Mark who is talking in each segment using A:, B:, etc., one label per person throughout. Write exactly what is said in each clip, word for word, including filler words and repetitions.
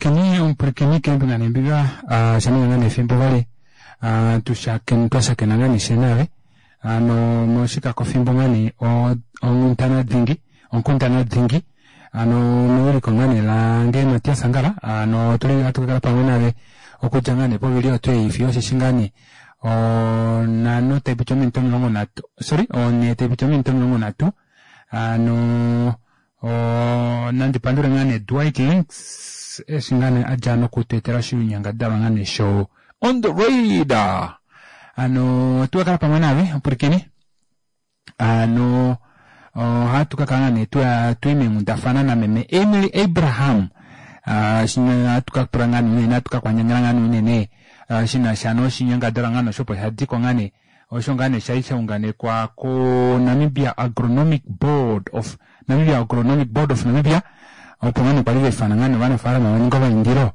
A: Omupwilikini omupwilikini keembinga neembinga oshaninga ngaa nee efimbo vali twashakena ngaa nee ishewe naave hano moshikako fimbo ngaa nee onghundana dingi onkundana dingi hano mewiliko ngaa nee lange Matias Angala hano otuli ohatu kakala pamwe naave okudja ngaa nee povili oyo tuu ei fiyo osheshi ngaa nee onhano taipiti ominute omilongo nhatu sorry onhee taipiti ominute omilongo nhatu hano oo nandi pandule ngaa nee Dwight Links eshi ngaa nee adja noku tweetela oshinyangadalwa ngaa nee sho on the radar hano ohatu kakala pamwe naave omupwilikini hano ohatu kakala ngaa nee tuli meenghundafana nameme Emily Abraham ohatu kapula ngaa nee unene ohatu kakwandjangela ngaa nee unene shinasha noshinyangadalwa ngaa nee osho opo shadiko ngaa nee osho ngaa nee shali shaunganekwa ko Namibia Agronomic Board of Namibia Agronomic Board of Namibia opo ngaa nee kwali vaifana ngaa nee ovanafalama vaninge omaindilo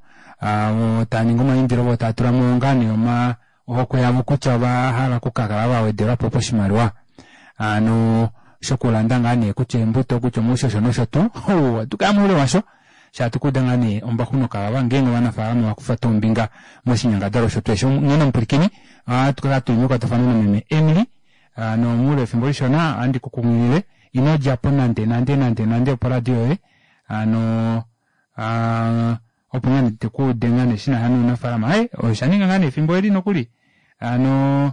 A: taaningi omaindilo voo taatulamo ngaa nee oma ohokwe yavo kutya ovahala okukakala vawedelwapo poshimaliwa hano shokulanda ngaa nee kutya eembuto kutya omaushosho nosho tuu ohatukaya moule washo shaashi hatukuuda ngaa nee ombaxu nokavava ngeenge ovanafalama ovakufa tuu ombinga moshinyangadalwa osho tuu osho onghene omupwilikini ohatu kakala tuli mekwatafano nameme Emily nomoule wefimbo lishona ohandi kukunghilile ino djapo nande nande nande nande oporadio yoye hano aa opo ngoo nee tukuude ngaa nee shinasha nounafalama aaye oshaninga ngaa nee efimbo eli nokuli hano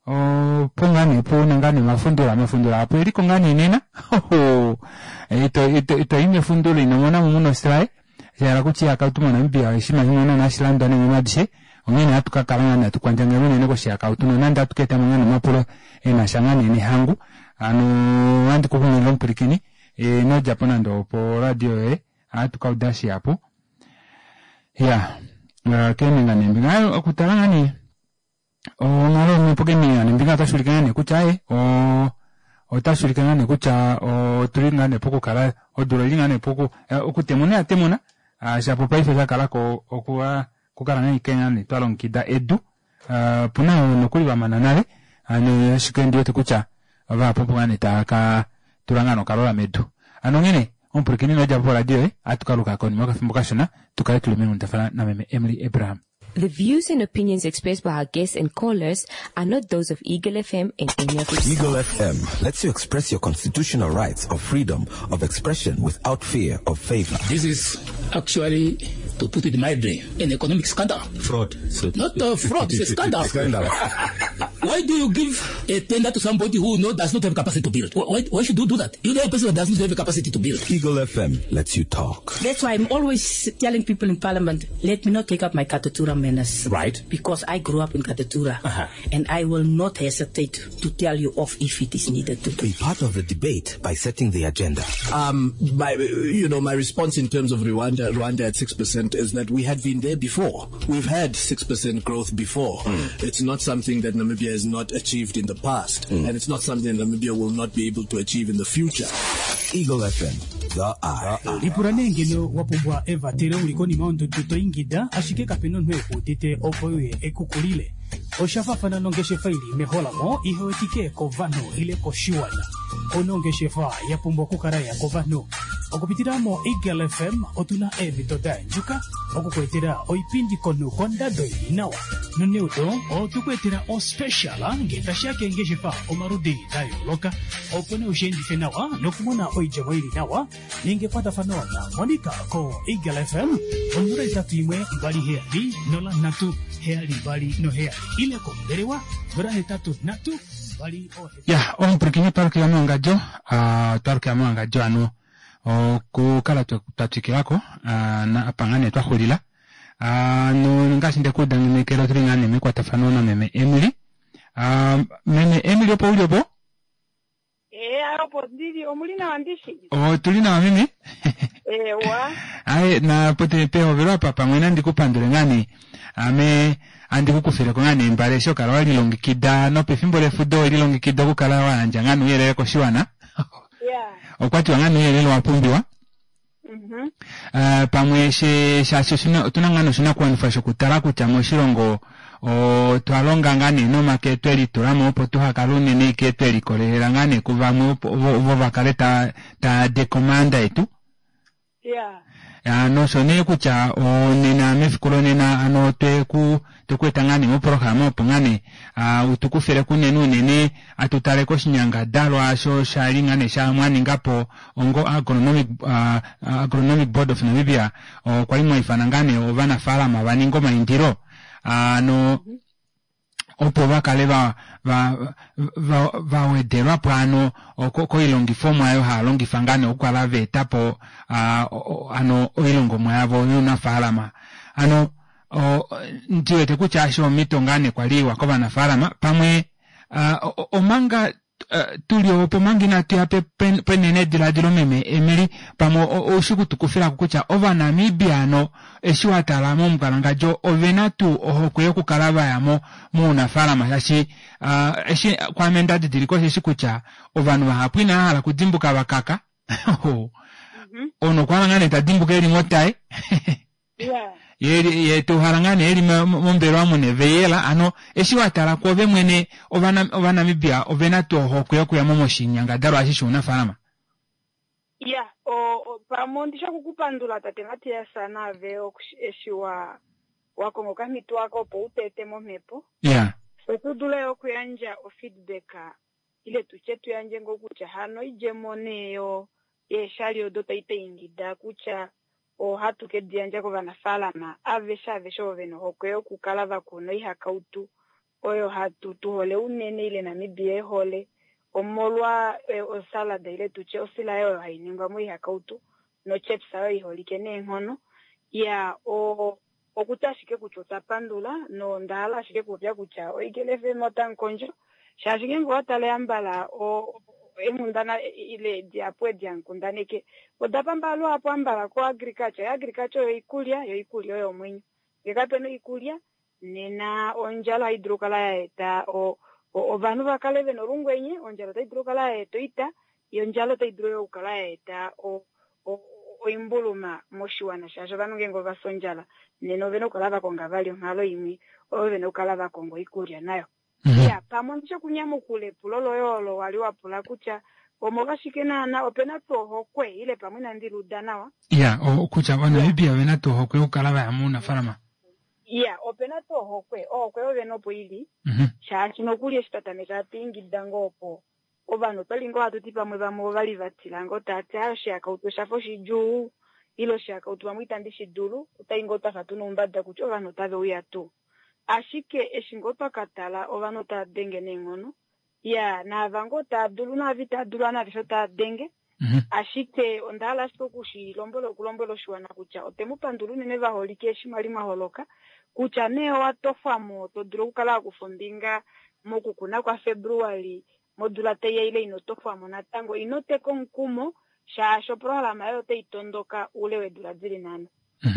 A: opo ngaa nee puna ngaa nee omafundula omafundula ahapu eliko ngaa nee nena ito ito itoyi mefundulo inomonamo muna osilaye shahala kutya oihakautu mo Namibia oshinima shimwe naana hashi landwa neenghono adishe onghene ohatu kakala ngaa nee hatu kwandjangele unene koshihakautu nonande ohatu kaetamo ngaa nee omapulo enasha ngaa nee nehangu hano ohandi kukunghilile omupwilikini inodjapo nande opo radio yoye ohatu kauda shihapu iyaa keembinga neembinga aaye okutala ngaa nee onghalo yomhepo keembinga neembinga otashuulike ngaa nee kutya aaye oo otashuulike ngaa nee kutya otuli ngaa nee pokukala odula oili ngaa nee poku okutemuna oyatemuna shapo paife shakalako okukala ngaa nee twalongekida edu opuna ovo nokuli vamana nale hano ashike ondiwete kutya vahapu opo ngaa nee taaka tula ngaa nee okalola medu hano onghene omupwilikini inodjapo poradio yoye ohatu kaluka konima yokafimbo kashona tukale tuli meenghundafana nameme Emily Abraham.
B: The views and opinions expressed by our guests and callers are not those of Eagle F M and any of its
C: Eagle
B: staff.
C: F M lets you express your constitutional rights of freedom of expression without fear of favor.
D: This is actually, to put it mildly, an economic scandal.
E: Fraud. So
D: Not a fraud, it's a scandal.
C: Scandal.
D: Why do you give a tender to somebody who no, does not have capacity to build? Why, why should you do that? You know a person that does not have the capacity to build.
C: Eagle F M lets you talk.
F: That's why I'm always telling people in Parliament, let me not take up my Katutura manners.
E: Right.
F: Because I grew up in Katutura.
E: Uh-huh.
F: And I will not hesitate to tell you off if it is needed to.
C: Be part of the debate by setting the agenda.
G: Um, my, you know, my response in terms of Rwanda, Rwanda at six percent is that we had been there before. We've had six percent growth before.
C: Mm.
G: It's not something that Namibia has not achieved in the past.
C: Mm.
G: And it's not something that Namibia will not be able to achieve in the future.
C: Eagle F M, the eye.
H: Lipula nee ngeno wa pumbwa evatelo uli konima yondudu to ingida, ashike kapena omunhu ekuudite opo uye ekukulile. Osha faafana nongeshefa ili meholamo ihewetike kovanhu ile koshiwana. Onongeshefa ya pumbwa okukala ya kovanhu. Okupitila mo Eagle F M otuna eemhito da endjuka okukuetela oipindi komunhu kondado ili nawa. Noneudo otukuetela ospecial ngee tashiya keengeshefa omaludi da yooloka opo nee ushiendife nawa nokumona oidjemo ili nawa ninga ekwatafano na Monica ko Eagle F M onola itatu imwe mbali heyali nola nhatu heyali mbali noheyali ile kombelewa nola hetatu nhatu mbali ohetatu.
A: Ya, omupwilikini twalukila mowangadjo, twalukila mowangadjo ano okukala twa twikilako apa ngaa nee twaxulila no ngaashi ndekuudanekela otuli ngaa nee mekwatafano nameme Emily. Meme Emily opo uli opo?
I: Eh, opo ndili, omuli nawa ndishi?
A: Otuli nawa meme.
I: Ewa.
A: Aye, na pote pehovelo apa pamwe nandi kupandule ngaa nee ame andi kukufileko ngaa nee mbale eshi okala walilongekida nopefimbo lefudo welilongekida okukala wayandja ngaa nouyelele koshiwana.
I: Yeah.
A: Okwatiwa ngaa nouyelele wa pumbiwa.
I: Mhm.
A: Uh, pamwe she shaashi oshina otuna ngaa noshinakuwanifwa shokutala kutya moshilongo otwa longa ngaa nee nomake twelitulamo opo tuhakale unene ike twelikolelela ngaa nee kuvamwe opo vo vakale ta ta dekomanda yetu.
I: Ya.
A: Nosho nee kutya onena mefiku lonena ano tweku tweku eta ngaa nee moprograma opo ngaa nee utukufile kunene unene atutale koshinyangadalwa osho shali ngaa nee mwaningapo ongo agronomic, uh, agronomic board of Namibia okwali mwaifana ngaa nee ovanafalama vaninge omaindilo ano opo vakale va va va vawedelwapo ano koilongifomwa oyo haya longifa ngaa nee okukala vaetapo ano oilongomwa yavo younafaalama ano ndiwete kutya eshi omhito ngaa nee kwali iwa kovanafaalama pamwe omanga tuli opo manga inatuya penenediladilo meme Emily pamwe oushi kutukufilako kutya ovanamibia ano eshi watala momukwalangandjo ovena tuu ohokwe yokukala vayamo mounafalama shaashi eshi kwaame ndadidilika osheshi kutya ovanhu vahapu inavahala okudimbuka vakaka omunhu okwahala ngaa nee tadimbuka eli motaye ye tuhala ngaa nee eli mombelewa muna eveyela ano eshi watala kwoove mwene ovanamibia ovena tuu ohokwe yokuyamo moshinyangadalwa eshi shounafalama?
I: Ya, pamwe ondisha okukupandula tate Matias naave eshi wa wakonga okamhito ako opo utete momhepo.
A: Ya.
I: So tudule okuyandja ofeedback ile tutye tuyandje ngoo kutya hano idjemo nee yo yeeshali odo taitaingida kutya ohatu ke diyandja kovanafaalama aveshe aveshe ovo vena ohokwe yokukala vakuna oihakautu oyo hatu tuhole unene ile Namibia ehole omolwa osalada ile tutye osilaye oyo hai ningwa moihakautu nochips oyo iholike neenghono. Ya, okuti ashike kutya otwa pandula nondahala ashike kupopya kutya oEagle F M otamukondjo shaashi ngeenge owatala yambala enghundana ile dihapu edi hankundaneke oda pamba luhapu ambala ko agriculture. Agriculture oyo iikulya, yo iikulya oyo omwenyo. Ngee kapena oikulya nena ondjala ohayi dulu okukala ya eta ovanhu vakale vena olungwenye, ondjala otayi dulu okukala ya eta oita, yo ondjala otayi dulu okukala ya eta oimbuluma moshiwana shaashi ovanhu ngeenge ovafya ondjala nena ovena okukala vakonga vali onghalo imwe oyo vena okukala vakonga oikulya nayo. Ya, pamwe ondisha okunyamukula epulo loye olo wali wapula kutya omolwashike naana opena tuu ohokwe ile pamwe inandi luda nawa.
A: Ya, kutya ovaNamibia ovena tuu ohokwe yokukala vaya mounafalama.
I: Ya, opena tuu ohokwe, ohokwe yovene opo ili shaashi nokuli eshi twa tameka hatu ingida ngoo opo ovanhu otwali ngoo hatu ti pamwe vamwe ovali vatila ngoo taati aaye oshihakautu oshafa oshidjuu ile oshihakautu pamwe itandi shi dulu, otai ngoo twafa tuna oumbada kutya ovanhu otave uya tuu. Ashike eshi ngoo twakatala ovanhu otava denge neenghono, ya naava ngoo tava dulu naava itava dulu aveshe otava denge. Ashike onda hala ashike okushilombwela okulombwela oshiwana kutya otemu pandula unene vaholike eshi mwali mwaholoka kutya nee owatofwamo to dulu okukala wakufa ombinga mokukuna kwa February modula taiya ile ino tofwamo natango ino teka omukumo shaashi oprograma yoye otai tondoka oule weedula dili nhano.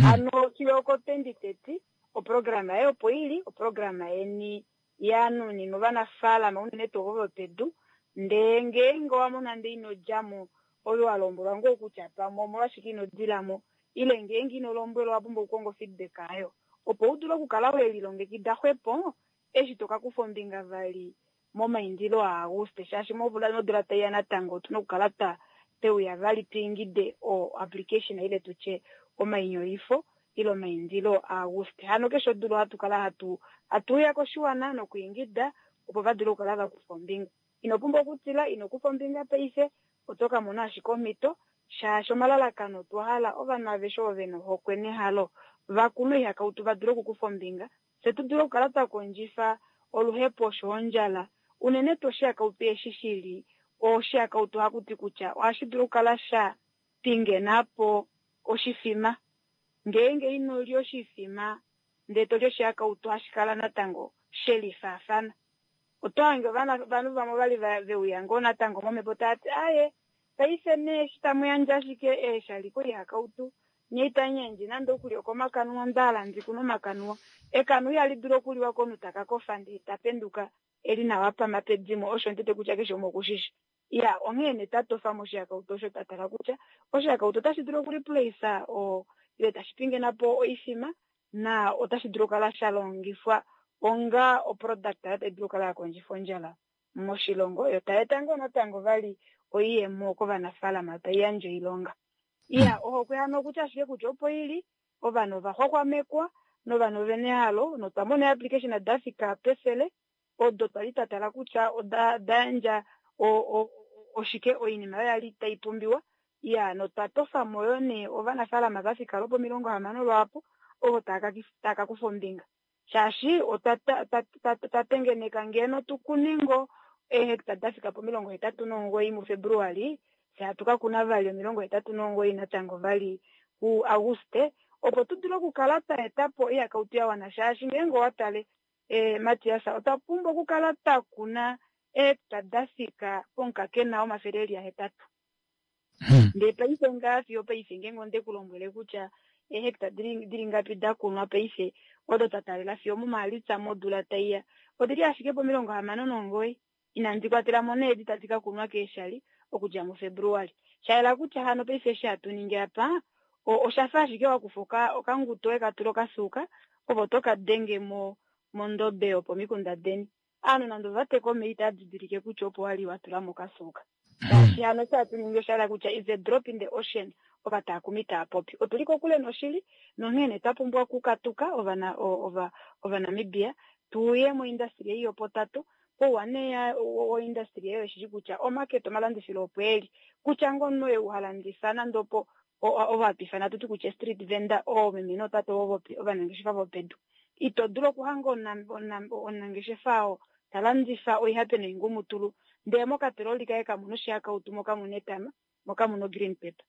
I: Hano fiyo oko twenty thirty oprograma yoye opo ili, oprograma yeni yanuninwa ovanafaalama unene tuu ovo vopedu, ndee ngeenge owamona ndee ino djamo ove walombwelwa ngoo kutya pamwe omolwashike ino dilamo ile ngeenge ino lombwelwa owapumbwa okukonga ofeedback ayo opo udule okukala welilongekida xwepo eshi tokakufa ombinga vali momaindilo aAguste shaashi modula taiya natango otuna okukala twa teuya vali twiingide o application ile tutye omainyoifo ile omaindilo aAguste. Hano keshe odula ohatu kala hatu hatuuya koshiwana nokuingida opo vadule okukala vakufa ombinga. Ino pumbwa okutila, ino kufa ombinga paife, oto ka mona ashike omhito shaashi omalalakano otwa hala ovanhu aveshe ovo vena ohokwe nehalo vakune oihakautu vadule okukufa ombinga, fye tu dule okukala twa kondjifa oluhepo osho ondjala unene tuu oshihakautu eshi shili oshihakautu hakuti kutya ohashi dulu okukala sha pingenapo oshifima. Ngeenge ino lya oshifima ndee toli oshihakautu ohashi kala natango shelifaafana. Oto hange ovanhu vamwe ovali veuya ngoo natango momhepo taati aaye paife nee eshi tamu yandje ashike eeshali koihakautu nye itamu yandje nande okulya okomakanuwa, onda hala ndi kune omakanuwa. Ekanuwa ihali dulu okuliwa komunhu taka kofa ndee ta penduka eli nawa pama pedimo, osho nditete kutya keshe umwe okushishi. Ya, onghee nee tatofa moshihakautu osho twa tala kutya oshihakautu otashi dulu okureplace o ile tashi pingenapo oifima na otashi dulu okukala sha longifwa onga oproduct tayi dulu okukala ya kondjifa ondjala moshilongo, yo tai eta ngoo natango vali oiyemo kovanafaalama tai yandje oilonga. Iya, ohokwe hano okutya ashike kutya opo ili ovanhu ova xwaxwamekwa novanhu ovena ehalo notwa mona eapplication da fika pefele odo twali twa tala kutya oda da yandja oshike oinima oyo yali tai pumbiwa. Iya, notwa tofamo yo nee ovanafaalama va fika lwopomilongo hamano lwaapo ovo tava ka kufa ombinga. Shaashi otwa tengeneka ngeno tukune ngo eehecta da fika pomilongo hetatu nomugoyi muFebruali, fye hatu ka kuna vali omilongo hetatu nomugoyi natango vali kuAuguste, opo tu dule okukala twa eta po oihakautu ya wana. Shaashi ngeenge owa tale eh, Matias, otwa pumbwa okukala twa kuna eehecta da fika pomukakena womafele eli ahetatu. Ndee paife ngaa fiyo paife ngeenge onde ku lombwele kutya eehecta dili ngapi da kunwa paife odo twa talela fiyo muMaalitsa modula taiya odili ashike pomilongo hamano nomugoyi. Inandi kwatela mo needi tadi ka kunwa keeshali okudja muFebruali. Shayela kutya hano paife eshi hatu ningi apa oshafa ashike wakufa okanguto weka tula okasuka opo toka denge mo mondobe yopomikunda deni. Aanhu nande ova teka omeya itava didilike kutya opo wali wa tula mo okasuka. Shaashi hano eshi hatu ningi osha kutya is a drop in the ocean, ovataakumi tava popi. Otuli kokule noshili nonghene twa pumbwa okukatuka ovana ova Ovanamibia tuye moindustry ei yopotato. Pouwa nee woindustry eyo shili kutya omarket omalandifilo opo eli kutya ngono oye uhalandifa nande opo ovo hatu ifana tuti kutya street vendor oomeme nootate ovanangeshefa vopedu. Ito dulu okuhanga omunangeshefa oo ta landifa oihape noingumutulu ndele mokatololi kaye kamuna oshihakautu mo kamuna etama mo kamuna green pepper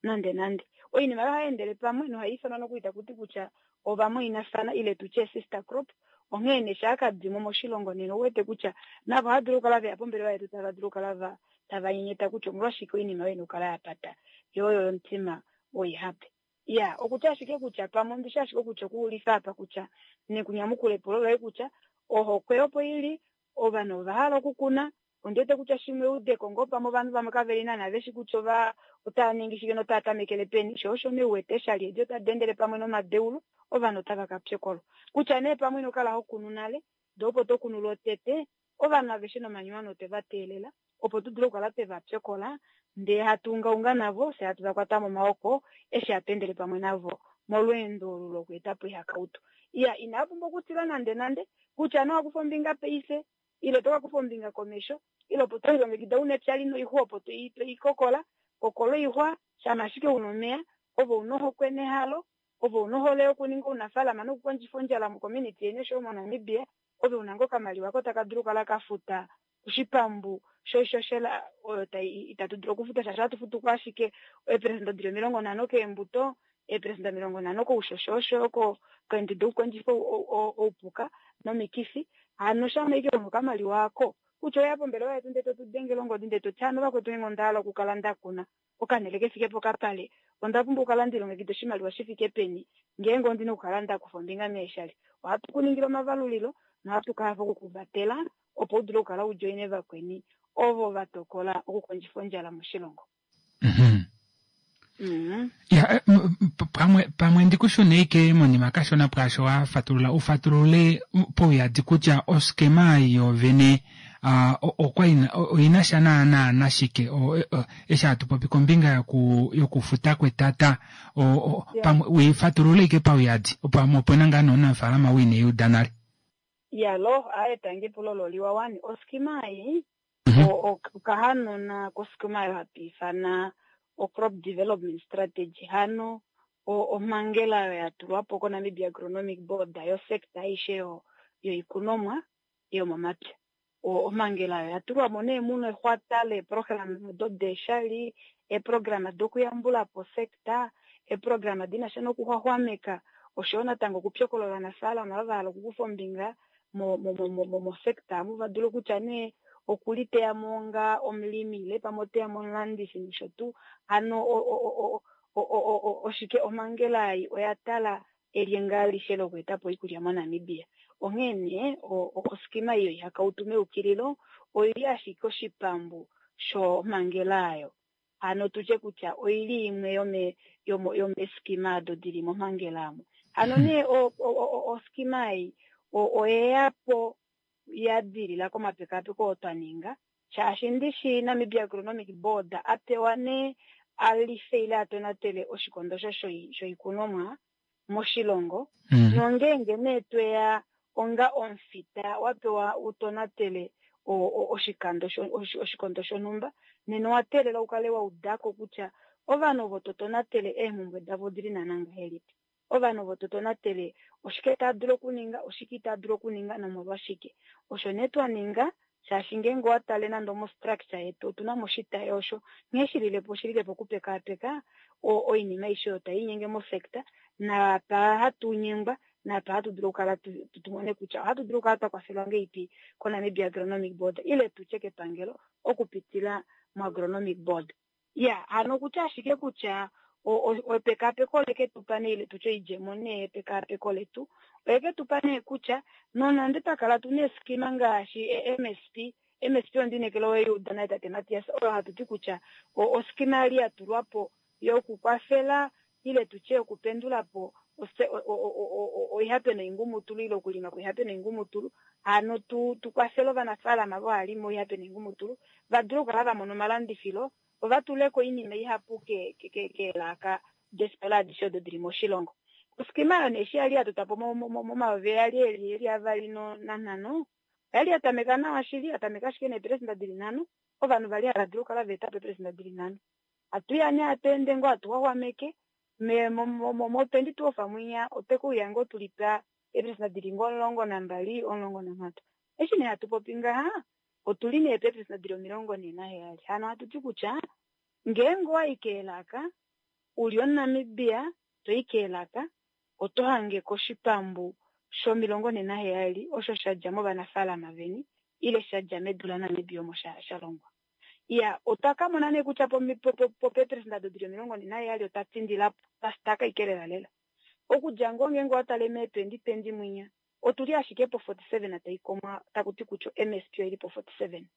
I: nande nande. Oinima oyo ohai endele pamwe nohai ifanwa nokuli taku ti kutya ovamwainafana ile tutye sister crop. Onghee nee shaakadimo moshilongo nena ouwete kutya navo ohava dulu okukala veya pombelewa yetu tava dulu okukala tava nyenyeta kutya omolwashike oinima oyo ina okukala ya pata yo oyo yomutima woihape. Ya, okutya ashike kutya pamwe ondishi ashike kutya okuulifa apa kutya nekunyamukula epulo loye kutya ohokwe opo ili ovanhu ova hala okukuna. Ondiwete kutya shimwe eudeko ngoo pamwe ovanhu vamwe kaveli naana veshi kutya ova otava ningi shike notava tamekele peni. Sho osho nee uwete eeshali edi otadi endele pamwe nomadeulo ovanhu otava ka pyokolwa. Kutya nee pamwe ino kala ho kunu nale ndee opo to kunu lwotete ovanhu aveshe nomanyuwano otwe va teelela opo tu dule okukala twe va pyokola ndee hatu ungaunga navo fye hatu va kwata momaoko eshi hatu endele pamwe navo molweendo olu lokweeta po oihakautu. Iya, inava pumbwa okutila nande nande kutya nee owakufa ombinga paife ile toka kufa ombinga komesho ile opo tolilongekida una epya lina oixwa opo toikokola kokola oixwa shama ashike una omeya ove una ohokwe nehalo ove una ohole yokuninga ounafaalama nokukondjifa ondjala mocommunity yeni oshoyo moNamibia ove una ngoo okamaliwa ko taka dulu okukala kafuta oshipambu shoishoshela oyo itatu dulu okufuta shaashi ohatu futu ko ashike eeperesenda dili omilongo nhano keembuto, eeperesenda omilongo nhano koushosho oshoyo keenduda dokukondjifa oupuka nomikifi. Hano shama ashike una okamaliwa ako kutya oweya pombelewa yetu ndee totu dengele ongodi ndee toti hano vakwetu ngeenge onda hala okukala ndakuna okanhele kefike pokapale onda pumbwa okukala ndilongekida oshimaliwa shifike peni ngeenge ondina okukala ndakufa ombinga meeshali. Ohatu kuningile omavalulilo nohatu ka hafa okukuvatela opo u dule okukala ujoine vakweni ovo va tokola okukondjifa ondjala moshilongo.
A: Ya, pamwe pamwe ndikushune ike monima kashona pwaasho wa fatulula ufatulule pauyadi kutya oskema yovene okwa oina sha naana nashike eshi hatu popi kombinga yoku yokufuta kwetata pamwe uifatulule ike pauyadi pamwe opena ngaa nomunafaalama wiineyuda nale.
I: Ya lo aetange epulo loliwa wani oskema ei okahanona koskema oyo hatu ifana o crop development strategy. Hano omhangela oyo ya tulwa po koNamibia Agronomic Board yo sector aishe yoikunomwa yomomapya. Omhangela oyo ya tulwa mo nee muno exwata leeprograma odo deeshali, eeprograma dokuyambula po sector, eeprograma dina sha nokuxwaxwameka oshoyo natango okupyokola ovanafaalama ava va hala okukufa ombinga mosector amu va dule kutya nee okuliteya mo nga omulimi ile pamwe oteya mo omulandifi nosho tuu. Hano oshike omhangela ei oya tala elyenga alishe lokweeta po oikulya moNamibia. Onghee nee oskema ei yoihakautu meukililo oili ashike oshipambu shomhangela ayo. Hano tutye kutya oili imwe yome yomeeskima ado dili momhangela amo. Hano nee oskema ei oyeya po ya dilila komapekapeko oo twa ninga shaashi ndishi Namibia Agronomic Board a pewa nee a life ile a tonatele oshikondo osho shoikunomwa moshilongo.
A: Mm.
I: Nongeenge nee tweya onga omufita wa pewa u tonatele oshikando oshikondo shonhumba, nena owa teelela u kale wa udako kutya ovanhu ovo to tonatele eemhumbwe davo odili naana ngahelipi. Ovanhu ovo to tonatele oshike taa dulu okuninga, oshike itaa dulu okuninga nomolwashike. Osho nee twa ninga, shaashi ngeenge owa tale nande omostructure yetu otuna mo oshitayi osho nghee shililepo oshililepo okupekaapeka oinima aishe oyo tai inyenge mosector, naapa hatu nyengwa naapa hatu dulu okukala tumone kutya ohatu dulu okukala twa kwafelwa ngeipi koNamibia Agronomic Board ile tutye kepangelo okupitila moAgronomic Board. Ya, hano okutya ashike kutya epekaapeko oleke tupa nee ile tutye oidjemo nee yepekaapeko letu oyeke tupa nee kutya nonande twa kala tuna eeskima ngaashi MSP, MSP ondinekela owe naye tate Matias, oyo hatu ti kutya oskima yali ya tulwa po yokukwafela ile tutye okupendula po oihape noingumutulu ile okulima kwoihape noingumutulu, hano tu tukwafele ovanafaalama vo halima oihape noingumutulu va dule okukala va mona omalandifilo vo va tuleko oinima ihapu keelaka deefitola adishe odo dili moshilongo. Oskima oyo nee eshi yali ya totwa po momayovi ayali eli avali nanhano, oyali ya tameka nawa shili, ya tameka ashike neepelesenda dili nhano, ovanhu vali hava dulu okukala va eta po eepelesenda dili nhano. Hatuya nee hatu ende ngoo hatu xwaxwameke mo twenty twelve mwinya otwe kuuya ngoo tulipa eepelesenda dili ngoo omulongo nambali, omulongo nanhatu. Eshi nee hatu popi ngaha, otuli nee peepelesenda dili omilongo nhee naheyali. Hano hatu ti kutya ngeenge owayi keelaka uli omuNamibia toyi keelaka oto hange koshipambu shomilongo nhee naheyali osho shadja movanafaalama veni ile shadja medu laNamibia omo sha longwa. Ya, otwa ka mona nee kutya popeepelesenda odo dili omilongo nhee naheyali otwa tindilapo, twasitaka ike lela lela. Okudja ngoo ngeenge owa tale mee twenty twenty mwinya otuli ashike po forty seven taikomwa taku ti kutya MSP oili po forty seven.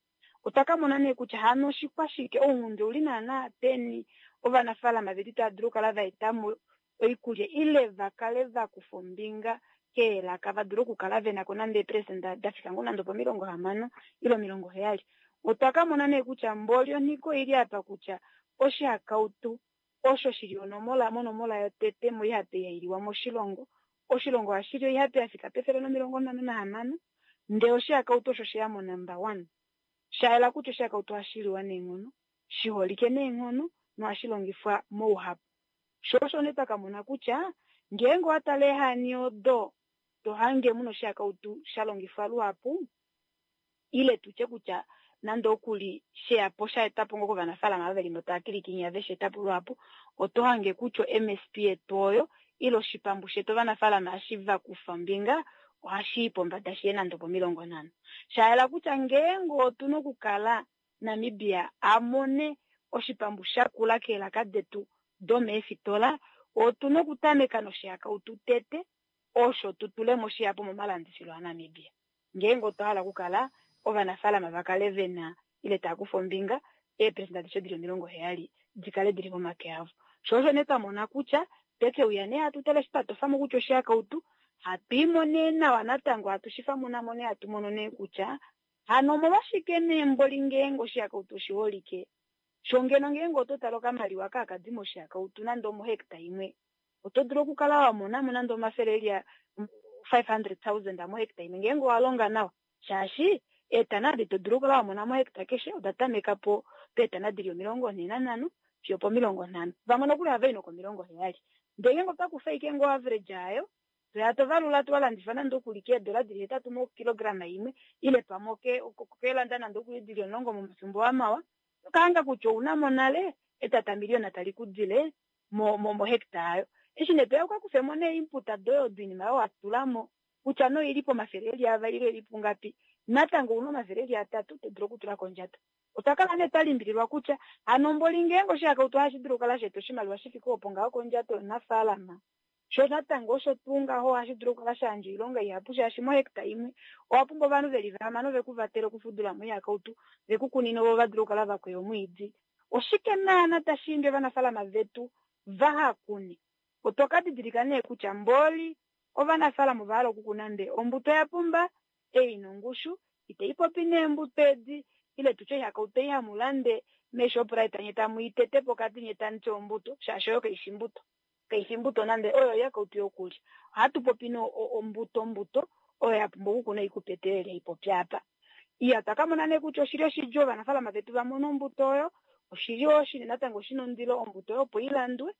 I: Otwa ka mona nee kutya hano oshikwashike ounghundi ouli naana peni ovanafaalama vetu tava dulu okukala va eta mo oikulya ile va kale va kufa ombinga keelaka va dule okukala vena ko nande eepelesenda da fika ngoo nande opomilongo hamano ile omilongo heyali. Otwa ka mona nee kutya mboli onhiko oili apa kutya oshihakautu osho shili onomola monomola yotete moihape yailiwa moshilongo. Oshilongo ohashi li oihape ya fika pefele nomilongo nhano nahamano, ndele oshihakautu osho sheya mo number one. Shayela kutya oshihakautu ohashi liwa neenghono, shiholike neenghono nohashi longifwa mouhapu. Sho osho nee twa ka mona kutya ngeenge owa tale eehani odo to hange muna oshihakautu sha longifwa luhapu, ile tutye kutya nande okuli sheyapo sha etapo ngoo kovanafaalama ava veli mo tava kilikinya ve shi etapo luhapu, oto hange kutya MSP yetu oyo ile oshipambu shetu ovanafaalama hashi va kufa ombinga ohashi i pombada shiye nande opomilongo nhano. Shayela kutya ngeenge otuna okukala Namibia a mone oshipambu shakula keelaka detu domeefitola, otuna okutameka noshihakautu tete osho tu tule mo shihapu momalandifilo aNamibia. Ngeenge otwa hala okukala ovanafaalama va kale vena ile tava kufa ombinga, eepelesenda adishe dili omilongo heyali di kale dili momake avo. Sho osho nee twa mona kutya tweke uya nee hatu tale eshi twa tofamo kutya oshihakautu hatu imo nee nawa natango hatu shi famunamo nee hatu mono nee kutya hano omolwashike nee mboli ngeenge oshihakautu oshiholike. Sho ngeno ngeenge oto tale okamaliwa kaakadi moshihakautu nande omohecta imwe, oto dulu okukala wa monamo nande omafele eli five hundred thousand mohecta imwe ngeenge owa longa nawa, shaashi eetana adi to dulu okukala wa mona mohecta keshe oda tameka po peetana dili omilongo nhee nanhano fiyo pomilongo nhano, vamwe nokuli ohava i nokomilongo heyali. Ndele ngeenge otwa kufa ashike ngoo average yayo, toya to valula to walandifa nande okuli keedola dili hetatu mokilograma imwe ile pamwe okelanda nande okuli dili omulongo momafimbo amawa, toka hanga kutya ouna mo nale etata miliona tali ku dile mohecta yayo. Eshi nee toya uka kufe mo nee input doye odo oinima oyo wa tula mo kutya no ili pomafele eli avali ile ili pungapi, natango ouna omafele eli atatu to dulu okutula kondjato. Otwa kala nee twa limbililwa kutya hano mboli ngeenge oshihakautu ohashi dulu okukala sheeta oshimaliwa shi fike opo ngaho kondjato yomunafaalama, sho natango osho tuu ngaho ohashi dulu okukala sha yandja oilonga ihapu, shaashi mohecta imwe owa pumbwa ovanhu veli vahamano ve ku vatele okufudula mo oihakautu, ve ku kunine vo va dule okukala va kweya omwiidi. Oshike naana tashi imbi ovanafaalama vetu vaha kune? Otwa ka didilika nee kutya mboli ovanafaalama ova hala okukuna ndee ombuto ya pumba, ei ina ongushu, itai popi neembuto edi, ile tutye oihakautu ei hamu lande meShoprite nye tamu i tete pokati nye tamu ti ombuto, shaashi oyo kaifi mbuto. Kaifi mbuto nande oyo yakautu yokulya. Ohatu popi no ombuto mbuto oyo ya pumbwa okukuna ikupetelele ipopi apa. Iya takamona nee kutya oshili oshidjuu ovanafaalama vetu va mone ombuto oyo, oshili oshine natango shina ondilo ombuto oyo opo ilandwe.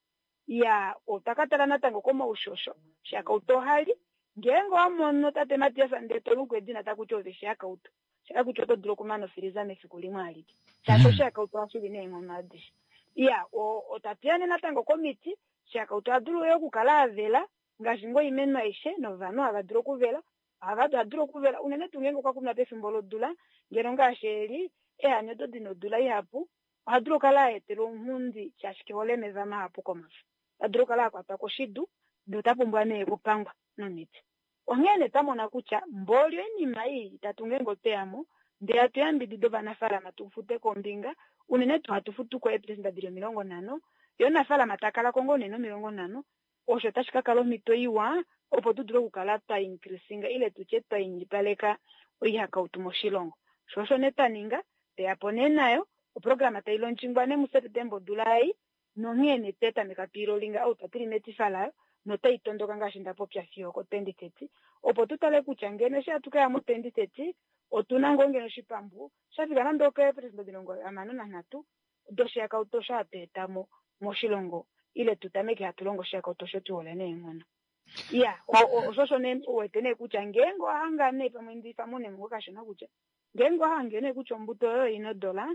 I: Ya otakatala natango komaushosho shakauto ohali ngeenge owamono tate Matias ndee toluku edina takuti ove shakauto shaka kutya oto dulu okumana ofiliza mefiku limwe alike shaashi oshakauto ohashi li neenghono adishe. Ya otatuyane natango komiti shakauto ohadulu yo okukala avela ngaashi ngoo oimeno aishe novanhu hava dulu okuvela ohava dulu okuvela unene tuu ngeenge okwa kunwa pefimbo lodula ngeno ngaashi eli ehani odo dina odula ihapu ohadulu okukala aetela ounghundi shaashi kehole omeva mahapu komafo. Ohadulu okukala akwatwa koshidu ndee ota pumbwa nee okupangwa nomiti. Onghee nee twamona kutya mboli oinima ei itatu ngeenge otweyamo ndee hatu yambidida ovanafaalama tu fute kombinga unene tuu hatu futu ko eepresenda dili omilongo nhano ye omunafaalama takala ko ngoo nee nomilongo nhano osho tashi ka kala omhito iwa opo tu dule okukala twa increasinga ile tutye twa indjipaleka oihakautu moshilongo. Sho osho nee twa ninga tweyapo nee nayo oprograma tai launchingwa nee muSeptemba odula ei nonghee nee twetameka twiilolinga out tuli metifa layo notai tondoka ngaashi nda popya fiyo oko twenty thirty opo tu tale kutya ngeno eshi hatu kaya mu twenty thirty otuna ngoo ngeno oshipambu shafika nande okeepresenda omilongo hamano nanhatu doshihakautu osho hatu eta mo moshilongo ile tu tameke hatu longo oshihakautu osho tuhole neenghono. Ya osho osho nee uwete nee kutya ngeenge owahanga nee pamwe ndifamune mo kashona kutya ngeenge owahange nee kutya ombuto oyo ina odola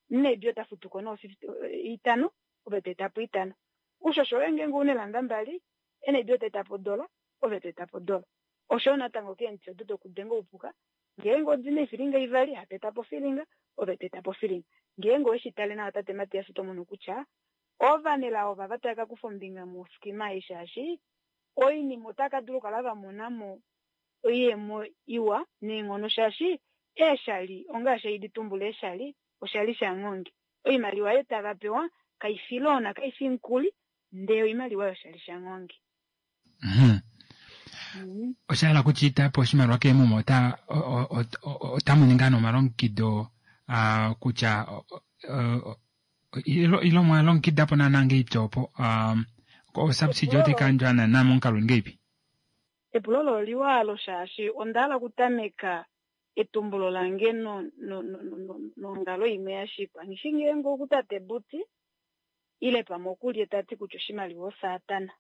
I: nebi ota futuko no fifty itano ove to eta po itano ushosho woye ngeenge una eelanda mbali enebi ota eta po odola ove to eta po odola. Osho natango keemiti odo dokudenga oupuka ngeenge odina eefilinga ivali hatu eta po ofilinga ove to eta po ofilinga. Ngeenge oweshi tale nawa tate Matias oto mono kutya ovanelao ova tava ka kufa ombinga moskima ei shaashi oinima otaka dulu okukala va mona mo oiyemo iwa neenghono shaashi eeshali ongaashi haidi tumbula eeshali oshali shanghonge oimaliwa oyo tava pewa kaifi loan kaifi mukuli ndee oimaliwa yoshali shanghonge.
A: Osha hala kutya itapo oshimaliwa keemuma ota otamu ninga nomalongekido kutya ilo mwalongekida po naana ngeipi opo osubsidy otai kayandjwa naana momukalo ngeipi?
I: Epulo olo oliwa alo shaashi onda hala okutameka etumbulo lange nongalo imwe yashikwa nghishi ngeenge okutate Buti ile pamwe okulye tati kutya oshimaliwa osatana.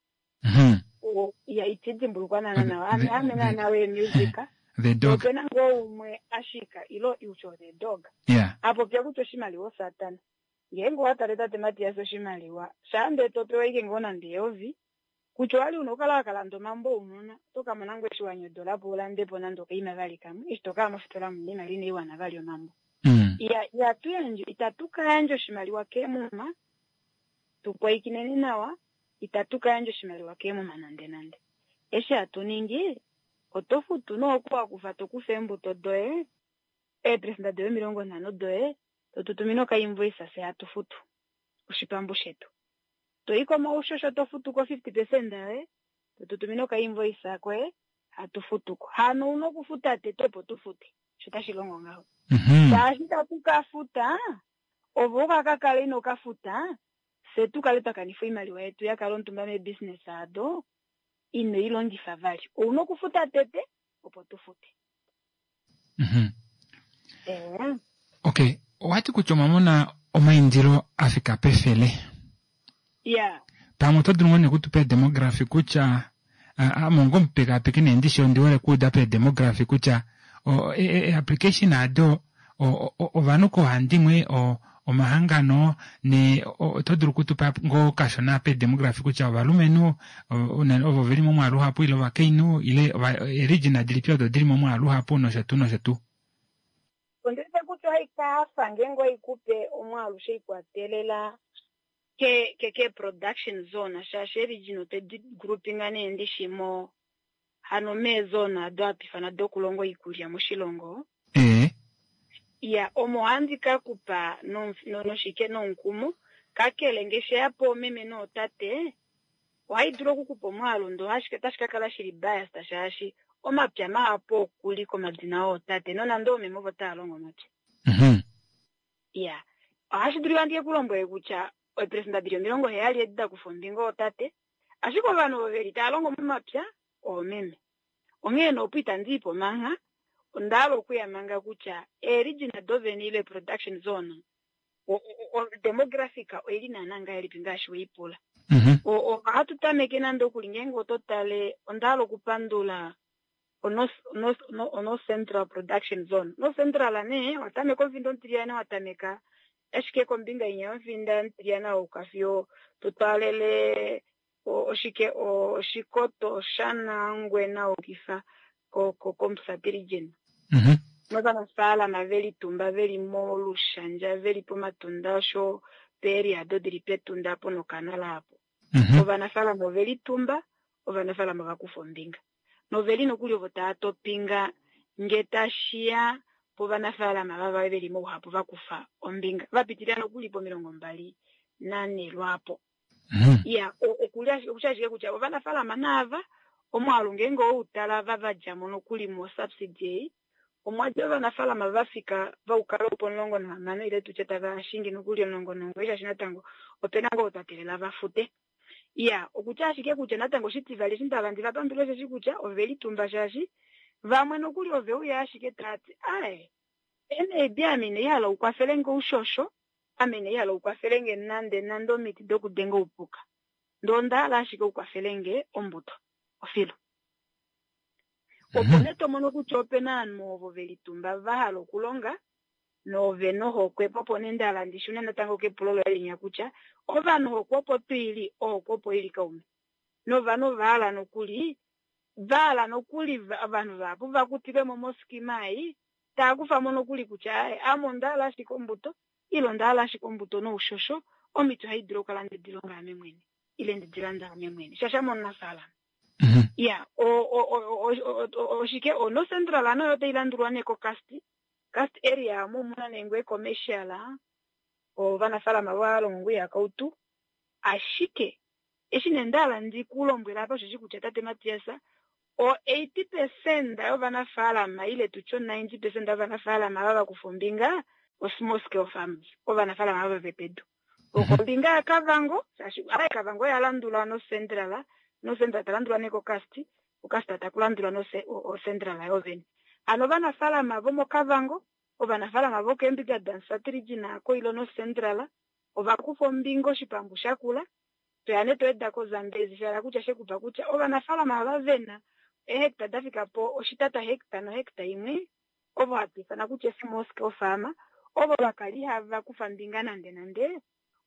I: Ya iti dimbulukwa naana nawa ame naana we music
A: the dog
I: opena ngoo umwe ashika ilo iusho the dog
A: yeah
I: apopya kutya oshimaliwa osatana. Ngeenge owatale tate Matias oshimaliwa shaande topewa ike ngoo nande eyovi kutya owali una okukala wakalanda omambo ounona oto kamona ngoo eshi wanyodola po ulandepo nande okaima vali kamwe eshi tokaya mofitola muna oimaliwa inaiwana vali omambo. Ihatu yandje itatu kayandja oshimaliwa keemuma tupwiikineni nawa itatu kayandja oshimaliwa keemuma nande nande. Eshi hatu ningi oto futu nooku wakufa tokufa eembuto doye eepresenda doye omilongo nhano doye totutumine okainvoice fye hatu futu oshipambu shetu. Toyi komaushosho to futuko fifty percent yoye totutumine okainvoice koye hatu futuko. Hano una okufuta tete opo tu fute sho tashi longo ngaho. Shaashi itatu ka futa ovo okakakala ino kafuta fye tu kale twa kanifa oimaliwa yetu ya kala omutumba meebusiness ado ino i longifa vali. Ouna okufuta tete opo tu fute.
A: Okay, owati kutya omwamona omaindilo afika pefele.
I: Yeah.
A: Pamwe oto dulu ngoo nee okutupa edemography kutya ame onga omupekapeki nee ndishi ondi hole okuuda pedemography kutya application ado ovanhu koohandimwe omahangano ne oto dulu okutupa ngoo kashona pedemography kutya ovalumenhu ovo veli momwaalu uhapu ile ovakainhu ile eeregion dilipi odo dili momwaalu uhapu nosho tuu nosho tuu.
I: Ondiwete kutya ohai kafa ngeenge oikupe omwaalu sheikwatelela ke ke ke production zone shaashi region otedi groupinga nee ndishi mo hano meezone ado hatu ifana dokulonga oikulya moshilongo.
A: Eh.
I: Ya omo ohandi ka kupa noshike nomukumo kakele ngeshi yapo meme nootate ohai dulu okukupa omwaalu ndo ashike otashi ka kala shili biased shaashi omapya mahapu okuli komadina ootate nonande oomeme ovo tava longo omapya. Ya Ohashi dulika ndike ku lombwele kutya eeperesenda dili omilongo heyali edi da kufa ombinga ootate, ashike ovanhu ovo veli tava longo momapya oomeme. Onghee nee opo itandi i po mangha, onda hala okuya manga kutya eerigina dovene ile production zone o demographic oili naana ngahelipi ngaashi weipula. Ohatu tameke nande okuli ngeenge oto tale, onda hala okupandula oNorth Central Production Zone. North Central nee watameka omufinda omutiliyane, watameka ashike kombinga inya yomufinda mutiliyane wauka fiyo totwaalele oshike Oshikoto, Oshana, Ongwena waukifa kOmusati region. Novanafaalama velitumba veli mOlushandja, veli pOmatunda osho peeria ado dili pEtunda apo nokanala apo. Ovanafaalama ovelitumba, ovanafaalama ovakufa ombinga. Noveli nokuli ovo tava topinga nge tashiya povanafaalama vava veli mouhapu vakufa ombinga. Vapitilila nokuli pomilongo mbali nanhe lwaapo. Iya, okutya ashike kutya ovanafaalama naava omwaalu ngeenge owoutala va vadjamo nokuli mo subsidy ei, omwadja ovanafaalama vafika vaukala opo omulongo nahamano ile tutye tava shingi nokuli omulongo nomugoyi, shaashi natango opena ngoo twa teelela vafute. Iya, okutya ashike kutya natango oshitivali eshi ndava ndi vapandule osheshi kutya ovelitumba, shaashi vamwe nokuli oveuya ashike taati ae N A B ame inai hala ukwafele nge oushosho, ame inai hala ukwafele nge nande nande omiti dokudenga oupuka, ndee onda hala ashike ukwafele nge ombuto ofilo. Opo nee tomono kutya opena ovanhu ovo velitumba vahala okulonga novena ohokwe. Po opo nee ndahala ndishune natango kepulo loye linya kutya ovanhu ohokwe opo twiili, ohokwe opo ili kaume, novanhu ovahala nokuli vahala nokuli ovanhu vahapu vakutilwemo moskima ei, tava kufamo nokuli kutya ae ame onda hala ashike ombuto ile onda hala ashike ombuto noushosho, omiti ohai dulu okukala ndedi longa ame mwene ile ndedi landa ame mwene, shaashi ame omunafaalama. Iya, oshike oNorth Central ano oyo tai landulwa nee koKasti Kasti area omo muna nee ngoo commercial, ovanafaalama valongo ngoo ihakautu. Ashike eshi nee ndahala ndikulombwela apa osheshi kutya tate Matias, o eighty percent yovanafaalama ile tutye o ninety percent yovanafaalama ava vakufa ombinga o small scale farmers, ovanafaalama ava vepedu. Okombinga yaKavango, shaashi Kavango oya landula North Central, North Central talandulwa nee koKasti, oKasti taku landulwa oCentral yovene. Hano ovanafaalama vomoKavango, ovanafaalama vokeembinga daMusati region ako ile North Central ovakufa ombinga oshipambu shakula. Toya nee toeda koZambezi, sha kutya shekupa kutya ovanafaalama ava vena eehecta dafika po oshitata hecta nohecta imwe, ovo hatu ifana kutya small scale farmer, ovo vakali hava kufa ombinga nande nande,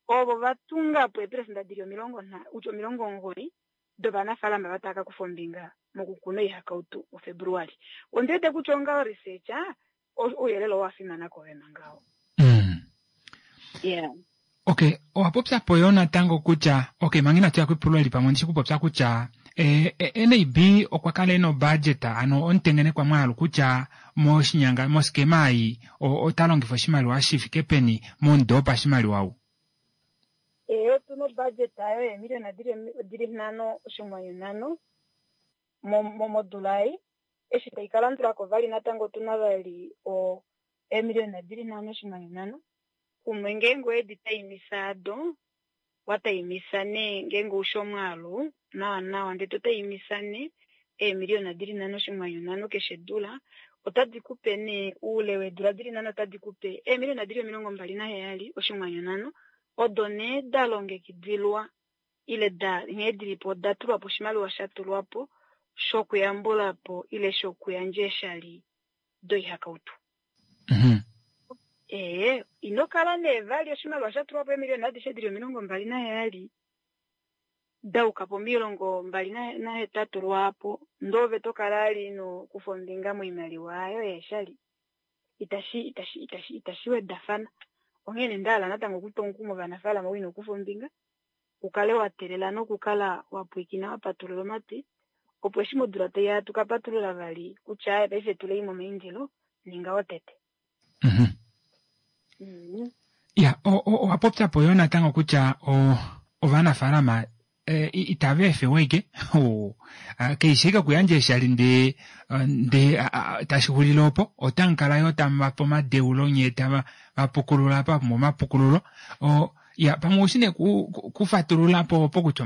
I: ovo vatunga po eeperesenda dili omilongo kutya omilongo omugoyi dovanafaalama vatava kakufa ombinga mokukuna oihakautu muFebruali. Ondiwete kutya onga researcher ouyelele owa fimana koove manga oo. Yeah.
A: Okay, owa popya po yo natango kutya okay, manga inatu ya kepulo eli pamwe ondishi kupopya kutya e, e, N A B okwa kala ena obudget, ano omutengenekwa mwaalu kutya moshinyanga moskema ei ota longifa oshimaliwa shi fike peni momudo wopashimaliwa ou.
I: Ee, otuna obudget ayo yeemiliyona dili nhano oshinghwanyu nhano modula ei. Eshi tai ka landulako vali natango otuna vali o eemiliyona dili nhano oshinghwanyu nhano kumwe. Ngeenge owedi taimisa ado wataimisa nee ngeenge ushi omwaalu nawa nawa ndee totaimisa nee eemiliyona dili nhano oshinghwanyu nhano keshe dula, otadi kupe nee oule weedula dili nhano, otadi kupe eemiliyona dili omilongo mbali naheyali oshinghwanyu nhano, odo nee da longekidilwa ile da nghee dilipo oda tulwa po oshimaliwa sha tulwa po shokuyambula po ile shokuyandja eeshali doihakautu. Ee, ino kala nee vali oshimaliwa sha tulwa po eemiliyona adishe dili omilongo mbali naheyali dauka pomilongo mbali nahetatu lwaapo, ndee ove tokala ali ino kufa ombinga moimaliwa ayo yeeshali, itashi itashi itashi itashi wedafana. Onghee nee ndahala natango okutwa omukumo ovanafaalama ou ino kufa ombinga ukale wa teelela nokukala wa pwiikina wa patulula omatwi, opo eshi modula taiya tuka patulula vali kutya aye paife tulei momaindilo, ninga wotete.
A: Ya, owa popya po yo natango kutya ovanafaalama Itava efewa ike keishi ike okuyandja eeshali ndee ndee tashi xulile opo otamukala yoo tamuvape omadeulo nyee tava vapukulula pa pumbwa omapukululo ya pamwe oushi nee kufatulula po opo kutya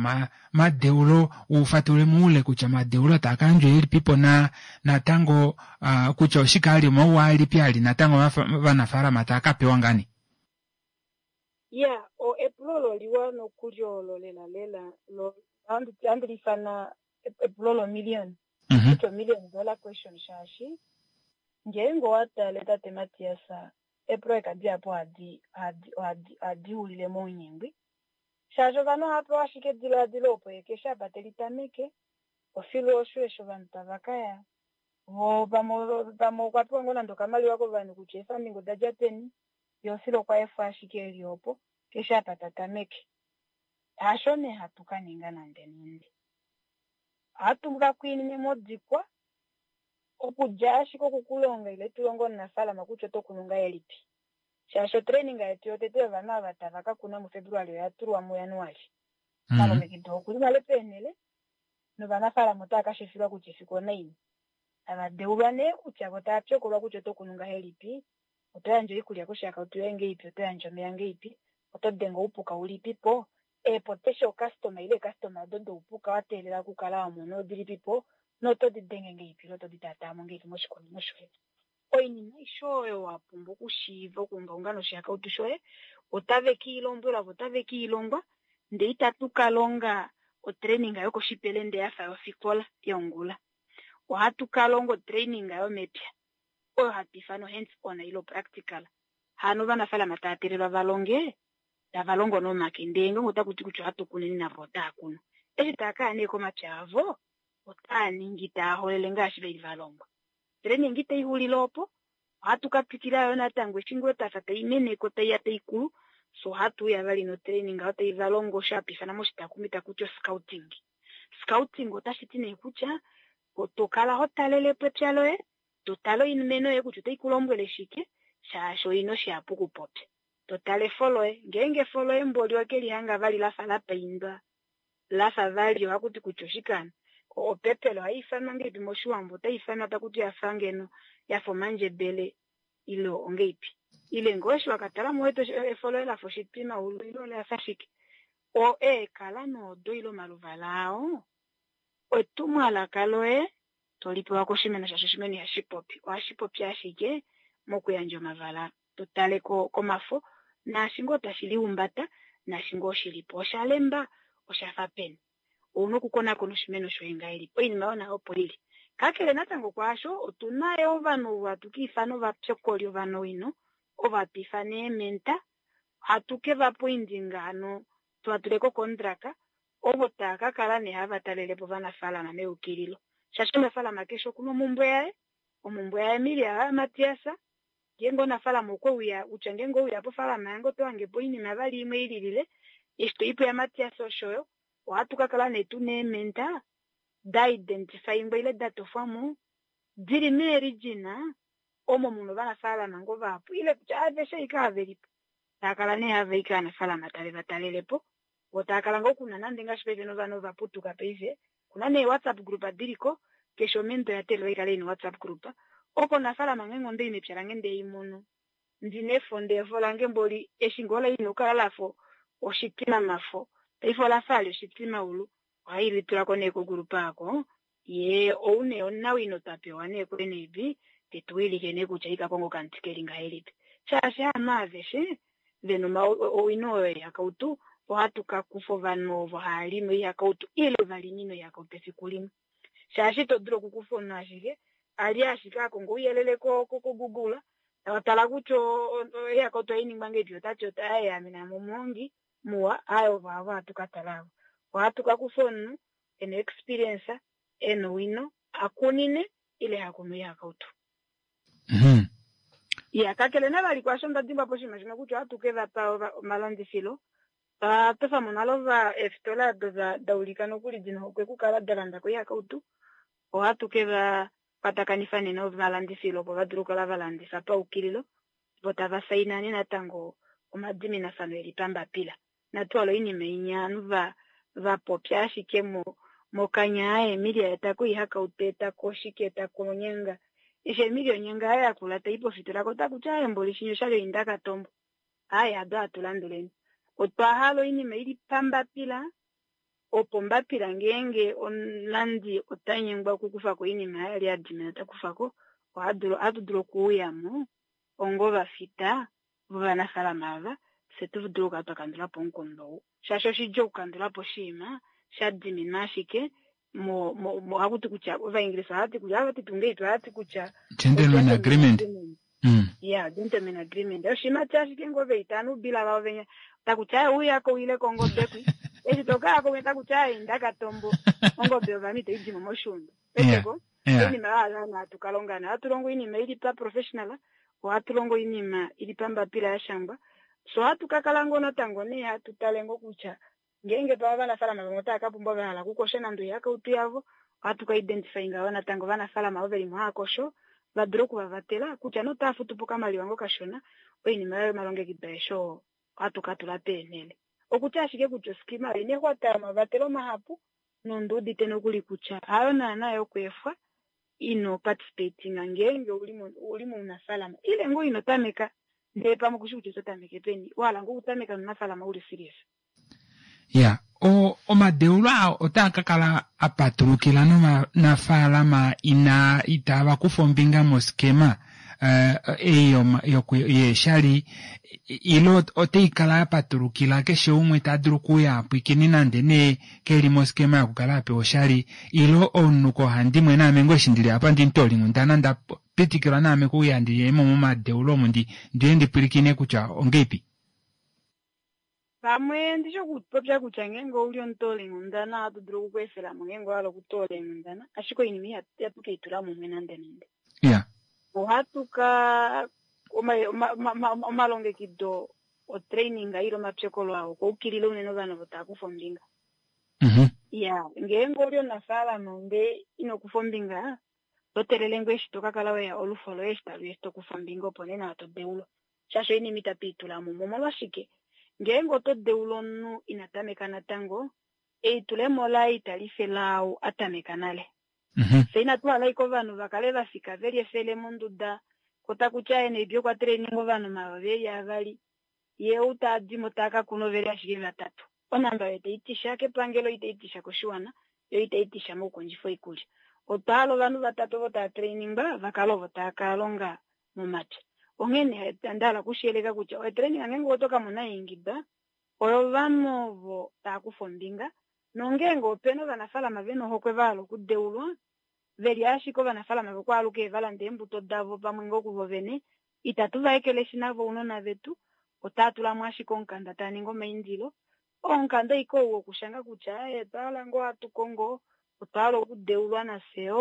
A: omadeulo ufatulule moule kutya omadeulo taa kayandjwa elipipo na natango kutya oshike ali omauwa alipi ali natango ovanafaalama taa kapewa ngani.
I: Ya o epulo loliwa nokuli olo lela lela lo ohandi liifana epulo lomillion kutya million dollar question shaashi ngeenge owatale tate Matias eeprojeka dihapu ohadi ohadi ohadi xulile mounyengwi shaashi ovanhu ohava pewa ashike edilaadilo opo keshe apa telitameke ofilu osho eshi ovanhu tava kaya vo pamwe pamwe okwa pewa ngoo nande okamaliwa kovanhu kutya eefunding odadja peni ye ofilu okwa efwa ashike eli opo keshe apa tatameke. Hasho nee hatu kaninga nande nande. Ohatu ka kwiinine modikwa okudja ashike okukulonga ile tulonge omunafaalama kutya oto kunu ngahelipi. Shaashi otraining yetu yotete yovanhu ava tava ka kuna muFebruali oya tulwa muJanuali. Malongekido okuli nale peenhele novanafaalama otava ka shifilwa kutya efiku onaini. Tava deulwa nee kutya vo tava pyokolwa kutya oto kunu ngahelipi, oto yandje oikulya koshihakautu yoye ngeipi, oto yandje omeya ngeipi, oto denge oupuka ulipipo, eepotesha ocustomer ile eecustoma odo doupuka wa teelela okukala wa mona odilipipo noto di denge ngeipi ile oto di taataamo ngeipi moshikunino shoye. Oinima aishe oyo wa pumbwa okushiiva okuungaunga noshihakautu shoye otave kiilombwelwa vo otave kiilongwa ndee itatu ka longa otraining yokoshipelende yafa yofikola yongula. Ohatu ka longa otraining yomepya oyo hatu ifana hands on ile practical. Hano ovanafaalama tava teelelwa va longe tava longo nomake ndee ngeenge otaku ti kutya ohatu kuneni navo otaa kunu. Eshi tava kaya nee komapya avo otaa ningi taa holele ngaashi veli va longwa. Training itai xulile opo ohatu ka twikila yo natango eshi ngoo tafa tai meneko taiya taikulu so ohatu uya vali notraining oyo tai valongo osho hatu ifana moshitakumi taku ti scouting. Scouting otashi ti nee kutya to kala ho talelepo epya loye to tale oimeno yoye kutya otai ku lombwele shike shaashi oina oshihapu okupopya. To tale efo loye ngeenge efo loye mboli okelihanga vali lafa lapaindwa lafa vali ohakuti kutya oshike opepele ohai ifanwa ngeipi moshiwambo otai ifanwa takuti yafa ngeno yafa omandjebele ile ongeipi ile ngoo eshi wakatala mo wete efo loye lafa oshitwimaulu ile olafa shike o eekala noodo ile omaluvala ao etumwalaka loye tolipewa koshimeno shaashi oshimeno ihashi popi ohashi popi ashike mokuyandja omavala to tale komafo naashi ngoo tashi lihumbata naashi ngoo shilipo osha lemba oshafa peni. Ouna okukonakona oshimeno shoye ngahelipi oinima oyo nayo opo ili. Kakele natango kwaasho otuna yo ovanhu ovo hatu ka ifana ovapyokoli ovanawino ovo hatu ifana eementa hatu ke va poindinga hano tuvatule kokondraka ovo tava ka kala nee hava talelepo ovanafaalama meyukililo. Shaashi omunafaalama keshe okuna omumbwe yaye, omumbwe yaEmilia yaMatias ngeenge omunafaalama okwe uya kutya ngeenge ouya pofaalama yange oto hangepo oinima vali imwe ililile eshi toipo yaMatias oshoyo ohatu ka kala nee tuna eementa da identifyingwa ile da tofwamo dili meerijina omo muna ovanafaalama ngoo vahapu ile kutya aveshe ashike ava velipo tava kala nee hava i kovanafaalama tave va talelepo vo tava kala ngoo kuna nande ngaashi paife novanhu ovaputuka paife kuna nee WhatsApp group diliko keshe omento oya teelelwa ikale ina WhatsApp group oko omunafaalama ngeenge ondai mepya lange ndee imono ndina efo ndee efo lange mboli eshi ngoo laina okukala lafa oshitwimamafo paife olafa ali oshitwimaulu ohai litulako nee kogroup aako ye ou nee omunawino twa pewa nee kuNAB tetuwilike nee kutya ika konga okamuti keli ngahelipi shaashi haanhu aveshe vena owino oyo yoihakautu ohatu ka kufa ovanhu ovo hava limi oihakautu ile valimi noihakautu efiku limwe shaashi ito dulu okukufa omunhu ashike ali ashike akonga ouyelele koGoogle tala kutya oihakautu ohai ningwa ngahelipi otati aye ame naame omuhongi muwa aye ovo avo hatu ka tala avo. Ohatu ka kufa omunhu ena experience ena owino akunine ile hakunu oihakautu. Ya kakele navali kwaasho nda dimbwa po oshinima shimwe kutya ohatu ke vapa omalandifilo twatofamo nale eefitola odo da ulika nokuli dina ohokwe okukala da landa ko oihakautu ohatu ke va kwatakanifa nee nomalandifilo opo va dule okukala va landifa paukililo vo tava saina nee natango omadiminafano eli pambapila. Inatu hala oinima inya ovanhu va va popya ashike mo mokanya aye Emilia etako ihakautu etako shike etako onyanga eshi Emilia onyanga yaye yakula tai pofitola ko takutya aye mboli shinyo oshali oinda katombo aye ado atulanduleni otwa hala oinima ili pambapila opo mbapila ngeenge omulandi ota nyengwa okukufako oinima yaye ali adimina takufako ohatu dulu okuuyamo ongovafita vovanafalama ava fye tu dulu okukala twakandulapo omukundu ou shaashi oshidjuu okukandulapo oshinima sha diminwa ashike mo mo hakuti kutya ovaingilisa ohati kutya havati tungeitu ohati kutya
A: gentleman agreement mm.
I: yeah gentleman agreement oshinima ti ashike ngoo veitana ubila vavo venya takutya uyako wile kongobe kwi eshi tokaya ko takutya inda katombo ongobe yovanhu itayi dimo moshuunda eteko oinima yaana hatu kalonga hatu longo oinima ili pa professional ohatu longo oinima ili pambapila ya shangwa so ohatu kakala ngoo natango nee hatu tale ngoo kutya ngeenge pava ovanafalama vamwe otava ka pumbwa va hala okukosha nande oihakautu yavo ohatu ka identifyinga yo natango ovanafalama ovo veli mo haya kosho va dule okuvavatela kutya notava futu po okamaliwa ngo kashona oinima yayo yomalongekido aeshe oo ohatu ka tula peenhele okutya ashike kutya oskima oina exwata yomavatelo mahapu nonduudite nokuli kutya hayo naana yokweefwa ino participatinga ngeenge uli mounafalama ile ngoo ino tameka ndee pamwe kushi kutya oto tameke peni wahala ngoo okutameka nounafalama uli serious.
A: Ya o omadeulo aa otaa ka kala a patulukila novanafaalama ina itava kufa ombinga moskema ei yeeshali ile otai kala ya patulukila keshe umwe ta dulu okuuya apwikine nande nee keli moskema yokukala apewa oshali ile omunhu kohandimwe naame ngoo eshi ndili apa ndimutoolinghundana nda pitikilwa naame kuuya ndiyemo momadeulo omu ndi ndiye ndipwilikine kutya ongeipi.
I: Pamwe ndishi okupopya kutya ngeenge ouli omutoolinghundana ohatu dulu okukweefelamo ngeenge owahala okutoola eenghundana ashike oinima ihatu keitula mumwe nande nande.
A: Ya
I: ohatu ka omalongekido otraining ile omapyokolo ao okwaukilila unene ovanhu ovo tava kufa ombinga. Ya ngeenge oli omunafaalama ndee ino kufa ombinga oto telele ngoo eshi toka kala weya olufo loye eshi taluya eshi tokufa ombinga opo nee nawa to deulwa shaashi oinima itatu itula mumwe. Omolwashike ngeenge oto deula omunhu ina tameka natango eitulemo laye itali fe laau a tameka nale. Fye inatu hala ashike ovanhu va kale va fika veli efele monduda ko takutya ye naibi okwa traininga ovanhu omayovi eli avali ye ou taadimo taa ka kuna oveli ashike vatatu onamba oyo itai tisha kepangelo itai tisha koshiwana yo itai tisha mokukondjifa oikulya. Otwa hala ovanhu vatatu ovo tava trainingwa va kale ovo tava ka longa momapya. Onghene onda hala okushiyeleka kutya otraining ngeenge oto ka mona eingida oyo ovanhu ovo tava kufa ombinga nongeenge opena ovanafalama vena ohokwe va hala okudeulwa veli ashike ovanafalama vokwaaluke va landa eembuto davo pamwe ngoo kuvo vene itatu va ekeleshi navo ounona vetu otaa tulamo ashike omukanda taa ningi omaindilo omukanda ashike ou wokushanga kutya aye otwa hala ngoo hatu kongo otwa hala okudeulwa nafye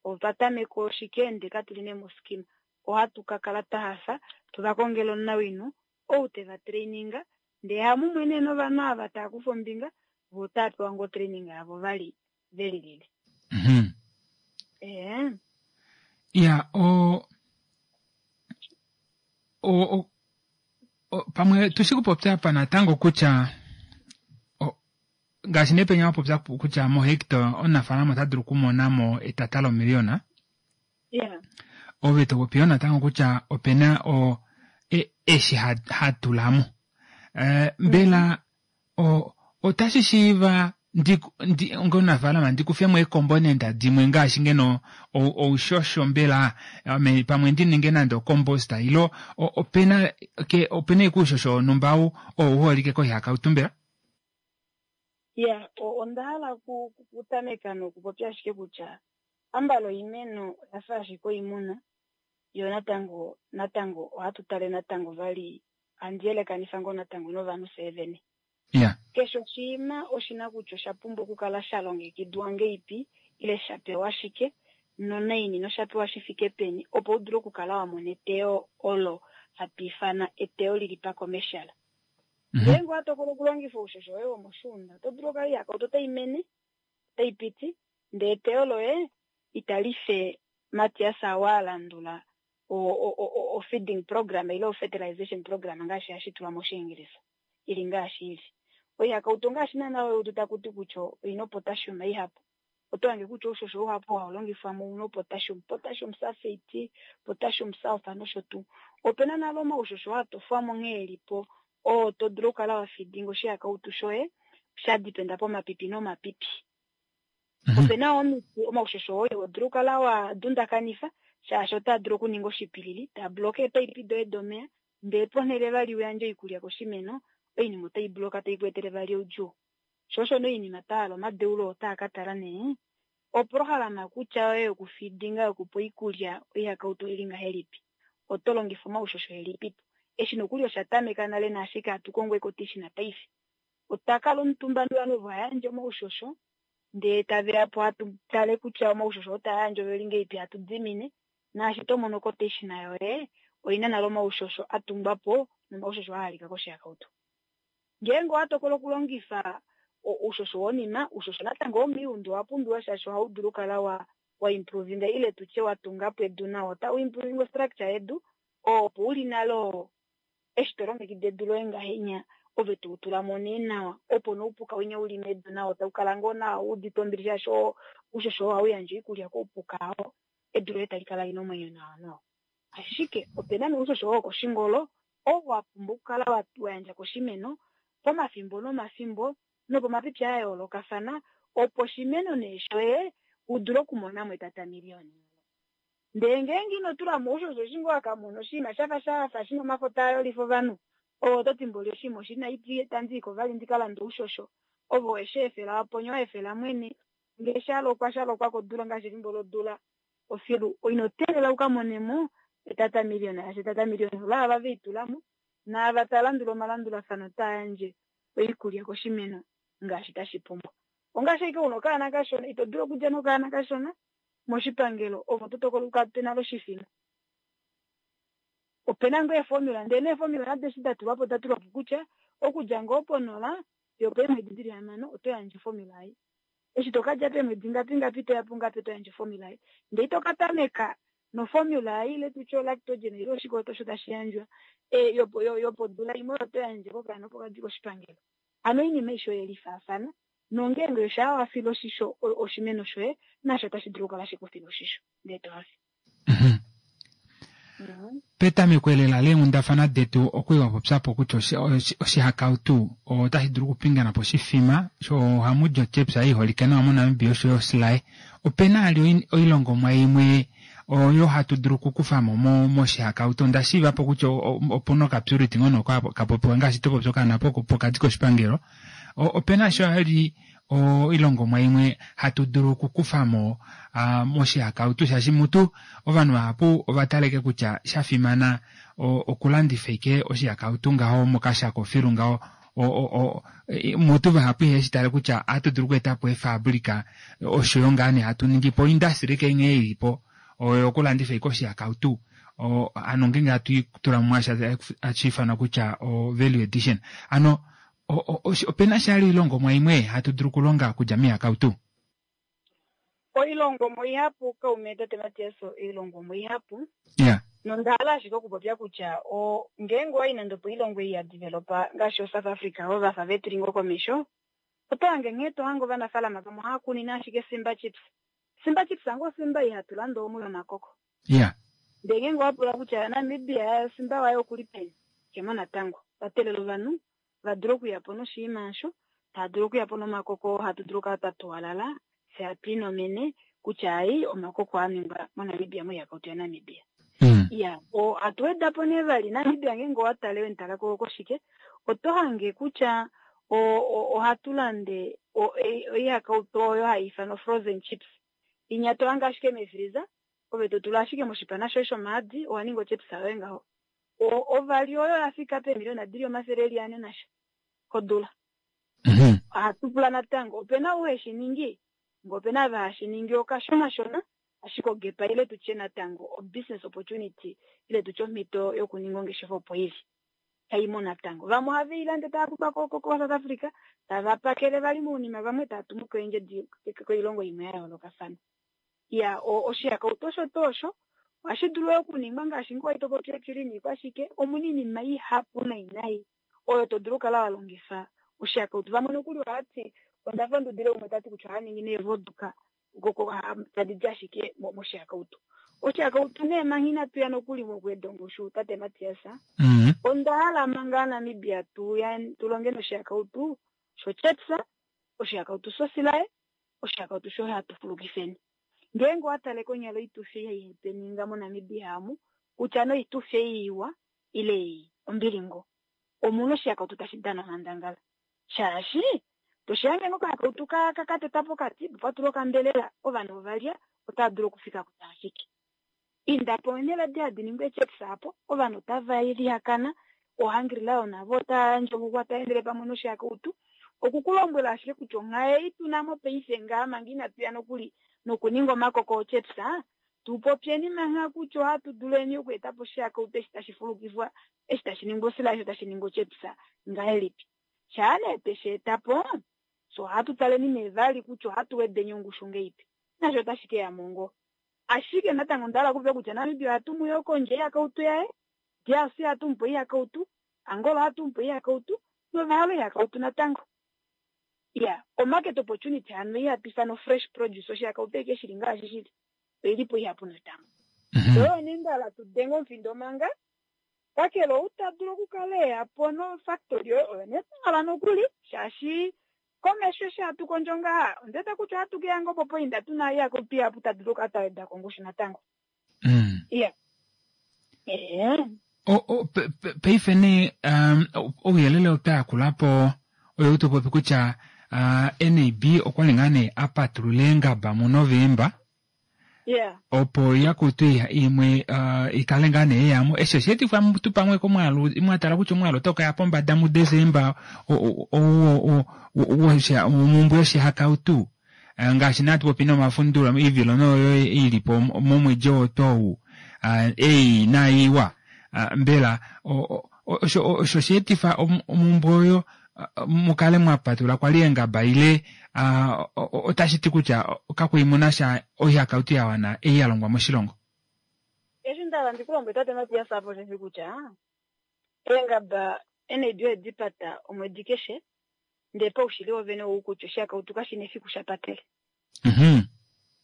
I: otwa tameka oshike ndee katuli nee moskima ohatu ka kala twa hafa tuva kongele omunawino ou teva traininga ndee hamumwe nee novanhu ava tava kufa ombinga vo otava pewa ngoo training yavo vali velilile. Ee
A: ya o o o pamwe tushi kupopya apa natango kutya ngaashi nepenya wapopya kutya mohecto omunafaalama ota dulu okumonamo etata lomiliyona.
I: Yeah.
A: Ove to popi yo natango kutya opena o eshi hatulamo mbela o otashi shiiva ndi onga ndikufemo eekomponent dimwe ngaashi ngeno oushosho mbela pamwe ndi ninge nande ocompost ilo opena ke opena ikuushosho wonhumba ou uholike koihakautu mbela?
I: Ya onda hala okutameka nokupopya ashike kutya ambala oimeno oyafa ashike oimuna yo natango natango ohatu tale natango vali handi yelekanifa ngoo natango novanhu fyee vene.
A: Ya
I: Keshe oshinima oshina kutya osha pumbwa okukala sha longekidwa ngeipi ile sha pewa shike nonaini nosha pewa shi fike peni opo u dule okukala wa mona eteyo olo hatu ifana eteyo lili pacommercial. Ngeenge owa tokola okulongifa oushosho woye womoshuunda oto dulu okukala ihakautu otai mene otai piti ndee eteyo loye itali fe Matias wa landula o feeding program ile o fertilization program ngaashi hashi tulwa moshiingilisa ili ngaashi ili. Oihakautu ngaashi naana oyo taku ti kutya oina potassium ihapu. Oto hange kutya oushosho uhapu hau longifwa mo una potassium, potassium sulfate, potassium sulfur nosho tuu. Opena nale omaushosho a tofwa mo nghee elipo oo to dulu okukala wa fidinga oshihakautu shoye sha dipenda pomapipi nomapipi. Opena omiti omaushosho oyo ho dulu okukala wa dundakanifa shaashi otaa dulu okuninga oshipilili taa bloke eepaipi doye domeya ndee ponhele vali uyandje oikulya koshimeno oinima otai bloka tai ku etele vali oudjuu. Sho osho nee oinima twa hala omadeulo otaa ka tala nee oprohalama kutya yoye yokufidinga yokupa oikulya oihakautu oili ngahelipi, oto longifa omaushosho elipipo. Eshi nokuli osha tameka nale naashike hatu kongo ekotishina paife. Otwa kala omutumba novanhu ovo hayandje omaushosho ndee taveya po hatu tale kutya omaushosho oo yandje oveli ngahelipi hatu dimine naashi to mono kotishina yoye oina nale omaushosho a tungwa po nomaushosho aa alika koshihakautu. Ngeenge owa tokola okulongifa oushosho wonima, oushosho natango womiundu owa pumbiwa shaashi ohau dulu okukala wa wa improvinga ile tutye wa tunga po edu nawa, otau improvinga structure yedu opo uli nalo eshi to longekida edu loye ngahenya ove to tula mo nee nawa opo noupuka winya uli medu nawa otau kala ngoo nawa u udite ombili shaashi oushosho ohau yandje oikulya koupuka oo edu loye tali kala lina omwenyo nawa nawa. Ashike opena noushosho wokoshingolo oo wa pumbwa okukala wa yandja koshimeno pomafimbo nomafimbo nopomapipi a yoolokafana opo oshimeno nee shoye u dule okumona mo etatamiliyoni. Ndee ngeenge ino tula mo oushosho eshi ngoo wakamona oshinima shafa shafa shina omafo taa yolifa ovanhu ove oto ti mboli oshinima oshina itandi vali ndika lande oushosho ove weshi efela waponya wa efela mwene ngee shalokwa shalokwa kodula ngaashi efimbo lodula ofilu ino teelela uka monemo etatamiliyoni shaashi etatamiliyoni olaava veitulamo naava taa landula omalandulafano taa yandje oikulya koshimeno ngaashi tashi pumbwa. Ongaashi ashike una okaana kashona ito dulu okulya nokaana kashona moshipangelo ovo to tokola ukape nalo oshifima. Opena ngoo eeformula ndee neeformula nado eshi da tulwa po oda tulwa po kutya okudja ngoo ponola fiyo opeemwedi dili hamano oto yandje oformula ei. Eshi to kadja peemwedi ngapi ngapi toya pungapi oto yandje oformula ei. Ndee ito ka tameka noformula ei ile tutye olactogen ile oshikoto osho tashi yandjwa yopodula imwe oyo to yandje kokaana opo kadi koshipangelo. Hano oinima aishe oye lifaafana nongeenge oshaa wa fila oshisho oshimeno shoye nasho otashi dulu okukala shekufila oshisho ndee to hafe.
A: Petameko elela leenghundafana detu okwiiwa popyapo kutya oshihakautu otashi dulu okupingana po oshifima ohamu di otyepya iholike nawa moNamibia osho yo osilaye. Opena ali oilongomwa imwe oyo hatu dulu okukufamo moshihakautu. Onda shiivapo kutya opuna okapurity ngono kapopiwa ngaashi topopya okaana pokati koshipangelo. Opena sho ali oilongomwa imwe hatu dulu okukufamo moshihakautu shaashi mutu ovanhu vahapu ovataleke kutya shafimana okulandifa ike oshihakautu ngaho mokashako filu ngaho mutu vahapu iheshi tale kutya ohatu dulu okweetapo eefabrika osho yo ngaa nee hatu ningi po industry kenge ilipo oyo okulandifa ike oshihakautu ano ngeenge hatu tula mumwe hashi ifanwa kutya o value addition. Ano opena shali oilongomwa imwe hatu dulu okulonga okudja moihakautu?
I: Oilongomwa ihapu kaume tate Matias, oilongomwa ihapu.
A: Yeah.
I: Nonda hala ashike okupopya kutya ngeenge owayi nande opo oilongo ei ya developa ngaashi oSouth Africa ovo vafa vetuli ngoo komesho, oto hange nghee to hange ovanafalama vamwe ohava kunine ashike Simba chips. Simba chips ango Simba ihatu landa omu yomakoko.
A: Yeah.
I: Ndee ngeenge owa pula kutya Namibia Simba waye okuli peni, kemo natango. Vatelela ovanhu va dule okuya po noshinima osho, tava dulu okuya po nomakoko hatu dulu okukala twa tuwalala fye hatu inomene kutya ai omakoko a ningwa moNamibia moihakautu yaNamibia. Iya, ohatu weda po nee vali Namibia ngeenge owa tale wentala koshike oto hange kutya ohatu lande oihakautu oyo hai ifanwa frozen chips. Inya to hange ashike meefriza ove to tula ashike moshipana shoye shomaadi owa ninga ochips yoye ngaho. Ovali oyo yafika peemiliona dili omafele eli ane nasha kodula. Ohatu pula natango opena ou heshi ningi ngee opena ava hashi ningi okashonashona ashike ogepa ile tutye natango o business opportunity ile tutye omhito yokuninga ongeshefa opo ili kaimo natango. Vamwe ohave i lande tava kufa ko South Africa tava pakele vali mounima vamwe tava tumu koendje koilongo imwe ya yoolokafana. Iya, oshihakautu osho tuu osho ohashi dulu okuningwa ngaashi ngoo to popi ochili niikwashike omuna iinima ihapu nai nai oyo to dulu okukala wa longifa Oshihakautu vamwe nokuli ohati onda fa ndudile umwe tati kutya oha ningi neevoduka tadi di ashike moshihakautu. Oshihakautu nee manga inatu ya nokuli mokuweda ongushu tate Matias, onda hala manga Namibia tu tulonge noshihakautu shochepsa, oshihakautu shosilaye, oshihakautu sho hatu fulukifeni. Ngeenge owa tale konyala oitufi ei twe ninga moNamibia amu, kutya noitufi ei iwa ile ombilingo, omuna oshihakautu tashi dana onghandangala. Shaashi toshihange ngo kahakautu ka kateta pokati, patula okambelela, ovanhu ovalya otava dulu okufika kutya ashike. Inda po nela di hadi ningwa echepsa apo, ovanhu otava lihakana, ohangirila navo otava yandje okukwata endele pamwe noshihakautu. Okukulombwela ashike kutya onghaye tunamo paife ngaa manga inatu ya nokuli nokuninga omakoko ochepsa, tupopyeni manga kutya ohatu duleni okueta po oshihakautu eshi tashi fulukifwa, eshi tashi ningwa osila, eshi tashi ningwa ochepsa ngahelipi. Shaa nee tweshi eta po, so ohatu taleni nee vali kutya ohatu wedeni ongushu ngeipi. Nasho otashi ke ya mongo. Ashike natango onda hala okupopya kutya Namibia ohatu mu yo kondje oihakautu yaye, D R C ohatu mu po oihakautu, Angola ohatu mu po oihakautu, novahala oihakautu natango. Ya, o-market opportunity hano ihatu ifana fresh produce, oshihakautu eke shili ngaashi shili, oili po ihapu natango. Oyo nee nda hala tu denge omufindo manga, kakele ou ta dulu okukala eya po nofactory oyo, oyo nee twa hala nokuli, shaashi komesho eshi hatu kondjo ngaha, onda wete kutya ohatu keya ngoo popoinda tuna oihakautu ihapu ta dulu okukala twa weda ko ongushu natango. Iya. Ee.
A: Paife nee ouyelele ota yakula po oyo tu popi kutya N A B okwa li ngaa nee a patulula eengaba muNovemba.
I: Yeah.
A: Opo yakutu imwe ikale ngaa nee yamo. Eshi osha etifwa tu pamwe komwaalu, mwa tala kutya omwaalu otau kaya pombada muDesemba omumbwe yoshihakautu. Ngaashi natu popi nomafundulo ivilo noyo ili po momwedi oo tou ei naiwa. Mbela osho osha etifa omumbwe oyo mukale mwapatula kwali eengaba ile otashi ti kutya kakuimuna sha oihakautu ya wana ei ya longwa moshilongo.
I: Eshi nda hala ndikulombwele tate Matias apo osheshi kutya eengaba N A B odi pata omwedi keshe, ndee paushili wovene ou kutya oshihakautu kashina efiku sha patele.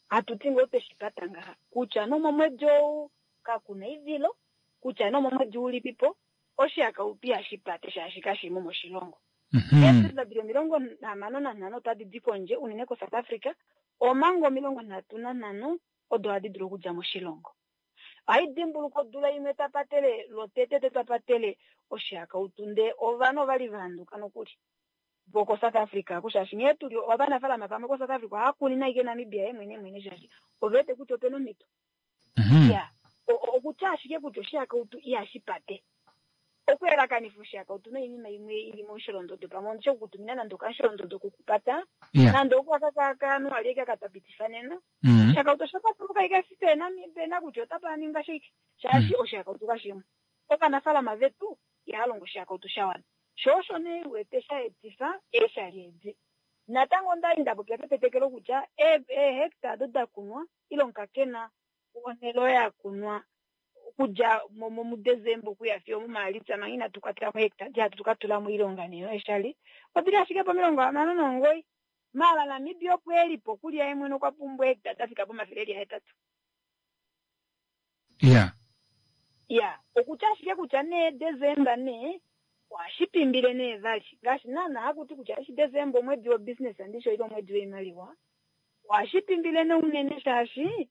I: Hatu ti ngoo tweshi pata ngaha kutya nomomwedi ou kakuna ivilo, kutya nomomwedi ulipipo oshihakautu ihashi pate shaashi kashimo moshilongo. Eefilima dili omilongo hamano nanhano otadi di kondje unene koSouth Africa, omanga omilongo nhatu nanhano odo hadi dulu okudja moshilongo. Ohai dimbuluka odula imwe twa patele lwotetete twa patele oshihakautu ndee ovanhu ovali va handuka nokuli voko South Africa shaashi nghee tuli ovanafaalama vamwe ko South Africa ohava kuni naike Namibia ye mwene mwene shaashi ove wete kutya opena omhito. Ya, okutya ashike kutya oshihakautu ihashi pate. Okuyelakanifa oshihakautu noinima imwe ili momusholondodo pamwe ondishe okukutumina nande okamusholondodo kokupata, nande okwakakakanu ali eke katapitifa nena. Oshihakautu osha patuluka ike efi pena pena kutya otapa ninga shike shaashi oshihakautu kashimwe. Ovanafaalama vetu ihava longo oshihakautu sha wana. Sho osho nee wete sha etifa eeshali edi. Natango onda li nda popya ketetekelo kutya eehectare odo da kunwa ile omukakena wonhele oyo ya kunwa okudja muDesemba okuya fiyo muMaalitsa manga inatu kwatela mo hectare di hatu ka tula moilonga nee eeshali odili ashike pomilongo hamano nomugoyi. Maala Namibia opo e li po okulya ye mwene okwa pumbwa hectare da fika pomafele eli ahetatu.
A: Ya.
I: Ya, okutya ashike kutya nee Desemba nee ohashi pimbile nee vali ngaashi naana hakuti kutya eshi Desemba omwedi wo business andisho ile omwedi woimaliwa, ohashi pimbile nee unene shaashi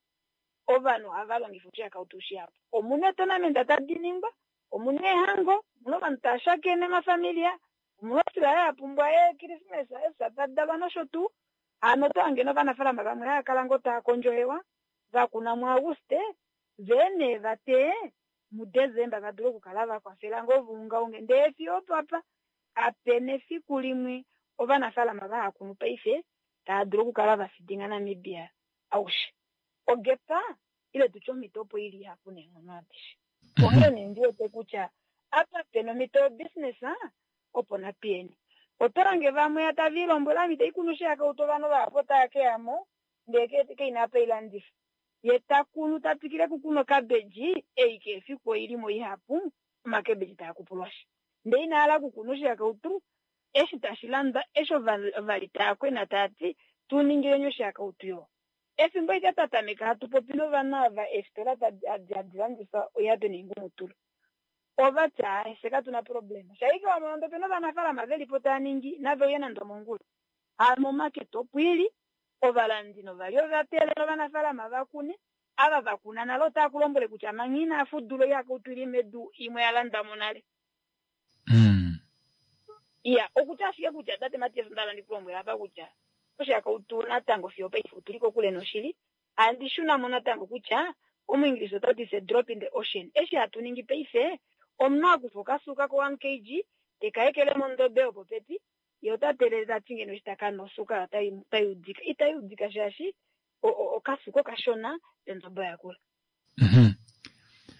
I: ovanhu ohava longifa oshihakautu shihapu. Omuna etonamenta tadi ningwa, omuna ehango, omuna ovanhu tava shakene mafamilia, omuna osila ya pumbwa eekrismesa, eesatadalwa nosho tuu. Hano oto hange novanafaalama vamwe hava kala ngoo tava kondjohewa, va kuna muAuguste, vee nee va teye muDesemba va dule okukala va kwafela ngoo vaungaunge. Ndee fiyo opapa kapena efiku limwe ovanafaalama vaha kunu paife tava dulu okukala va fidinga Namibia aushe. Ogepa ile tutye omhito opo ili ihapu neenghono adishe. Onghee nee ndi wete kutya apa pena omhito yobusiness opo napiyeni. Oto lange vamwe tava ilombwele ami tai kunu oshihakautu ovanhu vahapu otava keya mo ndee keina apa ilandifa. Ye ta kunu ta twikile kukuna okabeji ei kefiku oili mo ihapu omakebeji taa kupulwashi. Ndee ina hala okukuna oshihakautu Eshi tashi landwa, eshi ovali tava kwena tava ti tuningileni oshihakautu yo. Efimbo ike twa tameka hatu popi novanhu ava eefitola hadi landifa oihape noingumutulu. Ova ti aaye fye katuna problema. Shaike wamona nande opena ovanafaalama velipo tava ningi nave uye nande omongula. Hano omakete opo ili, ovalandi novali ova teelela ovanafaalama va kune, ava va kuna nale otava ku lombwele kutya manga inaa fudula oihakautu ili medu imwe ya landwa mo nale.
A: Mm.
I: Iya, okutya ashike kutya tate Matias onda hala ndikulombwela apa kutya oshihakautu natango fiyo paife otuli kokule noshili. Handi shuna mo natango kutya omuingilisa ota ti it's a drop in the ocean. Eshi hatu ningi paife, omunhu akufa okasuka ko one kg teka ekele mondobe yopopepi, ye ota teelele tati ngeno eshi taka nwa osuka otai udika. Itai udika shaashi okasuka okashona ondobe oyakula.
A: Mm-hmm.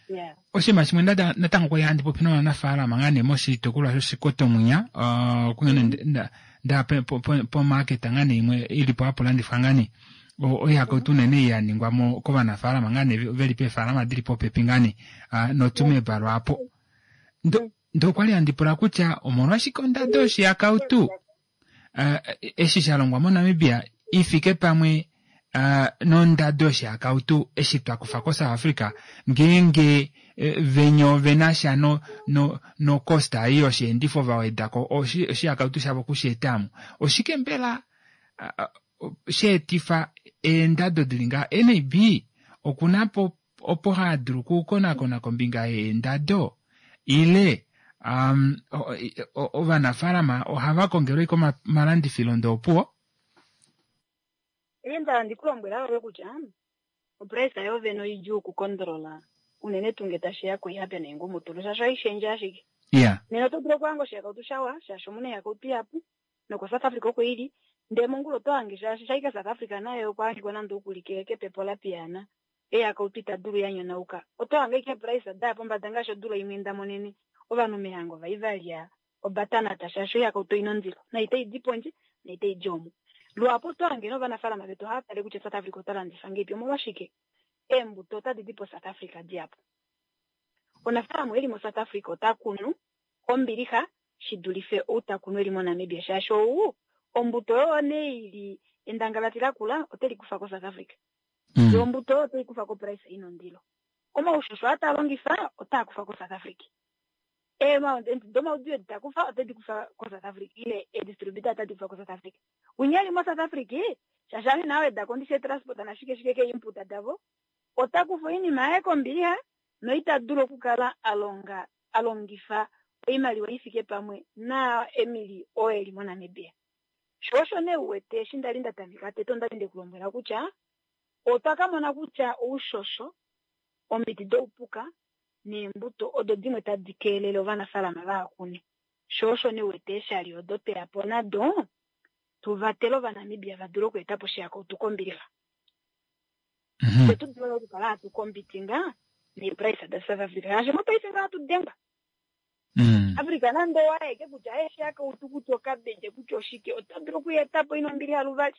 I: Yeah.
A: Oshinima shimwe natango kwali handi popi novanafaalama ngaa nee moshitukulwa shOshikoto mwinya, uh, kunene nda pomaketa ngaa nee imwe ilipo hapo landifwa ngaa nee oihakautu unene ya ningwa mo kovanafaalama ngaa nee veli peefaalama dili popepi ngaa nee noTsumeb lwaapo. Ndo ndo kwali handi pula kutya omolwashike ondado yoshihakautu uh, eshi sha longwa moNamibia ifike pamwe Uh, nondado yoshihakautu eshi twa kufa koSouth Africa ngeenge venyo venasha no no no costa ei yosheendifo va wedako oshihakautu shavo kusheetamo. Oshike mbela uh, sheetifa eendado dili ngaha? N A B okuna po opo hadulu okukonakona kombinga yeendado ile um, ovanafaalama ohava kongelwa komalandifilo ndoopuwo?
I: Enda ndikulombwela ove kutya oprice yovene oidjuu okukondrola unene tuu nge tashiya koihape noingumutulu shaashi ohaishendje ashike.
A: Yeah.
I: Nena oto dulu okuhanga oshihakautu shawa shaashi omuna oihakautu ihapu noko South Africa oko ili, ndele mongula oto hange shaashi shaika South Africa nayo okwa hangikwa nande okuli kepepo la piyaana oihakautu ita dulu ya nyonauka. Oto hange ashike price daya pombada ngaashi odula imwe ndamonene ovanhu mehango vai valya obatanata shaashi oihakautu oina ondilo na itai di pondje na itai di omo. Luhapu oto hange novanafaalama vetu ohava tale kutya South Africa ota landifa ngeipi, omolwashike eembuto otadi di po South Africa dihapu. Omunafaalama eli mo South Africa ota kunu kombilixa shi dulife ou ta kunu eli moNamibia shaashi ou ombuto oyo nee ili endangalati lakula oteli kufa ko South Africa.
A: Mm.
I: Yo ombuto oyo otai kufa ko price ina ondilo. Omaushosho ata longifa otaa kufa ko South Africa. Domaudio edi takufa otedi kufa ko South Africa ile edistributor otadi kufa ko South Africa. Unyali mo South Africa shaashi ame nawe da kondishe transport na shike shike ke input davo ota kufa oinima yaye kombilixa noita dulu okukala alonga alongifa oimaliwa ifike pamwe na Emily oo eli moNamibia. Sho osho nee uwete eshi ndali nda tameka tete ondali ndekulombwela kutya otwa ka mona kutya oushosho omiti doupuka neembuto odo dimwe tadi keelele ovanafaalama vahakune. Sho osho nee uwete eeshali odo tweya po nado tuvatele ovanamibia va dule okueta po oshihakautu kombilixa.
A: Mm-hmm.
I: Fye tu dule okukala hatu kombitinga neeprice da South Africa. Shaashi mopaife nga hatu dengwa.
A: Mm.
I: Africa nande owaeke kutya oshihakautu kutya okabeje kutya oshike ota dulu okuyeta po ina ombilixa luvali.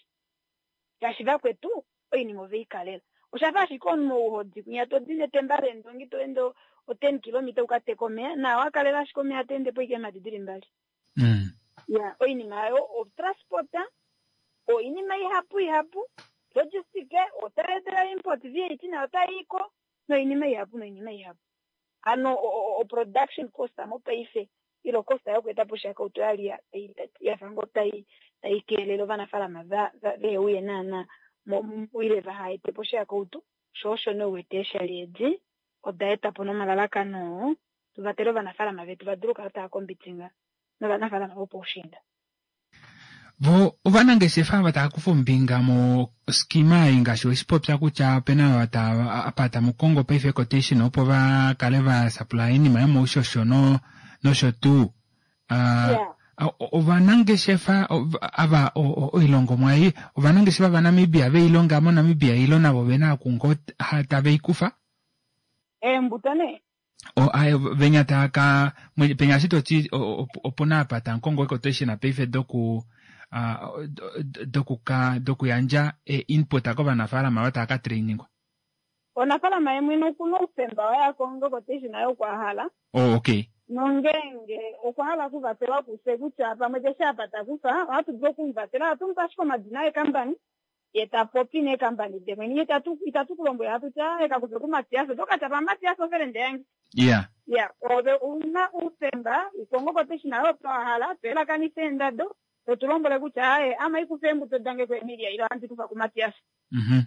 I: Shaashi vakwetu oinima ove i kalela. Oshafa ashike omunhu ouhodi kwinya to di netemba leendongi to ende o ten kilometer uka teka omeya na wakalela ashike omeya to ende po ike eemhadi dili mbali.
A: Mm.
I: Ya, oinima oyo otransporta, oinima ihapu ihapu, logistic, otaetela import V A T nayo otayiiko noinima ihapu noinima ihapu. Ano o production cost mopaife ilo cost yokueta po oshihakautu oyali yafa ngoo tai tai keelele ovanafaalama va veuye naana ile vaha ete po oshihakautu. Sho osho nee uwete eeshali edi oda eta po nomalalakano tuvatele ovanafaalama vetu va dule okukala tava kombitinga novanafaalama vopoushiinda.
A: Vo ovanangeshefa ava tava kufa ombinga moskima ei ngaashi weshipopya kutya opena ava tava apa tamu kongo paife quotation opo va kale va supply oinima yomoushosho no nosho tuu. Uh, ovanangeshefa ava oilongomwa ei ovanangeshefa vaNamibia veilonga moNamibia ilo navo vena okungo tave i kufa?
I: Eembuto nee?
A: O, aye, venya taka penya ashike toti opuna apa tamukongo quotation paife doku uh, dokuka dokuyandja input kovanafaalama ava tava ka trainingwa.
I: Onafaalama ye mwene okuna oufemba waye akonge quotation nayo okwa hala.
A: Oh, okay.
I: Nongeenge okwa hala okuvatelwa kufye kutya pamwe keshe apa takufa, ohatu dulu okumuvatela, ohatu mupe ashike omadina eekambani, ye ta popi neekambani demwene. Itatu itatu kulombwela hatu ti aaye kakufe kuMatias, oto katya pa Matias ofelende yange.
A: Ya.
I: Ya, ove ouna oufemba ukonge quotation nayo opo wa hala, to yelakanitha eendado, to tu lombwele kutya aaye ame ikufa eembuto dange kuEmilia ile ohandi kufa kuMatias.
A: Mhm.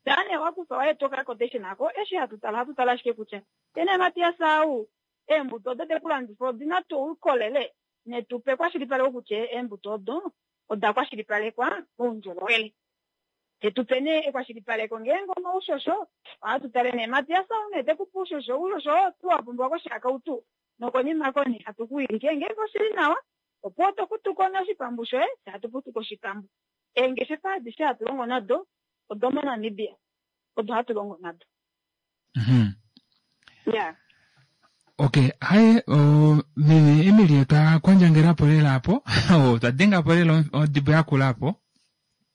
I: Tane wakufa waye toka quotation ako, eshi hatu tala hatu tala ashike kutya tene Matias au eembuto odo tekulandifa odina tuu oukolele netupe kwashilipaleko kutya eembuto odo oda kwashilipalekwa moundjolowele. Tetupe nee ekwashilipaleko ngeenge omaushosho ohatu tale nee Matias au nee tekupa oushosho, oushosho oo tuu wa pumbiwa koshihakautu nokonima koni hatu kuwilike ngeenge oshili nawa opo oto futuko nee oshipambu shoye fye hatu futuko oshipambu. Eengeshefa adishe hatu longo nado odo moNamibia odo hatu longo nado.
A: Mhm.
I: Ya.
A: Okay, haye o, meme Emily otwa kwandjangelapo lela apo otwa dengapo lela odibo yakula apo.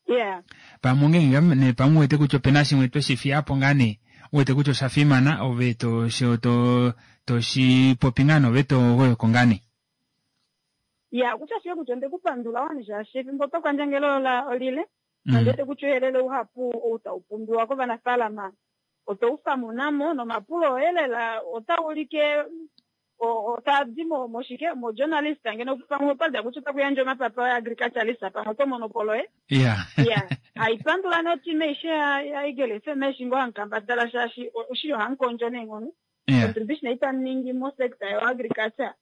I: Yeah.
A: Pamwe ngeenge ne pamwe uwete kutya opena shimwe tweshi fiyapo ngaa nee uwete kutya osha fimana ove to to toshi popi ngaa nee ove to goyoko ngaa nee.
I: Ya, kutya ashike kutya onde kupandula wani shaashi efimbo twa kwandjangela ola olile.
A: Mm.
I: Nondete kutya ouyelele uhapu ou tau pumbiwa kovanafaalama otau famunamo nomapulo oye lela otau ulike otadi moshike mojournalist ngeno pamwe opada kutya otakuyandja omapapa oye agriculturalist pamwe oto mono polo ye.
A: Ya.
I: Ya, haipandula noteam aishe ya Eagle F M eshi ngoo hamukambadala shaashi oshili ohamukondjo neenghono.
A: Yeah.
I: Contribution itamu mo sector yo agriculture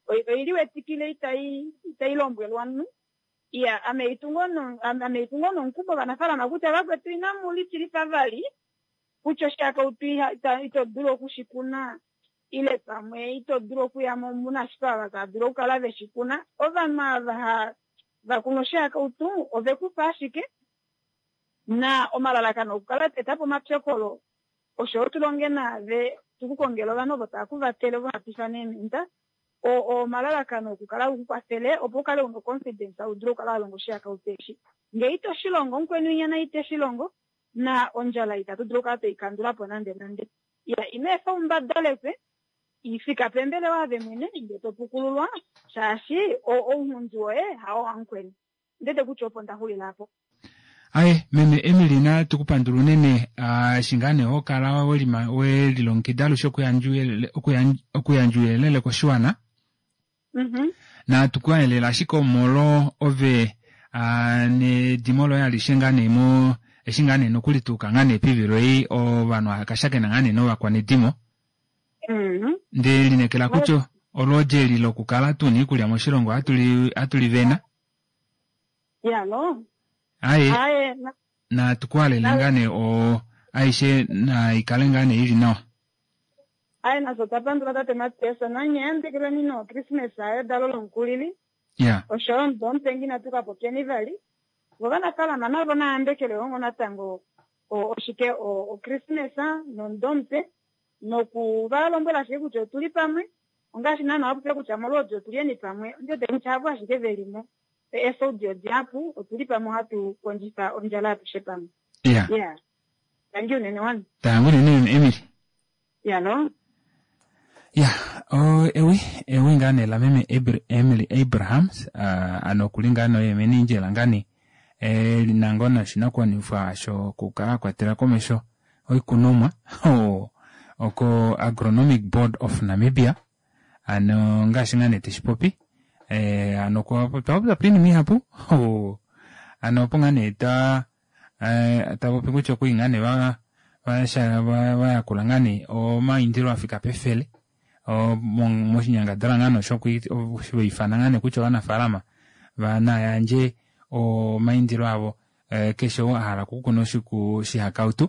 I: oili wetikile itai itai lombwelwa omunhu. Ya, ame itungo no ame itungo nomukumo ovanafaalama kutya vakwetu inamu litilifa vali kutya oshihakautu ito dulu okushikuna ile pamwe ito dulu okuya mo muna ashike ava tava dulu okukala veshikuna. Ovanhu ava vakuna oshihakautu ovekufa ashike na omalalakano okukala teta po omapyokolo osho tulonge naave tukukongela ovanhu ovo tava kuvatele ovo hatu ifana eementa. Omalalakano okukala ukukwafele opo ukale una confidence u dule okukala wa longa oshihakautu eshi. Ngee ito shilongo mukweni winya naye ite shilongo na ondjala itatu dulu okukala tweikandula po nande nande. Ya, ino efa umbadalekwe ifika pembelewa ave mwene nge to pukululwa shaashi ounghundi woye hao wamukweni. Ndete kutya opo ndaxulila apo.
A: Aye, meme Emily na tukupandula unene eshi ngaa nee ho kala welilongekida alushe okuyandja ouyelele koshiwana.
I: Mhm.
A: Na tukuhaelela ashike omolo ove nedimo loye alishe ngaa nee mo eshi ngaa nee nokuli tuuka ngaa nee pivilo ei ovanhu akashakena ngaa nee novakwanedimo.
I: Mhm.
A: Nde linekela kutya olwoodi eli lokukala tuna iikulya moshilongo hatu li vena.
I: Yalo.
A: Aye.
I: Aye.
A: Na tukuhalele ngaa nee o aishe na ikale ngaa nee ili nawa.
I: Aye, naso tapandula tate Matias nanye yandekelweni no Christmas ayo dalo lomukulili.
A: Ya.
I: Osho omudo omupe inatu ka popyeni vali. Vo ovanafaalama navo nayambekele ongo natango oshike o Christmas nomudo omupe noku va lombwela ashike kutya otuli pamwe ongaashi naana wapopya kutya molwoodi otulyeni pamwe ondiwete kutya havo ashike velimo esaudi odihapu otuli pamwe ohatu kondjifa ondjala atushe pamwe.
A: Ya.
I: Ya. Tangi unene wani.
A: Tangi unene Emily.
I: Yalo.
A: Ya, o ewi ewi ngaa nee la meme Emily Abrahams ano okuli ngaa noye menindjela ngaa nee e lina ngoo noshinakwanifwa shokukala akwatela komesho oikunomwa oko Agronomic Board of Namibia ano ngaashi ngaa nee teshipopi ano otwa popya oinima ihapu ano opo ngaa nee ta tapopi kutya okuli ngaa nee vayakula ngaa nee omaindilo afika pefele moshinyangadalwa ngaa nee osho vaifana ngaa nee kutya ovanafaalama nayandje omaindilo avo keshe ou ahala okukuna oshihakautu.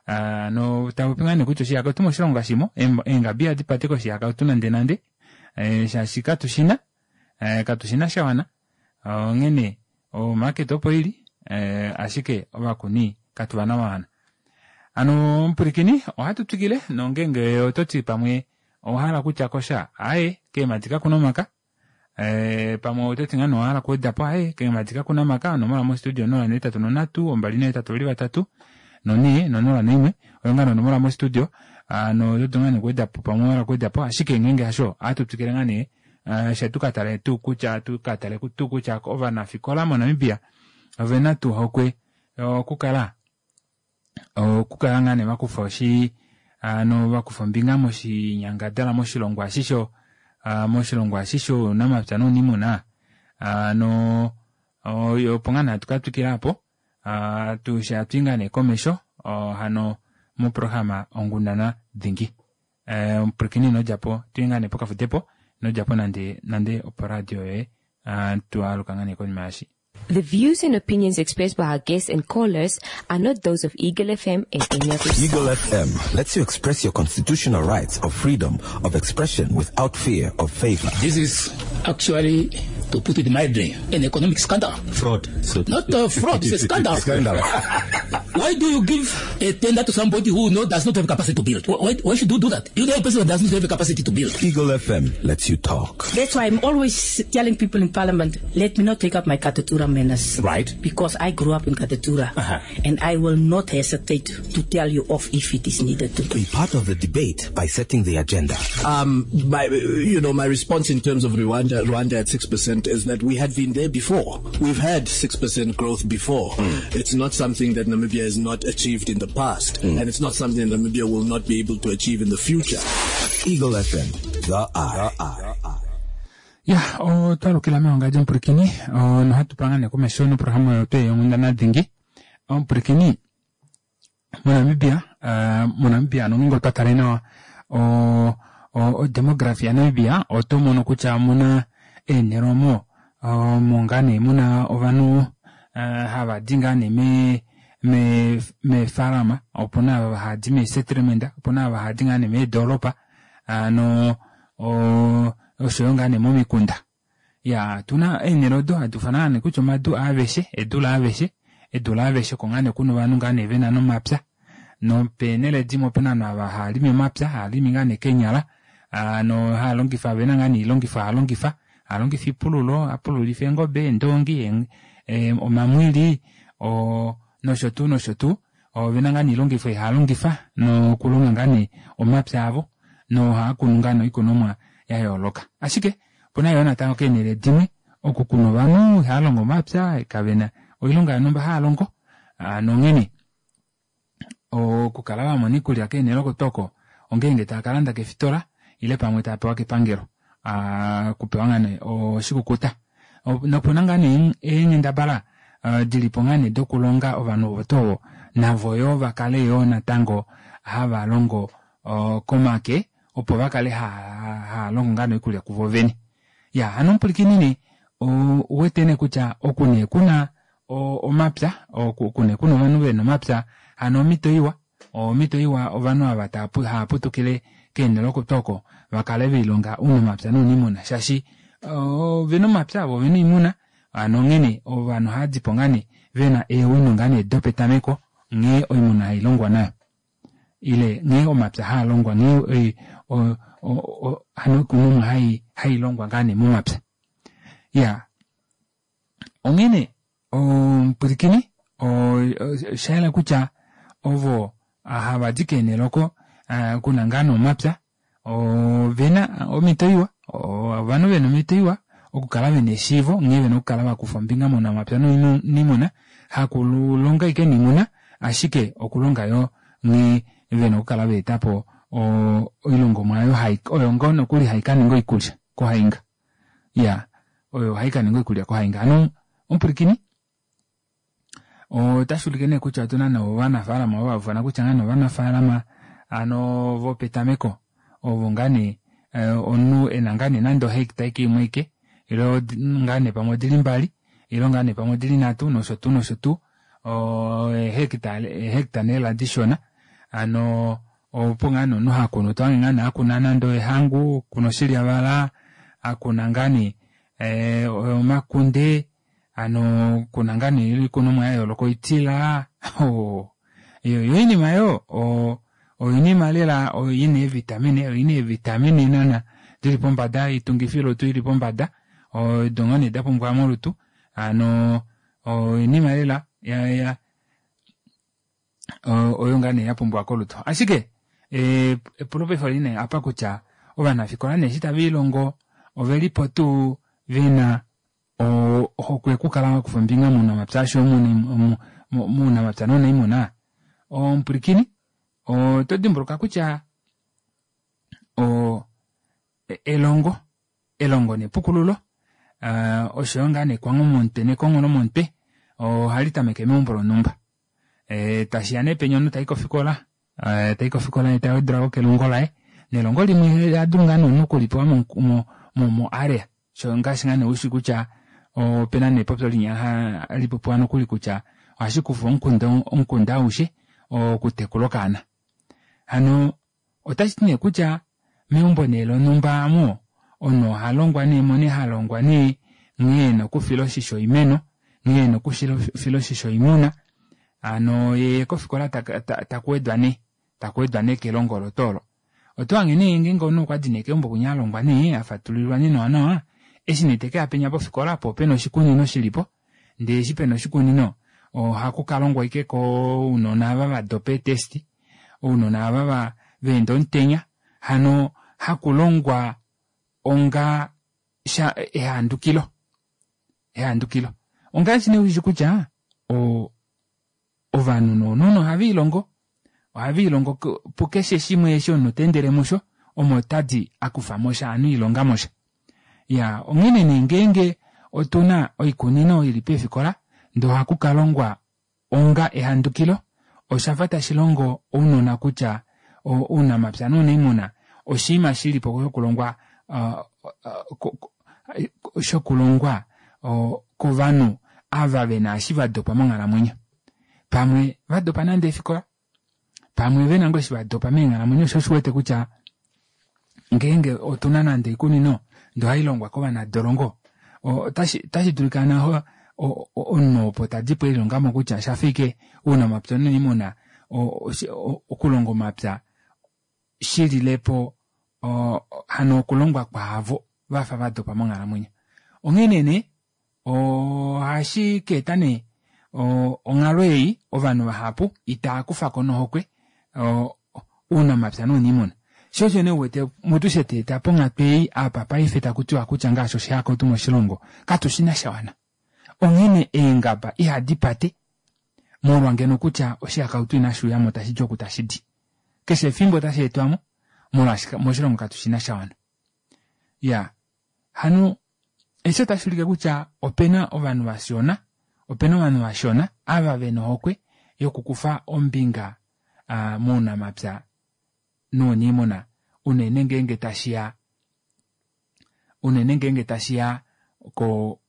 A: Ano tapopi ngaa nee kutya oshihakautu moshilongo kashimo eengabi ihadi pate koshihakautu nande nande shaashi katushina katushina shawana onghene omarket opo ili ashike ovakuni katuvana vawana. Ano omupulikini ohatu twikile nongenge ototi pamwe owahala kutya kosha aye keemadi kakuna omaka pamwe ototi ngaa nee owahala okuwedapo aye keemadi kakuna omaka onomola mostudio onola nohetatu nonhatu ombali nahetatu ovali vatatu nonhee nonola naimwe oyo ngaa nee onomola mostudio. Ano oto dulu ngaa nee okuwedapo pamwe owahala okuwedapo, ashike ngeenge hasho ohatu twikile ngaa nee she tukatale tuu kutya tukatale tuu kutya ovanafikola moNamibia ovena tuu ohokwe okukala okukala ngaa nee vakufa oshi hano vakufa ombinga moshinyangadalwa moshilongwa eshi sho moshilongwa eshi shounamapya nouniimuna. Hano opo ngaa nee hatu katwikila aapo eshi hatui ngaa nee komesho hano moprograma onghundana dingi. Omupwilikini inodjapo tuye ngaa nee pokafudepo inodjapo nande nande oporadio yoye twaaluka ngaa nee konima yaashi.
B: The views and opinions expressed by our guests and callers are not those of Eagle F M and any of its
C: Eagle F M lets you express your constitutional rights of freedom of expression without fear of favor.
D: This is actually, to put it mildly, an economic scandal.
E: Fraud. So
D: Not a fraud, it's a scandal.
E: Scandal.
D: Why do you give a tender to somebody who no, does not have capacity to build? Why, why should you do that? You know a person that does not have the capacity to build.
C: Eagle F M lets you talk.
F: That's why I'm always telling people in Parliament, let me not take up my Katutura manners.
E: Right.
F: Because I grew up in Katutura.
E: Uh-huh.
F: And I will not hesitate to tell you off if it is needed to.
C: Be part of the debate by setting the agenda.
G: Um, my, you know, my response in terms of Rwanda, Rwanda at six percent is that we had been there before. We've had six percent growth before.
C: Mm.
G: It's not something that Namibia has not achieved in the past,
C: mm.
G: and it's not something that Namibia will not be able to achieve in the future.
C: Eagle F M, the eye. The eye.
A: Ya, otwalukila meongadjo omupwilikini, nohatu panga komesho noprograma yotu yonghundana dhingi. Omupwilikini, moNamibia, moNamibia nongeenge otwa tale nawa odemography yaNamibia, oto mono kutya omuna eenhele omo omo ngaa nee muna ovanhu hava di ngaa nee me me meefalama, opuna ava hava di meesettlement, opuna ava hava di ngaa nee meedoropa, ano oshoyo ngaa nee momikunda. Ya, tuna eenhele odo hadi ufanwa nee kutya omadu aaveshe, edu laaveshe, edu laaveshe oko ngaa nee kuna ovanhu ngaa nee vena nomapya, nopeenhele dimwe opena ovanhu ava hava limi omapya, hava limi ngaa nee keenyala, ano hava longifa vena ngaa nee oilongifo hava longifa, hava longifa oipululo, hapululifa eengobe, eendongi, omamwili, nosho tuu nosho tuu, ovena ngaa nee oilongifo hava longifa nokulonga ngaa nee omapya avo, nohava kunu ngaa nee oikunomwa ya yooloka. Ashike opuna yoo natango keenhele dimwe oku kuna ovanhu ihava longo omapya, kavena oilonga yonhumba hava longo, nonghene okukala vamona oikulya keenhele oko tuu oko ongeenge tava kalanda kefitola ile pamwe tava pewa kepangelo, okupewa ngaa nee oshikukuta. Nopuna ngaa nee eenghendabala dilipo ngaa nee dokulonga ovanhu ovo tuu ovo navo yoo vakale yoo natango hava longo komake, opo vakale hava longo ngaa nee oikulya kuvo vene. Ya, hano omupwilikini nee ouwete nee kutya oku nee kuna omapya, oku nee kuna ovanhu vena omapya, hano omhito iwa, omhito iwa ovanhu ava hava putukile keenhele oko tuu oko vakale velihonga ounamapya nouniimuna, shaashi ovena omapya vo ovena oimuna, hano onghene ovanhu ohava dipo ngaa nee vena eewino ngaa nee dopetameko nghee oimuna hailongwa nayo, ile nghee omapya haalongwa, nghee hano oikunomwa hailongwa ngaa nee momapya. Ya, onghene omupwilikini oshayela kutya ovo hava di keenhele oko kuna ngaa nee omapya, ovena omhito iwa, ovanhu vena omhito iwa okukala vena eshiivo nghee vena okukala vakufa ombinga mounamapya nouniimuna, hakulonga ashike noimuna, ashike okulonga yoo nghee vena okukala vaetapo oilongomwa oyo oyo ngoo nokuli haikaninga oikulya kohainga. Ya, oyo haikaninga oikulya kohainga. Hano omupwilikini otashi ulike nee kutya otuna nee ovanafaalama ovo haufana kutya ngaa nee ovanafaalama ano vopetameko ovo ngaa nee omunhu ena ngaa nee nande ohecta ike imwe ike, ile ngaa nee pamwe odili mbali, ile ngaa nee pamwe odili nhatu nosho tuu nosho tuu, eehecta eehecta nee lela dishona, hano opo ngaa nee omunhu hakunu, tohange ngaa nee akuna nande oehangu, akuna oshilyavala, akuna ngaa nee omakunde, hano kuna ngaa nee oikunomwa yayooloka, oitila, yo oinima yoo oinima lela oina eevitamine, oina eevitamine naana dili pombada, oitungifilutu ili pombada, odo ngoo nee dapumbiwa molutu, hano oinima lela oyo ngaa nee yapumbiwa kolutu. Ashike Epulo paife oli nee apa kutya ovanafikola nee eshi taviilongo ovelipo tuu vena ohokwe okukala vakufa ombinga mounamapya oshoyo mounamapya nounaimuna? Omupwilikini oto dimbuluka kutya oo elongo elongo nepukululo oshoyo ngaa nee nekwangho lomomutwe ohali tameke meumbo lonhumba. Tashiya nee penya omunhu tayi kofikola tayi kofikola yee tawedwelako kelongo laye nelongo limwe ohadulu ngoo nee omunhu okulipewa mo mo area ngaashi ngaa nee ushi kutya opena nee epopyo linya hali popiwa nokuli kutya ohashikufa omukunda aushe okutekula okaana. Hano otashiti nee kutya meumbo nee lonhumba aamo omunhu ohalongwa nee omo nee halongwa nee nghee ena okufila oshisho oimeno nghee ena okufila oshisho oimuna hano yee kofikola takuwedwa nee takuwedwa nee kelongo olo twoo olo. Otohange nee ngeenge omunhu okwadi nee keumbo kwinya alongwa nee afatululilwa nee nawa nawa eshi nee tekeya penya pofikola poo opena oshikunino shilipo ndee eshi pena oshikunino ohaku kalongwa ashike kounona ava vadopa ee test ounona aava vaenda omutenya hano hakulongwa onga ehandukilo ehandukilo ongaashi nee ushi kutya oo ovanhu nounona ohaviilongo ohaviilongo pukeshe shimwe eshi omunhu teendele musho omo tadi akufamosha hano elihongamosha. Iyaa onghene nee ngeenge otuna oikunino ili peefikola ndee ohaku kalongwa onga ehandukilo oshafa tashilongo ounona kutya ounamapya nounaimuna oshinima shilipo shokulongwa shokulongwa kovanhu ava vena eshi vadopa monghalamwenyo pamwe vadopa nande eefikola pamwe vena ngoo eshi vadopa meenghalamwenyo shoo osho uwete kutya ngeenge otuna nande oikunino ndee ohailongwa kovanadolongo otashi dulika omunhu opo tadipo elilongamo kutya oshafa ashike ounamapya nounaimuna okulonga omapya shililepo hano okulongwa kwaavo vafa vadopa monghalamwenyo. Onghene nee ohashikaeta nee onghalo ei ovanhu vahapu itaakufako nohokwe ounamapya nounimuna shoo osho nee uwete mutu sheetweeta ponghatu ei apa paife takutiwa kutya ngaashi oshihakautu moshilongo katushina shawana onghene eengaba ihadi pate molwa ngeno kutya oshihakautu inashuuyamo tashidi oku tashidi keshe efimbo otasheetwamo molwaashi moshilongo katushina shawana. Iyaa hano eshi otashuulike kutya opena ovanhu vashona opena ovanhu vashona ava vena ohokwe yokukufa ombinga mounamapya nouniimuna unene ngeenge tashiya unene ngeenge tashiya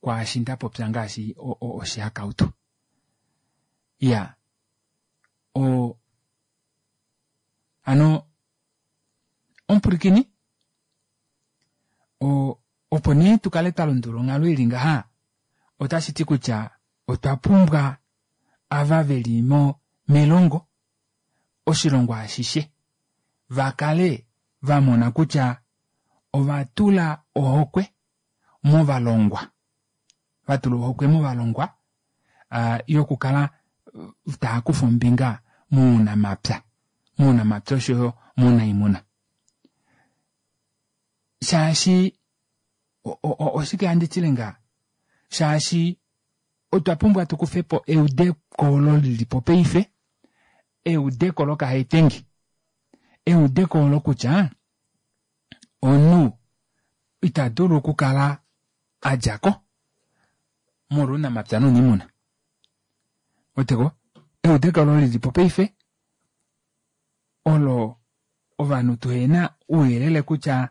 A: kwaashi ndapopya ngaashi oshihakautu. Iyaa oo hano omupwilikini opo nee tukale twalundulula onghalo ili ngaha otashiti kutya otwa pumbwa ava veli melongo oshilongo ashishe vakale vamona kutya ovatula ohokwe movalongwa vatula ohokwe movalongwa yokukala taakufa ombinga mounamapya mounamapya oshoyo mounaimuna shaashi oshike handi tile ngaha shaashi otwa pumbwa tukufepo eudeko olo lilipo paife eudeko lokahaitengi eudeko olo kutya omunhu itadulu okukala adjako molwa ounamapya nouniimuna. Ouweteko eudeko olo lilipo paife olo ovanhu tuhena ouyelele kutya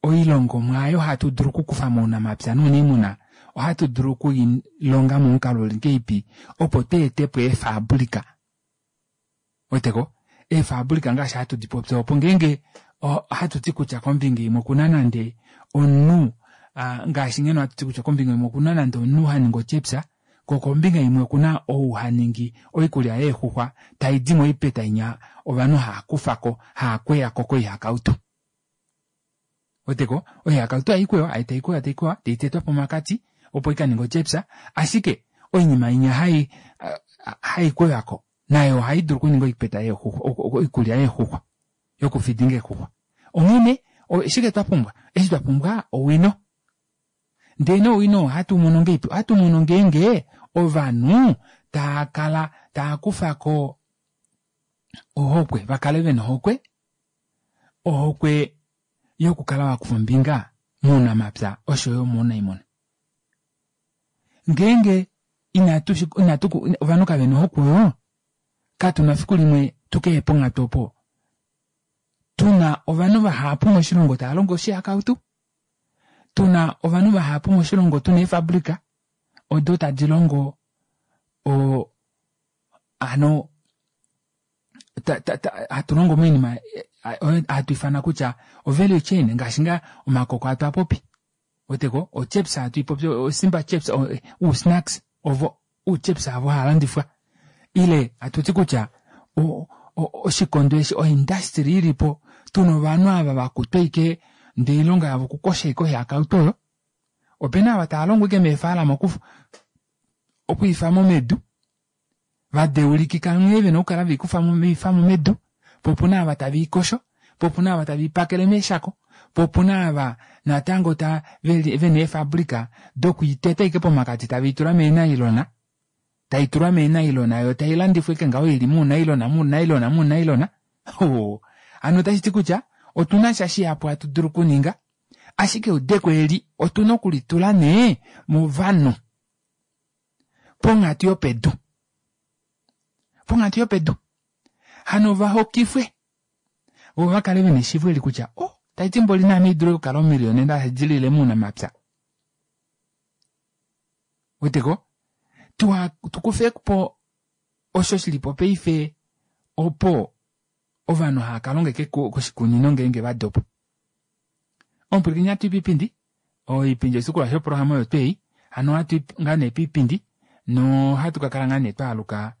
A: oilongomwa aayo hatu dulu okukufa mounamapya nouniimuna ohatu dulu okuilonga momukalo uli ngahelipi opo tweetepo eefabrika. Ouweteko eefabrika ngaashi hatu dipopi opo ngeenge ohatuti kutya kombinga imwe okuna nande omunhu ngaashi ngeno hatuti kutya kombinga imwe okuna nande omunhu haningi otyepsa koo kombinga imwe okuna ou haningi oikulya yeexuxwa taidi moipeta inya ovanhu haakufako haakweyako koihakautu. Ouweteko oihakautu haikwewa taikwewa taikwewa taitetwa pomakati opo ikaninge otyepsa ashike oinima inya hai haikwewako Nayo ohai dulu okuninga oipeta yeexuxwa, oikulya yeexuxwa yokufidinga eexuxwa. Onghene oshike twapumbwa? Eshi twapumbwa owino. Ndee nee owino ohatu mono ngeipi? Ohatu mono ngeenge ovanhu taakala taakufako ohokwe, vakale vena ohokwe, ohokwe yokukala vakufa ombinga mounamapya oshoyo mounaimuna. Ngeenge inatu inatu ovanhu kavena ohokwe oyo, katuna fiku limwe tukeye ponghatu opo tuna ovanhu vahapu moshilongo tava longo oshihakautu, tuna ovanhu vahapu moshilongo tuna eefabrika odo tadi longo o hano hatu longo moinima hatu ifana kutya o-value chain ngaashi ngaa omakoko hatu apopi weteko ochips hatu ipopi osimba chips usnacks ovo uchips avo haalandifwa ile hatuti kutya oshikondo eshi oindustry ilipo tuna ovanhu ava vakutwa ashike ndee oilonga yavo okukosha ashike oihakautu oyo. Opena ava tava longo ashike meefalama okwiifamo medu vadeulikika nghee vena okukala veikufamo veifamo medu, po opuna ava tave ikosho, po opuna ava tave ipakele meeshako, po opuna ava natango ta vena eefabrika dokuiteta ashike pomakati tave itula meenailona, taitulwa meenailona yo tailandifwa ashike ngaho ili muunailona muunailona muunailona. Hano otashiti kutya otuna sha shihapu hatu dulu okuninga, ashike eudeko eli otuna okulitula nee movanhu ponghatu yopedu, ponghatu yopedu hano vahokifwe vo vakale vena eshiivo eli kutya oh taiti mboli naame haidulu okukala omillionaire hadi mounamapya. Weteko tukufepo osho shilipo paife opo ovanhu hava kalonga ashike koshikunino ngeenge vadopa. Omupwilikini ohatu i poipindi, oipindi oshitukulwa shoprograma oyo twei, hano ohatu i ngaa nee poipindi nohatu kakala ngaa nee twaaluka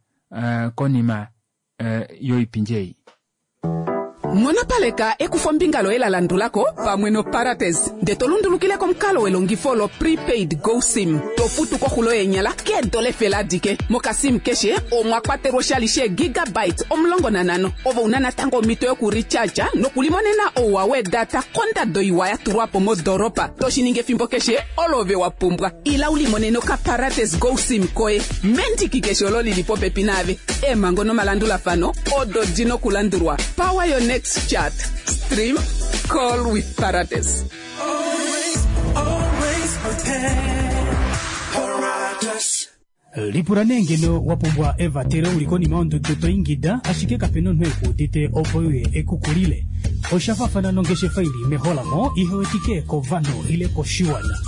A: konima yoipindi ei.
E: Nghonopaleka ekufombinga loye la landulako pamwe noParates ndee to lundulukile komukalo welongifo lo prepaid go sim to futu koxulo yeenyala keedola efele adike. Mokasim keshe omwa kwatelwa oshali sheegigabytes omulongo nanhano. Ove una natango omhito yokurecharge nokulimonena ouwa weedata kondado iwa ya tulwa po modoolopa, toshi ningi efimbo keshe olo ove wa pumbwa. Ila ulimonene okaParates go sim koye mendiki keshe olo lili popepi naave. Eemhango nomalandulafano odo di nokulandulwa. Power your next chat, stream, call with Parates.
J: Always, always prepared. Paratus.
H: Lipula nee ngeno wa pumbwa evatelo uli konima yondudu to ingida ashike kapena omunhu ekuudite opo uye ekukulile. Osha faafana nongeshefa ili meholamo ihewetike kovanhu ile koshiwana.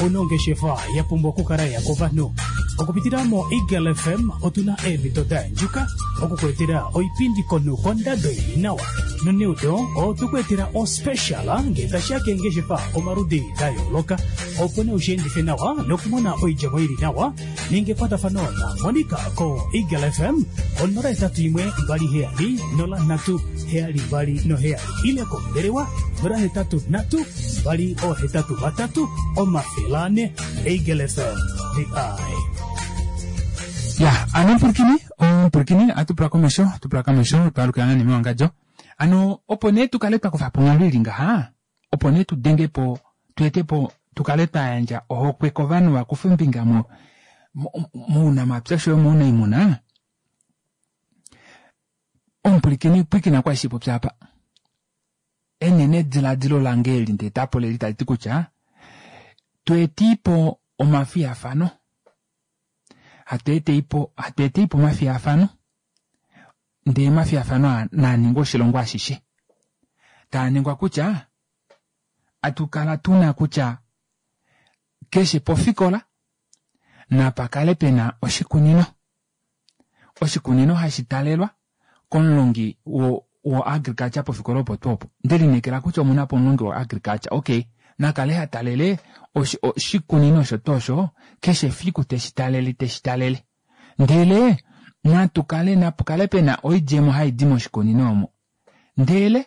H: Ono ongeshefa ya pumbwa okukala ya kovanhu. Okupitila mo Eagle F M otuna eemhito da yandjuka okukuetela oipindi konhu kondado ili nawa. Noneudo otukuetela ospecial ngee tashiya keengeshefa omaludi da yooloka opo nee ushiendife nawa nokumona oidjemo ili nawa. Ninga ekwatafano na Monica ko Eagle F M onola hetatu imwe mbali heyali nola nhatu heyali mbali noheyali ile kombelewa nola hetatu nhatu mbali ohetatu vatatu omafele ane. Eagle F M, the eye.
A: Ya, ano mpulukini, ompulukini, atupula komesho, atupula komesho, twalukila nani mewangadjo. Ano, opo nee tukale twakufa po onghalo ili ngaha, opo nee tudenge po, tuete po, tukale twayandja ohokwe kovanhu vakufe ombinga mo, mounamapya oshoyo mounaimuna. Omupulikini pwiikina kwa shipopya apa. Enene diladilo lange eli ndee tapo leli tali ti kutya, tuetipo omafiyafano. Hatu eteipo, hatu eteipo omafiyafano. Ndee omafiyafano naa ningwa oshilongo ashishe. Taa ningwa kutya, atukala tuna kutya, keshe pofikola, napakale pena oshikunino. Oshikunino hashi talelwa komulongi wo, wo agriculture pofikola opo tuu opo. Ndelineekela kutya omuna po omulongi wo agriculture. Okay, nakale ha talele oshikunino osho tuu osho, keshe efiku teshi talele, teshi talele. Ndele natukale, napukale pena oidjemo haidi moshikunino omo. Ndele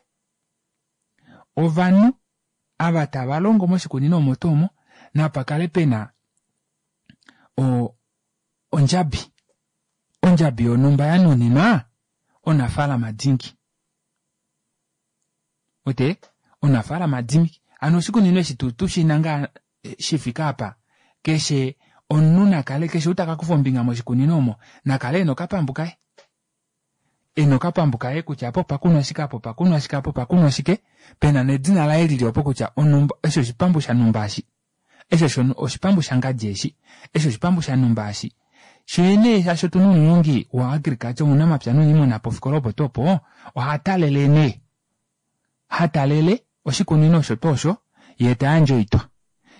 A: ovanhu ava tava longo moshikunino omo tuu omo, napakale pena o ondjabi. Ondjabi yonhumba yanuninwa omunafaalama dingi. Wete omunafaalama dingi hano oshikunino eshi tushina ngaa shifike aapa keshe omunhu nakale keshe ou takakufa ombinga moshikunino omo nakale ena okapambu kaye ena okapambu kaye kutya apa opakunwa shike apa opakunwa shike apa opakunwa shike pena nedina laye lili opo kutya onumba eshi oshipambu shanumba eshi eshi oshipambu shangadi eshi eshi oshipambu shanumba eshi shoo nee shaashi otuna omulongi wa agriculture ounamapya nouniimuna pofikola opo tuu opo ohatalele nee hatalele oshikunino osho tuu osho yee tayandje oitwa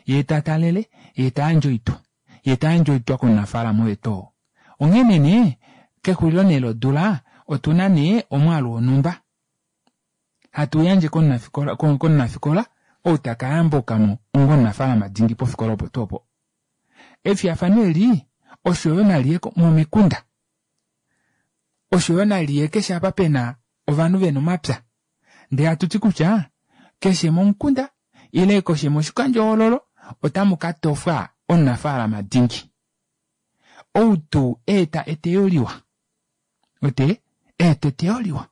A: yee tatalele yee tayandje oitwa yee tayandje oitwa komunafaalama oye tuu oo. Onghene nee kexulilo nee lodula otuna nee omwaalu wonhumba hatu yandje komunafikola komunafikola ou takayambukamo onga omunafaalama dingi pofikola opo tuu opo. Efiyafano eli oshoyo naliye momikunda oshoyo naliye keshe apa pena ovanhu vena omapya ndee hatuti kutya keshe momukunda ile keshe moshikandjohoololo otamu katofwa omunafaalama dingi ou tuu eeta eteyo liwa wete eeta eteyo liwa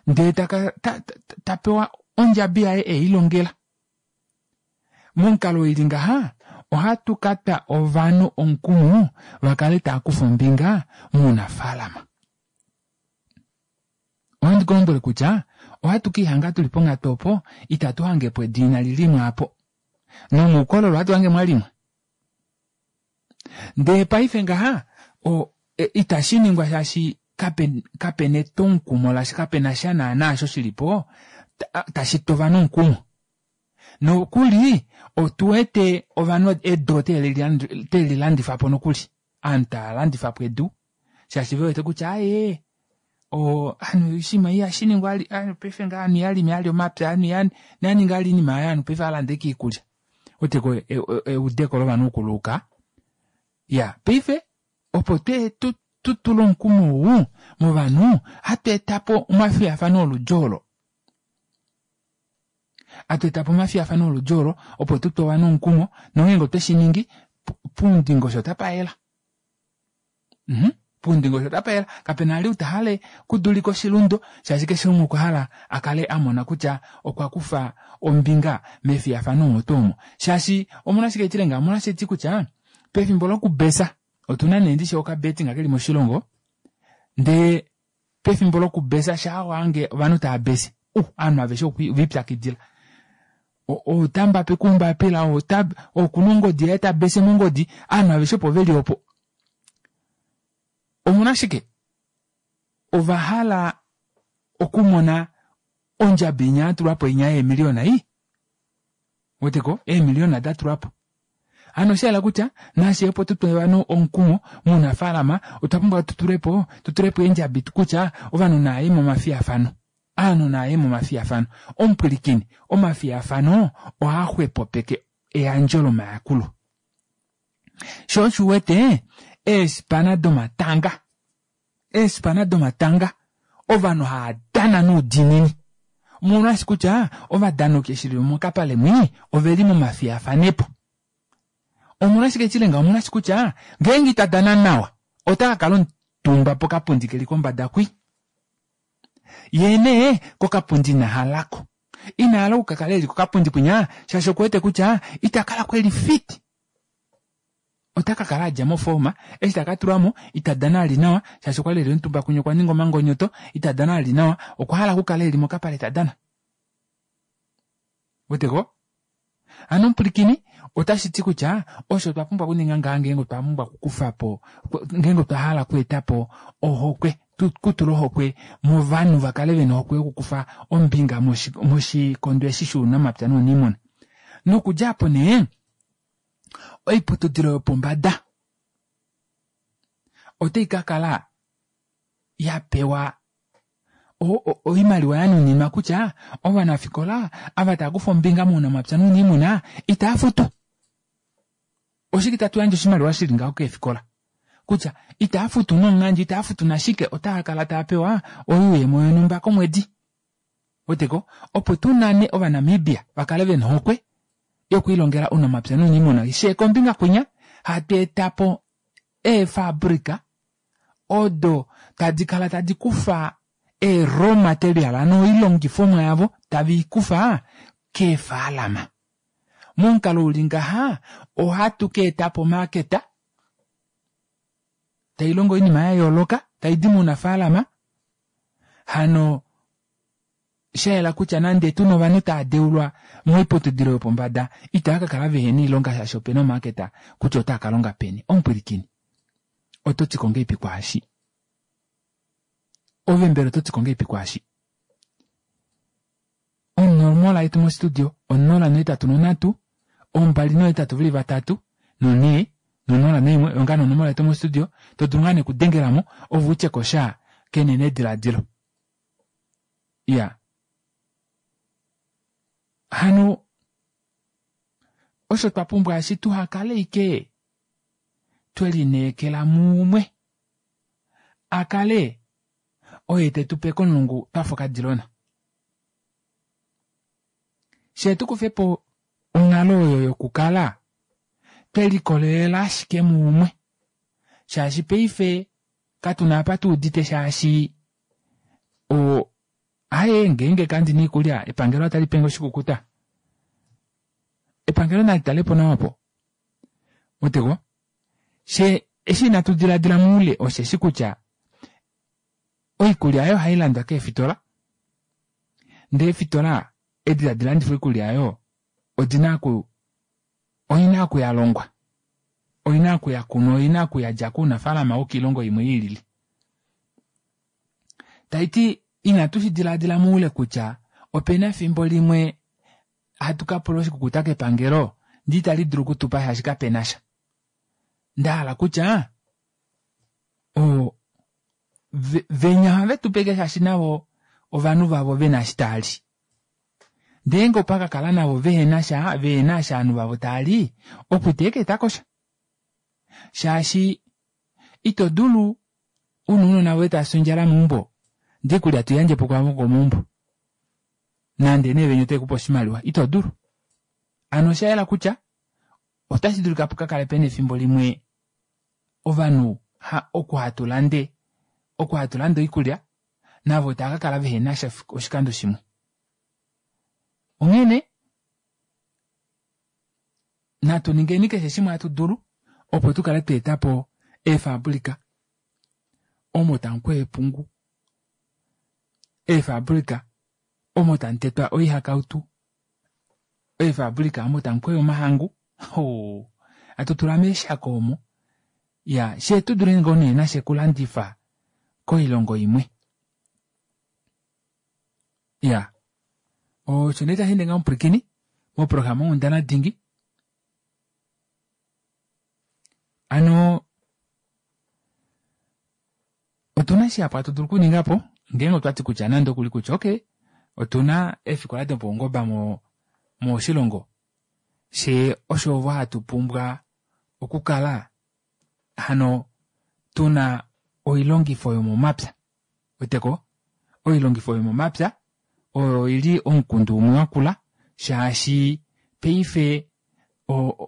A: ndee taka tapewa ondjabi yaye elilongela. Momukalo ili ngaha ohatu katwa ovanhu omukumo vakale taakufa ombinga mounafaalama. Ohandi kulombwele kutya ohatu kiihanga tuli ponghatu opo itatu hangepo edu inali limwa aapo nomuukololo ohatu hange mwalimwa. Ndee paife ngaha itashiningwa shaashi kapena etwomukumo lasha kapenasha naana osho shilipo tashi tu ovanhu omukumo. Nokuli otuwete ovanhu edu otelilandifapo nokuli ovanhu taalandifapo edu shaashi vewete kutya aaye ovanhu oshinima ihashiningwa vali ovanhu paife ngaha ovanhu ihavalimi vali omapya ovanhu ihavaningi vali oinima aayo ovanhu paife ohaalande ashike oikulya. Ouweteko eudeko lovanhu okuluuka. Iyaa paife opo tutule omukumo ou movanhu ohatu etapo omafiyafano oludi olo. Hatu etapo omafiyafano oludi olo opo tutwe ovanhu omukumo nongeenge otweshiningi poundingosho otapayela. Mhh poundingosho otapayela kapena vali ou tahale okudulika oshilundu shaashi keshe umwe okwahala akale amona kutya okwakufa ombinga mefiyafano omo tuu omo. Shaashi omolwashike haitile ngaho omolwaashi haiti kutya pefimbo lokubesa otuna nee ndishi okabetting keli moshilongo ndee pefimbo lokubesa shaa wahange ovanhu taabese uh ovanhu aveshe ovelipyakidila ou otambapeke oumbapila ou okuna ongodi yaye tabese mongodi ovanhu aveshe opo veli opo. Omolwashike ovahala okumona ondjabi inya yatulwapo inya yeemiliyona ii ouweteko eemiliyona datulwapo. Hano oshayela kutya nafye opo tutwe ovanhu omukumo mounafalama otwa pumbwa tutulepo tutulepo eendjabi kutya ovanhu navaye momafiyafano ovanhu navaye momafiyafano. Omupwilikini omafiyafano ohaaxwepopeke eyandjo lomayakulo. Shoo osho uwete eespana domatanga eespana domatanga ovanhu haadana noudiinini omolwaashi kutya ovadanoki eshi veli mokapale mwii oveli momafiyafanepo. Omolwashike haitile ngaho omolwaashi kutya ngeenge itadana nawa otakakala omutumba pokapundi keli kombada kwi yee nee kokapundi inahalako inahala okukakala eli kokapundi kwinya shaashi okuwete kutya itakalako eli fit otakakala adja moforma eshi takatulwamo itadana vali nawa shaashi okwali eli omutumba kwinya okwaninga omangonyoto itadana vali nawa okwahala okukala eli mokapale tadana. Ouweteko hano omupwilikini otashiti kutya osho twapumbwa okuninga ngaha ngeenge otwa pumbwa okukufapo ngeenge otwa hala okweetapo ohokwe kutula ohokwe movanhu vakale vena ohokwe yokukufa ombinga moshikondo eshi shounamapya nouniimuna. Nokudja aapo nee oiputudilo yopombada otaikakala yapewa oimaliwa yanuninwa kutya ovanafikola ava taakufa ombinga mounamapya nouniimuna itaafutu. Oshike itatu yandje oshimaliwa shili ngaho keefikola kutya itaafutu nomunghandjo itaafutu nashike otaakala taapewa oyuuyemo yonhumba komwedi. Ouweteko opo tunane ovanamibia vakale vena ohokwe yokwiilongela ounamapya nouniimuna shee kombinga kwinya hatu etapo eefabrika odo tadi kala tadi kufa ee raw material ano oilongifomwa yavo tave ikufa keefaalama. Momukalo uli ngaha ohatu ka etapo omaaketa tailongo oinima yayooloka taidi mounafaalama hano shayela kutya nande tuna ovanhu tava deulwa moiputudilo yopombada itava kakala vehena oilonga shaashi opena omaaketa kutya otaa kalonga peni. Omupwilikini oto ti ngahelipi kwaashi? Ove mbela oto ti ngahelipi kwaashi? Onomola yetu mostudio onola nohetatu nonhatu ombali nohetatu veli vatatu nonhee nonola naimwe oyo ngaa nee onomola yetu mostudio todulu ngaa nee okudengelamo ove utyekosha kenenediladilo. Iya, hano osho twapumbwa eshi tuhakale ike twelineekela muumwe akale oye tetupe komulungu twafa okadilona. Shee tukufepo onghalo oyo yokukala twelikolelela ashike muumwe shaashi paife katuna apa tuudite shaashi o aaye ngeenge kandina oikulya epangelo otalipenge oshikukuta. Epangelo nalitalepo nawa aapo weteko shee eshi inatu dilaadila moule osheshi kutya oikulya aayo ohailandwa keefitola ndee eefitola edi tadi landifa oikulya aayo odina oku oina oku yalongwa oina oku yakunwa oina oku yadja kounafalama wokoilongo imwe ilili. Taiti inatu shidilaadila moule kutya opena efimbo limwe hatu kapula oshikukuta kepangelo ndee itali dulu okutupa shaashi kapenasha. Ndahala kutya o venya ohave tupe shaashi navo ovanhu vavo vena eshi taali. Ndeenge opakakala navo vehenasha vehena eshi ovanhu vavo taali opo iteekeetakosha shaashi ito dulu una ounona voye tavafi ondjala meumbo ndee oikulya toiyandjepo kwaavo vomeumbo nande nee venya otavekupe oshimaliwa ito dulu. Hano oshayela kutya otashi dulika pukakale pena efimbo limwe ovanhu oku hatulande oku hatulande oikulya navo taakakala vehenasha oshikando shimwe. Onghene natu ningeni keshe shimwe hatu dulu opo tukale twaetapo eefabrika omo tamukweywa epungu, eefabrika omo tamutetwa oihakautu, eefabrika omo tamukweywa omahangu hoo hatu tula meeshako omo iyaa fyee tudule ngoo nee nafye okulandifa koilongo imwe. Iyaa osho nee tasheende ngaho omupwilikini moprograma onghundana dingi hano otuna shihapu hatu dulu okuningapo ngeenge otwati kutya nande okuli kutya okey otuna eefikola dopaungoba mo moshilongo fyee oshovo hatu pumbwa okukala hano tuna oilongifo yomomapya ouweteko oilongifo yomomapya oyo ili omukundu umwe wakula shaashi paife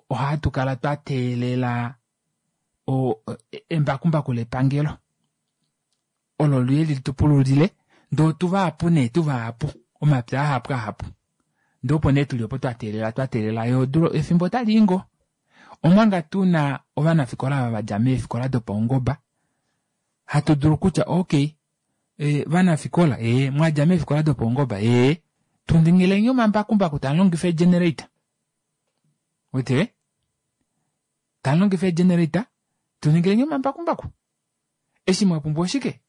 A: ohatukala twateelela embakumbaku lepangelo olo liye litupululile ndee otuvahapu nee tuvahapu omapya ahapu ahapu ndee opo nee tuli opo twateelela twateelela yoo odula efimbo otalii ngoo omanga tuna ovanafikola ava vadja meefikola dopaungoba hatu dulu kutya okey vanafikola ee mwadja meefikola dopaungoba ee tuningileni omambakumbaku tamulongifa ee generator ouwete tamulongifa ee generator tuningileni omambakumbaku eshi mwapumbwa oshike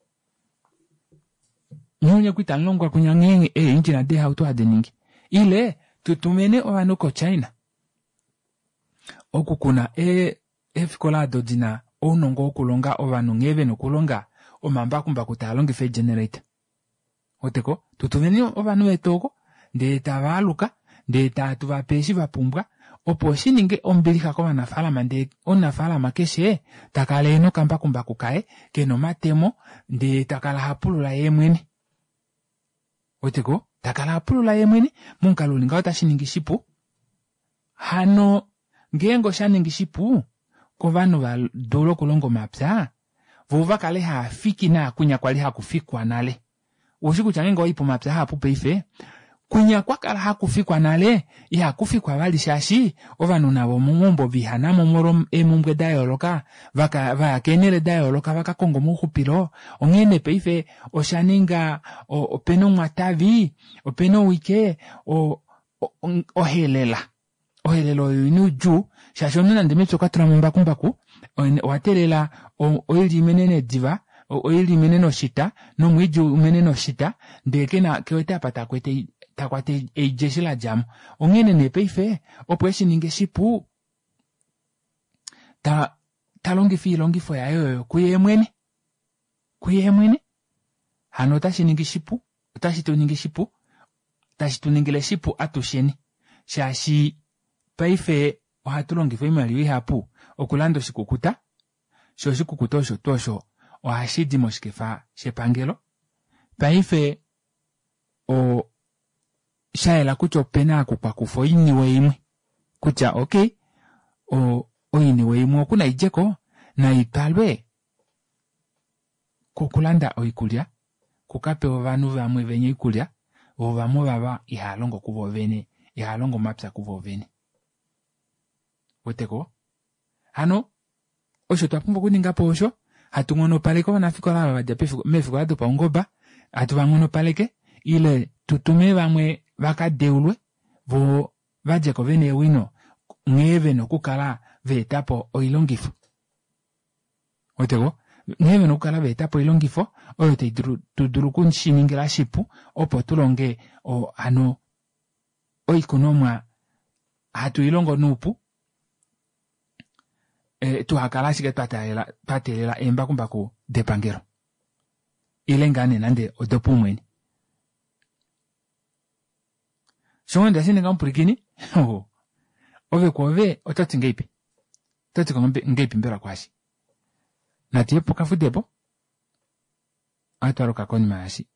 A: nyee onye kwali tamulongwa kwinya nghee ee engine deehauto hadi ningi ile tutumene ovanhu ko china oku kuna eefikola aado dina ounongo wokulonga ovanhu nghee vena okulonga omambakumbaku taalongifa ee generator ouweteko tutumeni ovanhu vetu oko ndee tavaaluka ndee tatuvape eshi vapumbwa opo shininge ombilixa kovanafalama ndee omunafalama keshe takala ena okambakumbaku kaye kena omatemo ndee takala hapulula yeemwene ouweteko takala hapulula yeemwene momukalo uli ngaho otashiningi shipu hano ngeenge oshaningi shipu kovanhu vadule okulonga omapya Voo vakale haafiki naakunya kwali hakufikwa nale. Ushi kutya ngeenge owayi pomapya ahapu paife kwinya kwakala hakufikwa nale ihakufikwa vali shaashi ovanhu navo momaumbo viihanamo omolwo eemumbwe dayooloka vaka vaya keenele dayooloka vakakonge omauxupilo onghee nee paife oshaninga opena omwatavi opena owike o ohelela ohelela oyo oina oudjuu shaashi omunhu nande mepya okwatulamo embakumbaku owateelela oilya imenene diva oilya imenene oshita nomwiidi umenene oshita ndee kena kewete apa takwete takwata oilya eshi ladjamo onghene nee paife opo eshininge shipu ta talongifa oilongifo yaye oyo kuyeemwene kuyeemwene hano otashiningi shipu otashi tuningi shipu tashi tuningile shipu atusheni shaashi paife ohatu longifa oimaliwa ihapu okulanda oshikukuta shoo oshikukuta osho tuu osho ohashidi moshikefa shepangelo paife oo shayela kutya opena oku kwakufwa oiniwe imwe kutya okey oiniwe imwe oku naidjeko naitwalwe kokulanda oikulya kukapewe ovanhu vamwe venya oikulya voo vamwe ovava ihaalongo kuvo vene ihaalongo omapya kuvo vene ouweteko hano osho twapumbwa okuningapo osho hatu nghonopaleke ovanafikola ava vadja meefikola dopaungoba hatu vanghonopaleke ile tutume vamwe vakadeulwe voo vadjeko vena eewino nghee vena okukala vaetapo oilongifo ouweteko nghee vena okukala vaetapo oilongifo oyo taidulu tudulu okushiningila shipu opo tulonge hano oikunomwa hatu ilongo noupu tuhakale ashike twateelela eembakumbaku depangelo ile ngaa nee nande odopaumwene shoo ndashininga omupwilikini ove kwoove ototi ngahelipi ototi ngahelipi mbela kwaashi natuye pokafudepo ohatwaluka konima yaashi.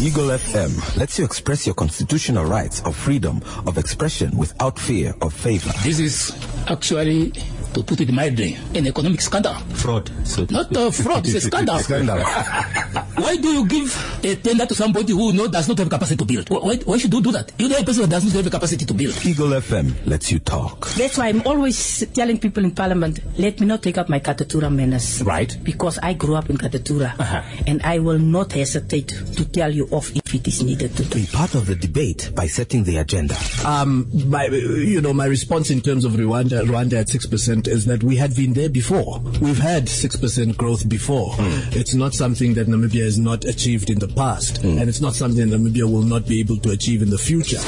C: Eagle F M lets you express your constitutional rights of freedom of expression without fear of favor.
D: This is actually, to put it mildly, an economic scandal.
C: Fraud. So
D: Not a fraud, it's a scandal.
C: Scandal.
D: Why do you give a tender to somebody who no, does not have capacity to build? Why, why should you do that? You know a person who does not have capacity to build.
C: Eagle F M lets you talk.
F: That's why I'm always telling people in Parliament, let me not take up my Katutura manners.
C: Right.
F: Because I grew up in Katutura.
C: Uh-huh.
F: And I will not hesitate to tell you off if it is needed to do.
C: Be part of the debate by setting the agenda.
G: Um, my, you know, my response in terms of Rwanda, Rwanda at six percent is that we had been there before. We've had six percent growth before.
C: Mm.
G: It's not something that Namibia has not achieved in the past,
C: mm.
G: and it's not something Namibia will not be able to achieve in the future.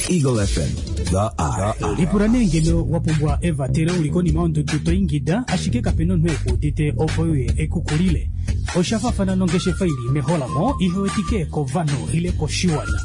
C: Eagle F M, the eye.
H: Lipula nee ngeno wapumbwa evatelo uli konima yondudu to ingida ashike kapena omunhu ekuudite opo uye ekukulile. Osha faafana nongeshefa ili meholamo ihewetike kovanhu ile koshiwana.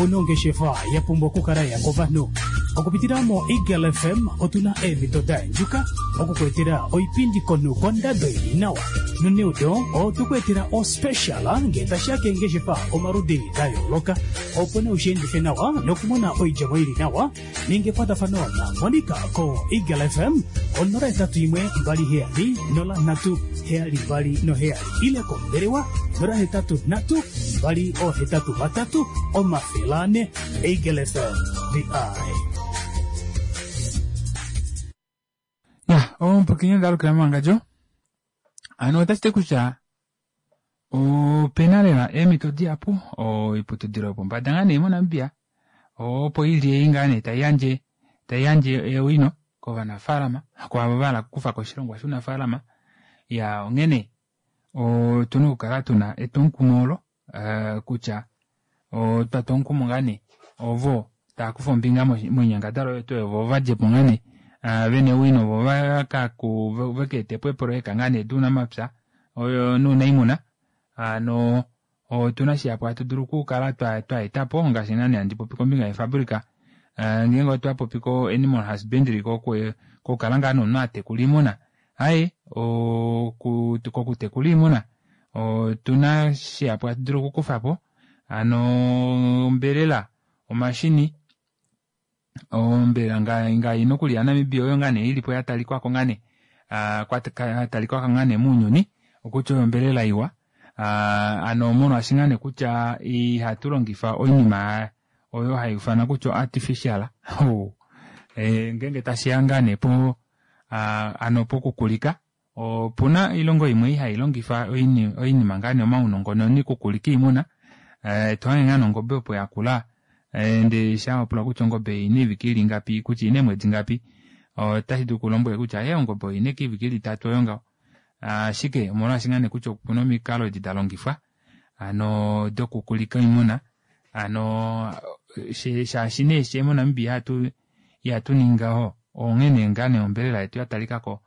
H: Onongeshefa ya pumbwa okukala ya kovanhu. Okupitila mo Eagle F M otuna eemhito da endjuka okukuetela oipindi konhu kondado ili nawa. Noneudo otukuetela ospecial ngee tashiya keengeshefa omaludi da yooloka opo nee ushiendife nawa nokumona oidjemo ili nawa ninga ekwatafano na Monica ko Eagle F M onola etatu imwe mbali heyali nola nhatu heyali mbali noheyali ile kombelewa nola hetatu nhatu mbali ohetatu vatatu omafele ane. Eagle F M, the eye.
A: Ya, omupwilikini ndalukila mowangadjo ano otashiti kutya opena lela eemhito dihapu oiputudilo yopombada ngaa nee moNamibia opo ili ei ngaa nee taiyandje taiyandje eewino kovanafaalama kwaavo vahala okukufako oshilongwa shounafaalama ya onghene otuna okukala tuna etwomukumo olo kutya otwa omukumo ngaa nee ovo taakufa ombinga moinyangadalwa oyo tuu ovo vadjepo ngaa nee vena ewino vo vakaetepo eepoloyeka ngaa nee dounamapya oyo nounaimuna hano otuna shihapu hatu dulu okukala twaetapo ngaashi ngaa nee handi popi kombinga yefabrika ngeenge otwapopi ko animal husbandry kokukala ngaa nomunhu atekula oimuna aye kokutekula oimuna otuna shihapu hatu dulu okukufapo hano ombelela omashini Ombelela ngai nokuli yaNamibia oyo ngaa nee ilipo yatalikwako ngaa nee yatalikwako ngaa nee mounyuni okutya oyo ombelela iwa hano molwaashi ngaa nee kutya ihatu longifa oinima oyo haiufanwa kutya artificial ngeenge tashiya ngaa nee po hano pokukulika opuna oilongo imwe ihailongifa oinima ngaa nee omaunongononi okukulika oimuna tohange ngaa nee ongobe opo yakula ndee shaa wapula kutya ongobe oina oivike ili ingapi kutya oina eemwedi ngapi otashidulu kulombwele kutya ee ongobe oina ashike oivike ili itatu oyo ngaho ashike omolwaashi ngaa nee kutya opuna omikalo edi dalongifwa hano dokukulika oimuna hano shaashi nee fyee moNamibia ihatu ningi ngaho onghene ngaa nee ombelela yetu yatalikako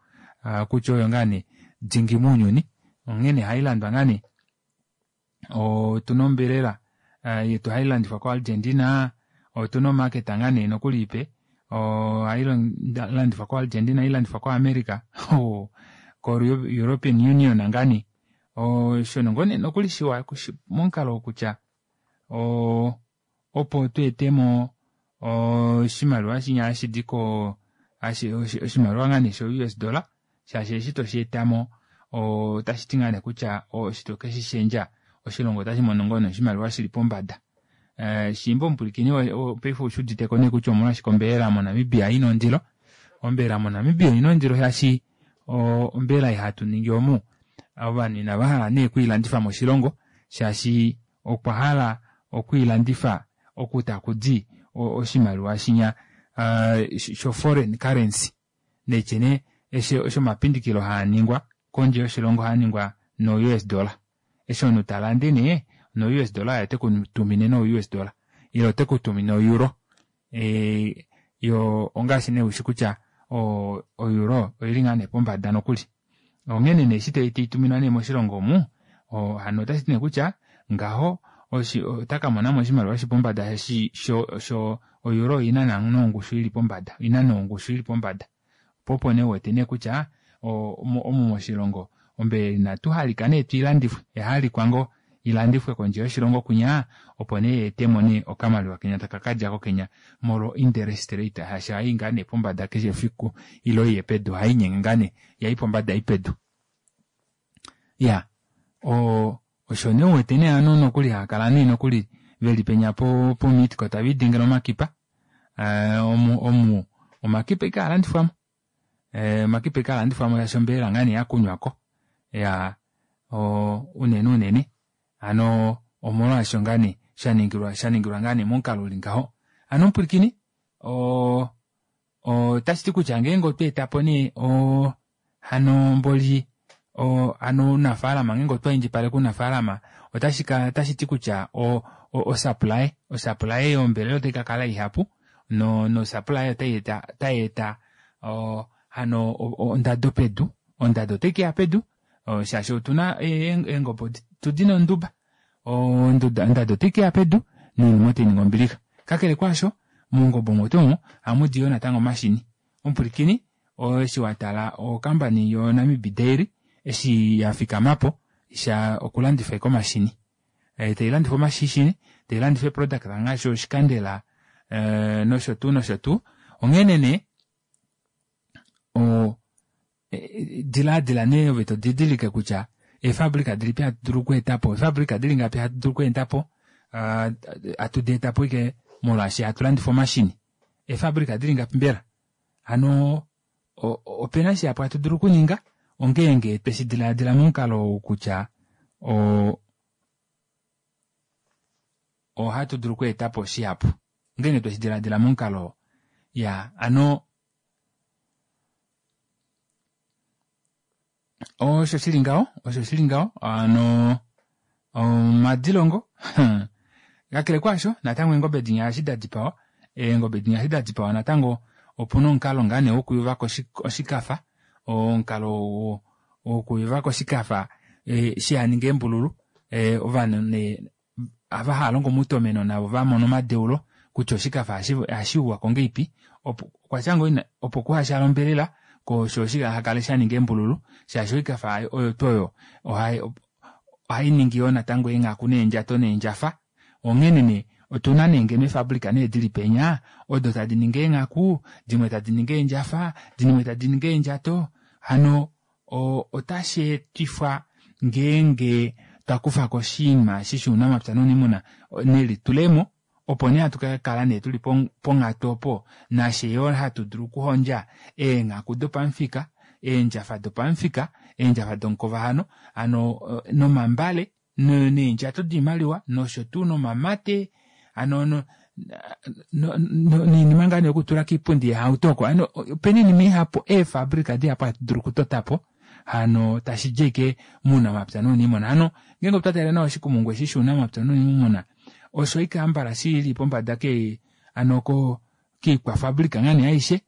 A: kutya oyo ngaa nee dingi mounyuni onghene ohailandwa ngaa nee otuna ombelela yetu hailandifwa ko Argentina otuna omarket ngaa nee nokuli ipe ohailandifwa ko Argentina ohailandifwa ko America ko European Union ngaa nee osho ngoo nee nokuli shiwa momukalo wokutya opo tweetemo oshimaliwa shinya hashidi ko oshimaliwa ngaa nee sho U S dollar shaashi eshi tosheetamo otashiti ngaa nee kutya eshi tokeshishendja oshilongo otashimono ngoo nee oshimaliwa shili pombada shiimba omupwilikini paife oushuditeko nee kutya omolwashike ombelela moNamibia ina ondilo ombelela moNamibia oina ondilo shaashi ombelela ei hatu ningi omu ovanhu inavahala nee okwiilandifa moshilongo shaashi okwa hala okwiilandifa oku takudi oshimaliwa shinya sho foreign currency neitye nee eshi omapindikilo haaningwa kondje yoshilongo ohaaningwa no U S dollar eshi omunhu talande nee no U S dollar otekutumine no U S dollar ile otekutumine o euro yo ongaashi nee ushi kutya o euro oili ngaa nee pombada nokuli onghene nee eshi taituminwa nee moshilongo omu hano otashiti nee kutya ngaho otakamonamo oshimaliwa shili pombada sho o euro oina nongushu ili pombada oina nongushu ili pombada po opo nee uwete nee kutya omu moshilongo ombelela inatuhalika nee tuilandifwe oyahalikwa ngoo ilandifwe kondje yoshilongo kwinya opo nee yeetemo nee okamaliwa kenya taka kadjako kenya molwo interest rate shaashi ohai ngaa nee pombada keshe efiku ile oiye pedu ohainyenge ngaa nee yayi pombada yayi pedu iya osho nee uwete nee ovanhu nokuli haakala nee nokuli veli penya po Meatco taviidingile omakipa omu omakipa ashike haalandifwamo omakipa ashike haalandifwamo shaashi ombelela ngaa nee yakunywako iyaa unene unene hano omolwaasho ngaa nee shaningilwa shaningilwa ngaa nee momukalo uli ngaho hano omupwilikini otashiti kutya ngeenge otwa etapo nee hano mboli hano ounafalama ngeenge otwa indjipaleke ounafalama otashiti kutya osupply osupply yombelela otai kakala ihapu no supply otayeeta hano ondado pedu ondado otaikeya pedu shaashi otuna eengobe otudina onduba ondado otaikeya pedu noinima otainingi ombilixa kakele kwaasho mongobe omo tuu omo ohamudi yoo natango omashini omupwilikini eshi watala ocompany yo Namib Dairy eshi yafikamapo okulandifa ashike omashini tailandifa omashini tailandifa eeproduct ngaashi oshikandela nosho tuu nosho tuu onghene nee dilaadila nee ove todidilike kutya eefabrika dilipi hatu dulu okweetapo eefabrika dili ngapi hatu dulu okweetapo hatu deetapo ashike molwaashi hatu landifa omashini eefabrika dili ngapi mbela hano opena shihapu hatu dulu okuninga ongeenge tweshi dilaadila momukalo ou kutya ohatu dulu okweetapo shihapu ongeenge tweshi dilaadila momukalo ya hano osho shili ngaho osho shili ngaho hano omadilongo kakele kwaasho natango eengobe dinya eshi dadipawa eengobe dinya eshi dadipawa natango opuna omukalo ngaa nee wokuyuvako oshikafa omukalo wokuyuvako oshikafa shihaninge eembululu ovanhu nee ava haalongo moutomeno navo vamona omadeulo kutya oshikafa ohashiyuwako ngahelipi opo kuhashaale ombelela koo shoo shihakale shaninga eembululu shaashi oikafa oyo tuu oyo ohainingi yoo natango eenghaku neendjato neendjafa onghene nee Otuna nee ngeno eefabrika nee dili penya odo tadi ningi eenghaku, dimwe tadi ningi eendjafa, dimwe tadi ningi eendjato hano otashi etifwa ngeenge twakufako oshinima eshi shounamapya nouniimuna nelitulemo opo nee hatu kakala nee tuli ponghatu opo nafye yoo hatu dulu okuhondja eenghaku dopamufika, eendjafa dopamufika, eendjafa domukova hano, hano nomambale neendjato doimaliwa noshotuu nomamate hano noinima ngoo nee yokutula koipundi yeehauto oko hano opena oinima ihapu eefabrika dihapu hatu dulu okutotapo hano tashidi ashike mounamapya nouniimuna. Hano ngeenge otwa tale nawa oshikumungu eshi shounamapya nouniimuna osho ashike hambala shili pombada kee hano ko koikwafabrika ngaa nee aishe,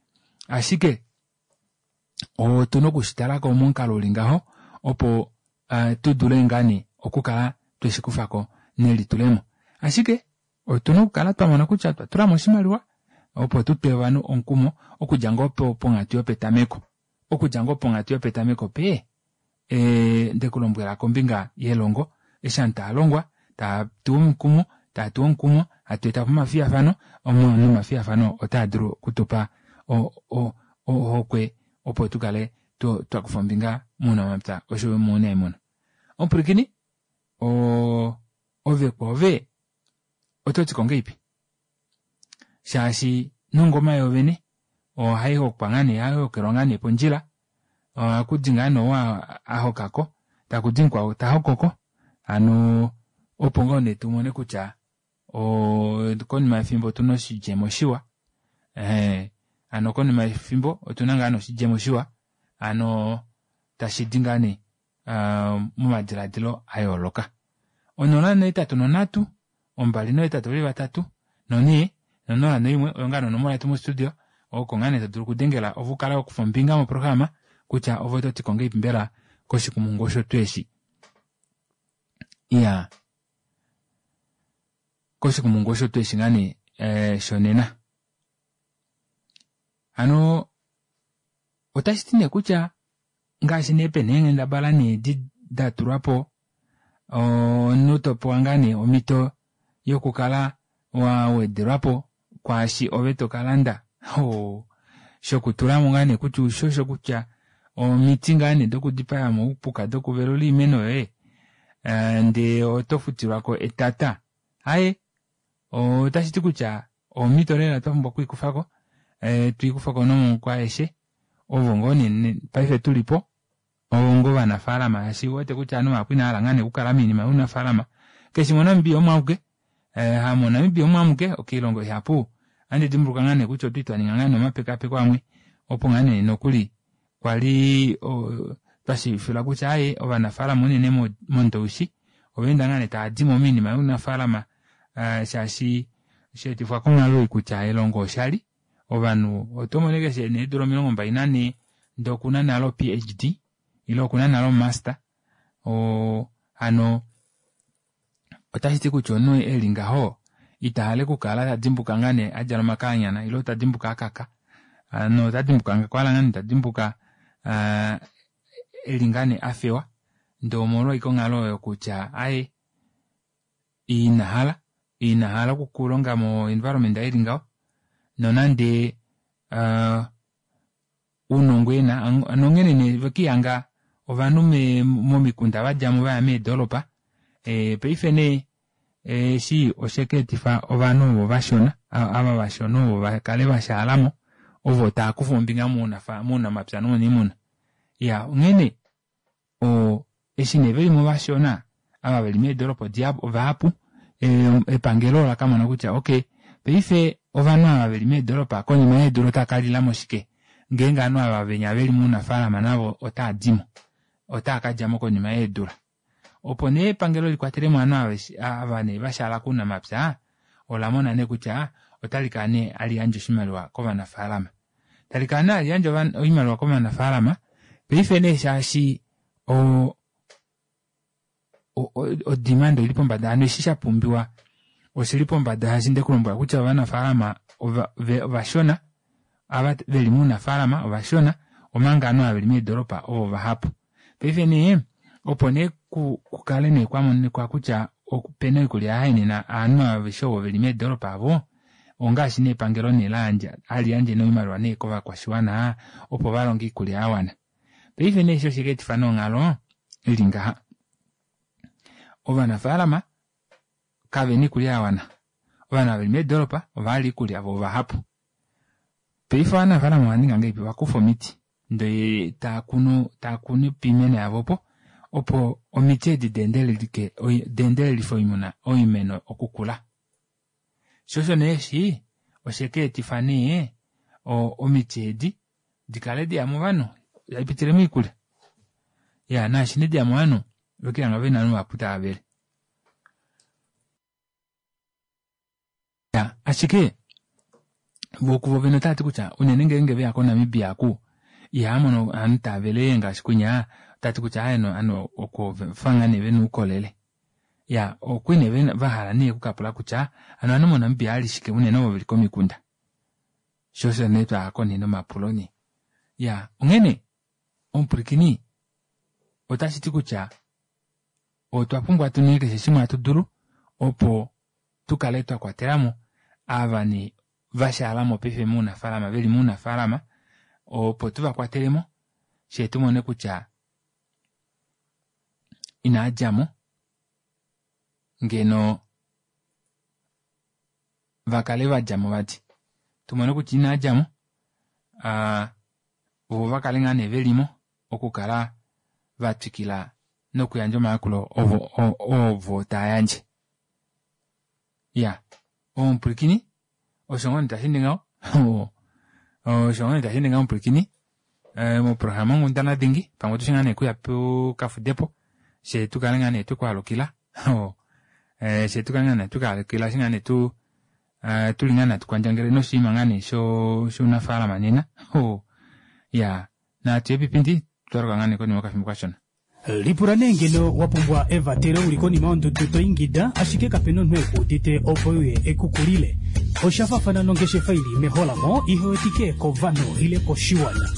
A: ashike otuna okushitalako momukalo uli ngaho opo tudule ngaa nee okukala tweshikufako nelitulemo. Ashike otuna okukala twamona kutya otwa tulamo oshimaliwa opo tutwe ovanhu omukumo okudja ngoo ponghatu yopetameko, okudja ngoo ponghatu yopetameko pee ndekulombwela kombinga yelongo eshi ovanhu tavalongwa tavatuwa omukumo tavatuwa omukumo hatu etapo omafiyafano nomafiyafano otaadulu okutupa ohokwe opo tukale twakufa ombinga mounamapya oshoyo mounayimuna. Omupwilikini oo ove kwoove ototiko ngahelipi shaashi nongoma yoovene ohaihokwa ngaa nee ohaihokelwa ngaa nee pondjila ohakudi ngaa nee ou ahokako takudi mukwao tahokoko hano opo ngoo nee tumone kutya konima yefimbo otuna oshidjemo shiwa ee hano konima yefimbo otuna ngaa nee oshidjemo shiwa hano tashidi ngaa nee momadilaadilo ayooloka. Onola nohetatu nonhatu ombali nohetatu veli vatatu nonhee nonola noimwe oyo ngaa nee onomola yetu mo studio oko ngoo nee todulu okudengela ove ukale wakufa ombinga moprograma kutya ove ototiko ngahelipi mbela koshikumungu osho tuu eshi. Iyaa koshikumungu osho tuu eshi ngaa nee shonena. Hano otashiti nee kutya ngaashi nee pena eenghendabala nee datulwapo omunhu topewa ngaa nee omito yokukala wawedelwapo kwaashi ove tokalanda hoo shokutulamo ngaa nee kutya ushosho kutya omiti ngaa nee dokudipaya oupuka dokuvelula oimeno yoye ndee oto futilwako etata aaye otashiti kutya omito lela twapumbwa okwiikufako twiikufako nomaoko aeshe ovo ngoo nee paife tulipo onga ovanafalama shaashi ouwete kutya ovanhu vahapu inavahala ngaa nee okukala moinima younafalama keshi moNamibia omo amuke hamo Namibia omo amuke koilongo ihapu ohandi dimbuluka ngaa nee kutya otwali twaninga ngaa nee omapekaapeko amwe opo ngaa nee nokuli kwali twashiivifilwa kutya aaye ovanafalama unene mondowishi ovaenda ngaa nee taadimo moinima younafalama shaashi sheetifwa konghalo ei kutya elongo oshali ovanhu otomono ashike eshi ena eedula omilongo mbali nanhee ndee okuna nale o P H D ile okuna nale omaster oo hano otashiti kutya omunhu eli ngaho itahala okukala tadimbuka ngaa nee adjala omakanyana ile tadimbuka akaka hano otadimbuka okwahala ngoo nee tadimbuka eli ngaa nee afewa ndee omolwa ashike onghalo oyo kutya aaye inahala inahala okulonga mo environment ili ngaho nonande ounongo ena nonghene nee vekiihanga ovanhu momikunda vadjamo vaya meedoropa paife nee eshi oshakeetifa ovanhu ovo vashona ava vashona ovo vakale vashaalamo ovo taakufa ombinga mounamapya nouniimuna. Iyaa onghene eshi nee velimo vashona ava veli meedoropa ovahapu epangelo olakamona kutya okey paife ovanhu ava veli meedoropa konima yeedula otava kalilamo shike ngeenge ovanhu ava venya veli mounafalama navo otaadimo otaakadjamo konima yeedula. Opo nee epangelo likwatelemo ovanhu ava nee vashaala kounamapya olamona nee kutya otalikala nee haliyandje oshimaliwa kovanafalama talikala nee haliyandje oimaliwa kovanafalama paife nee shaashi odemand oili pombada hano eshi shapumbiwa oshili pombada shaashi ndekulombwela kutya ovanafalama ovashona ava veli mounafalama ovashona omanga ovanhu ava veli meedoropa ovo vahapu. Paife nee opo nee kukale nee kwamonika kutya pena oikulya yahenena ovanhu aveshe ovo veli meedoropa avo ongaashi nee epangelo nee layandja hali yandje noimaliwa nee kovakwashiwana opo valonge oikulya yawana. Paife nee eshi oshika etifa nonghalo ili ngaha. Ovanafaalama kavena oikulya yawana. Ovanhu veli meedoropa ovahali oikulya vo ovahapu. Paife ovanafaalama ovaninga ngahelipi ovakufa omiti ndee taakunu taakunu piimeno yavo opo opo omiti edi deendelelike deendelelife oimuna oimeno okukula. Sho osho nee eshi osheka etifa nee omiti edi dikale diya movanhu haipitile moikulya. Ya naashi nee diya movanhu vekelihanga vena ovanhu vahapu tavavele. Ya ashike voo kuvo vene otavati kutya unene ngeenge veya koNamibia aku ihamono ovanhu tavele ngaashi kwinya otati kutya aaye ovanhu oko ovafa ngaa nee vena oukolele. Ya okwali nee vahala nee okukapula kutya hano ovanhu moNamibia ohali shike unene ovo veli komikunda. Sho osho nee twayako nee nomapulo nee. Ya onghene omupwilikini otashiti kutya otwa pumbwa tuninge keshe shimwe hatu dulu opo tukale twakwatelamo ava nee vashalamo paife mounafalama veli mounafalama opo tuvakwatelemo fyee tumone kutya inaadjamo ngeno vakale vadjamo vati tumone kutya inaadjamo aa voo vakale ngaa nee velimo okukala vatwikila nokuyandja omayakulo ovo ovo tayandje. Ya omupwilikini osho ngoo nee tasheende ngaho osho ngoo nee tasheende ngaho omupwilikini moprograma onghundana dingi pamwe otushi ngaa nee kuya tukafudepo fyee tukale ngaa nee twekwaalukila fyee tukale ngaa nee twekwaalukila eshi ngaa nee tu tuli ngaa nee hatukwandjangele noshinima ngaa nee shounafalama nena iya natuye piipindi twaluka ngaa nee konima yokafimbo kashona.
H: Lipula nee ngeno wa pumbwa evatelo uli konima yondudu to ingida ashike kapena omunhu ekuudite opo uye ekukulile. Osha faafana nongeshefa ili meholamo ihewetike kovanhu ile koshiwana.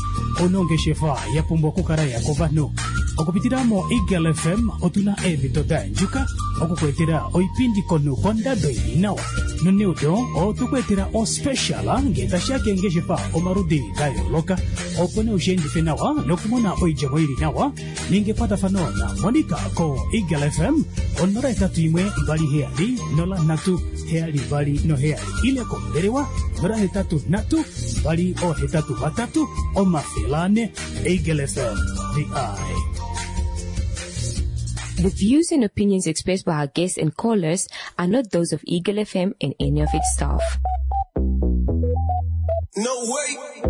H: Ono ongeshefa ya pumbwa okukala ya kovanhu. Okupitila mo Eagle F M otuna eemhito da yandjuka okukuetela oipindi komunhu kondado ili nawa. Noneudo otukuetela ospecial ngee tashiya keengeshefa omaludi da yooloka opo nee ushiendife nawa nokumona oidjemo ili nawa ninga ekwatafano na Monica ko Eagle F M onola hetatu imwe mbali heyali nola nhatu heyali mbali noheyali ile kombelewa nola hetatu nhatu mbali ohetatu vatatu omafele ane. Eagle F M, the eye.
B: The views and opinions expressed by our guests and callers are not those of Eagle F M and any of its staff.
J: No way.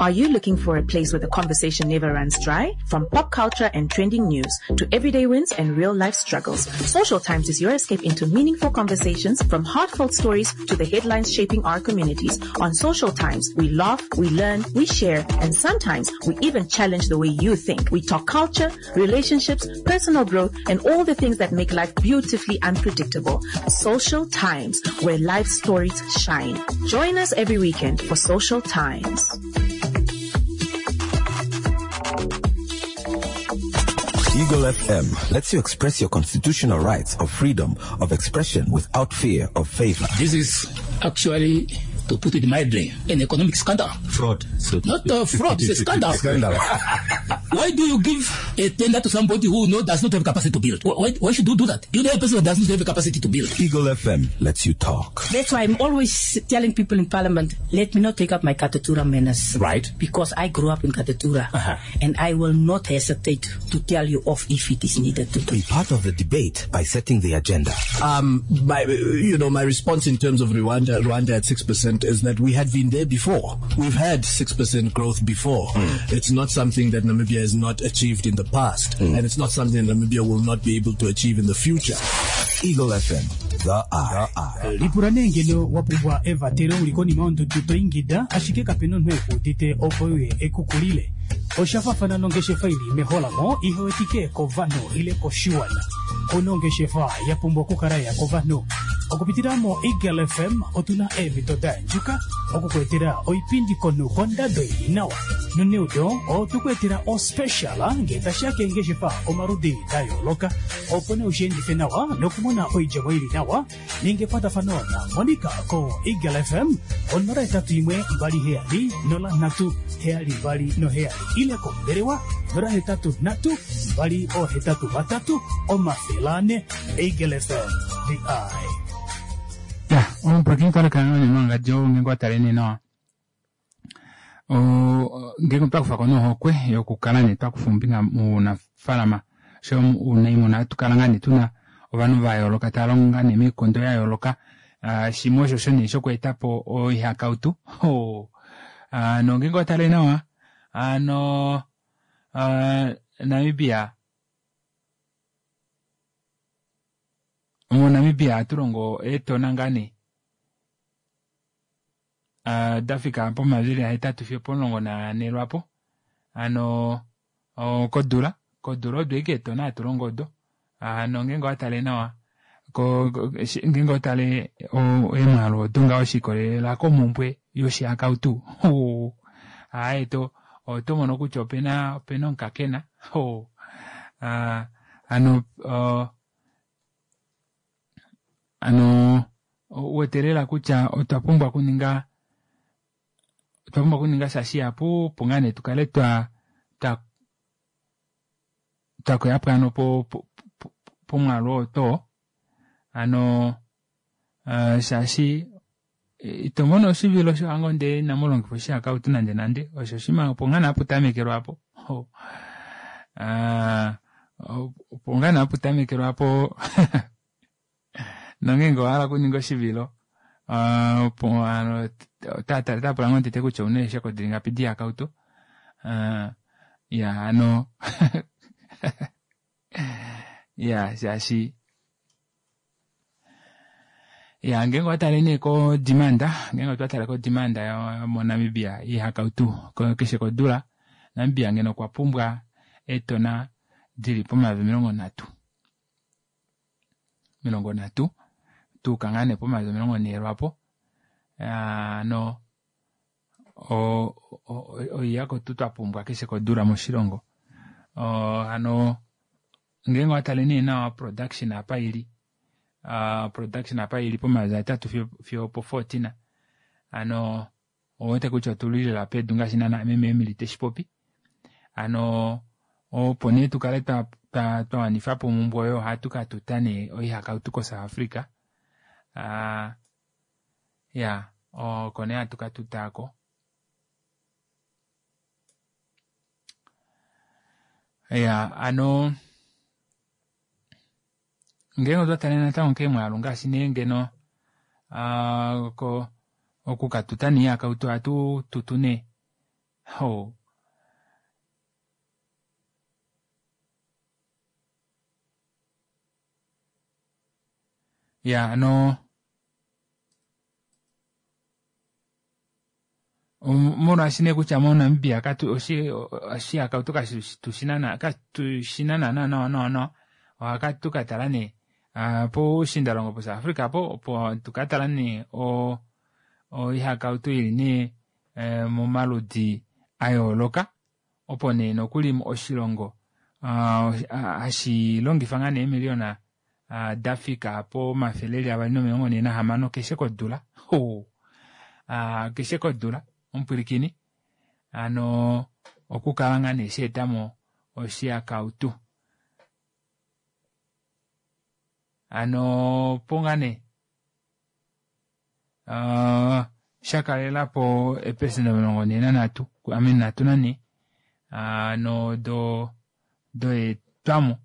K: Are you looking for a place where the conversation never runs dry? From pop culture and trending news to everyday wins and real life struggles, Social Times is your escape into meaningful conversations, from heartfelt stories to the headlines shaping our communities. On Social Times, we laugh, we learn, we share, and sometimes we even challenge the way you think. We talk culture, relationships, personal growth, and all the things that make life beautifully unpredictable. Social Times, where life stories shine. Join us every weekend for Social Times.
C: Eagle F M lets you express your constitutional rights of freedom of expression without fear of favor.
D: This is actually, to put it mildly, an economic scandal.
L: Fraud. So
D: Not a fraud, it's a scandal.
L: Scandal.
D: Why do you give a tender to somebody who no, does not have capacity to build? Why, why should you do that? You know a person that does not have capacity to build.
C: Eagle F M lets you talk.
F: That's why I'm always telling people in Parliament, let me not take up my Katutura manners.
L: Right.
F: Because I grew up in Katutura.
L: Uh-huh.
F: And I will not hesitate to tell you off if it is needed to.
C: Be part of the debate by setting the agenda.
G: Um, my, you know, my response in terms of Rwanda, Rwanda at six percent is that we had been there before. We've had six percent growth before.
C: Mm.
G: It's not something that Namibia has not achieved in the past,
C: mm.
G: and it's not something that Namibia will not be able to achieve in the future.
C: Eagle F M, the eye.
H: Lipula nee ngeno wa pumbwa evatelo uli konima yondudu to ingida ashike kapena omunhu ekuudite opo uye ekukulile. Osha faafana nongeshefa ili meholamo ihewetike kovanhu ile koshiwana. Ono ongeshefa ya pumbwa okukala ya kovanhu. Okupitila mo Eagle F M otuna eemhito da yandjuka Okukuetela oipindi komunhu kondado ili nawa. Noneudo otwekuetela ospecial ngee tashiya keengeshefa omaludi da yooloka. Opo nee ushiendife nawa nokumona oidjemo ili nawa ninga ekwatafano na Monica ko Eagle F M onola hetatu imwe mbali heyali nola nhatu heyali mbali noheyali ile kombelewa nola hetatu nhatu mbali ohetatu vatatu omafele ane. Eagle F M, the eye.
A: Ya, omupulakeni kaleka nongadjo ngeenge watale nee nawa. O ngeenge otwakufako nohokwe yokukala nee twakufa ombinga mounafalama oshoyo ounaimuna hatukala ngaa nee tuna ovanhu vayooloka tava longo ngaa nee moikondo yayooloka. Shimwe oshosho nee shokweetapo oihakautu. Hano ngeenge owatale nawa hano Namibia moNamibia ohatulongo eetona ngaa nee dafika pomayovi ahetatu fiyo opomulongo nanhee lwaapo hano kodula kodula odo ashike eetona hatu longo odo. Hano ngeenge owatale nawa ngeenge owatale eemwaalu odo ngaho shiikolelela komumbwe yoshihakautu aaye otomono kutya opena opena omukakena hano hano ouwete lela kutya otwa pumbwa okuninga otwa pumbwa okuninga sha shihapu opo ngaa nee tukale twa twa twakoyapo hano pomwaalu oo twoo hano shaashi itomono oshivilo shohango ndee inamulongifa oshihakautu nande nande osho oshinima opo ngaa nee haputamekelwa aapo opo ngaa nee haputamekelwa aapo nongeenge owahala okuninga oshivilo otaapula ngoo tete kutya ouna eeshako dili ngapi doihakautu iyaa hano iyaa shaashi iya ngeenge owatale nee ko demand ngeenge otwatale ko demand mo Namibia yoihakautu keshe kodula Namibia ngeno okwa pumbwa eetona dili pomayovi omilongo nhatu omilongo nhatu twayuka ngaa nee pomayovi omilongo nhee lwaapo hano oihakautu twapumbwa keshe kodula moshilongo hano ngeenge owatale nee nawa production apa ili production apa ili pomayovi ahetatu fiyo opo fourteen hano ouwete kutya otuli lela pedu ngaashi naana meme Emily teshipopi hano opo nee tukale twawanifapo omumbwe oyo ohatu katuta nee oihakautu ko South Africa iya oko nee hatu katuta aako iya hano ngeenge otwatale natango keemwaalu ngaashi nee ngeno okukatuta nee oihakautu ohatu tutu nee ho iya hano molwaashi nee kutya moNamibia oshihakautu katushina naana nawa nawa nawa ohatu katala nee poushindalongo po South Africa apo opo tukatala nee oihakautu ili nee momaludi ayooloka opo nee nokuli oshilongo hashilongifa ngaa nee eemiliona dafika pomafele eli avali nomilongo nhee nahamano keshe kodula keshe kodula omupwilikini hano okukala ngaa nee shaetamo oshihakautu hano opo ngaa nee shakalelapo eeprecent omilongo nhee nanhatu I mean nhatu nanhee hano doyeetwamo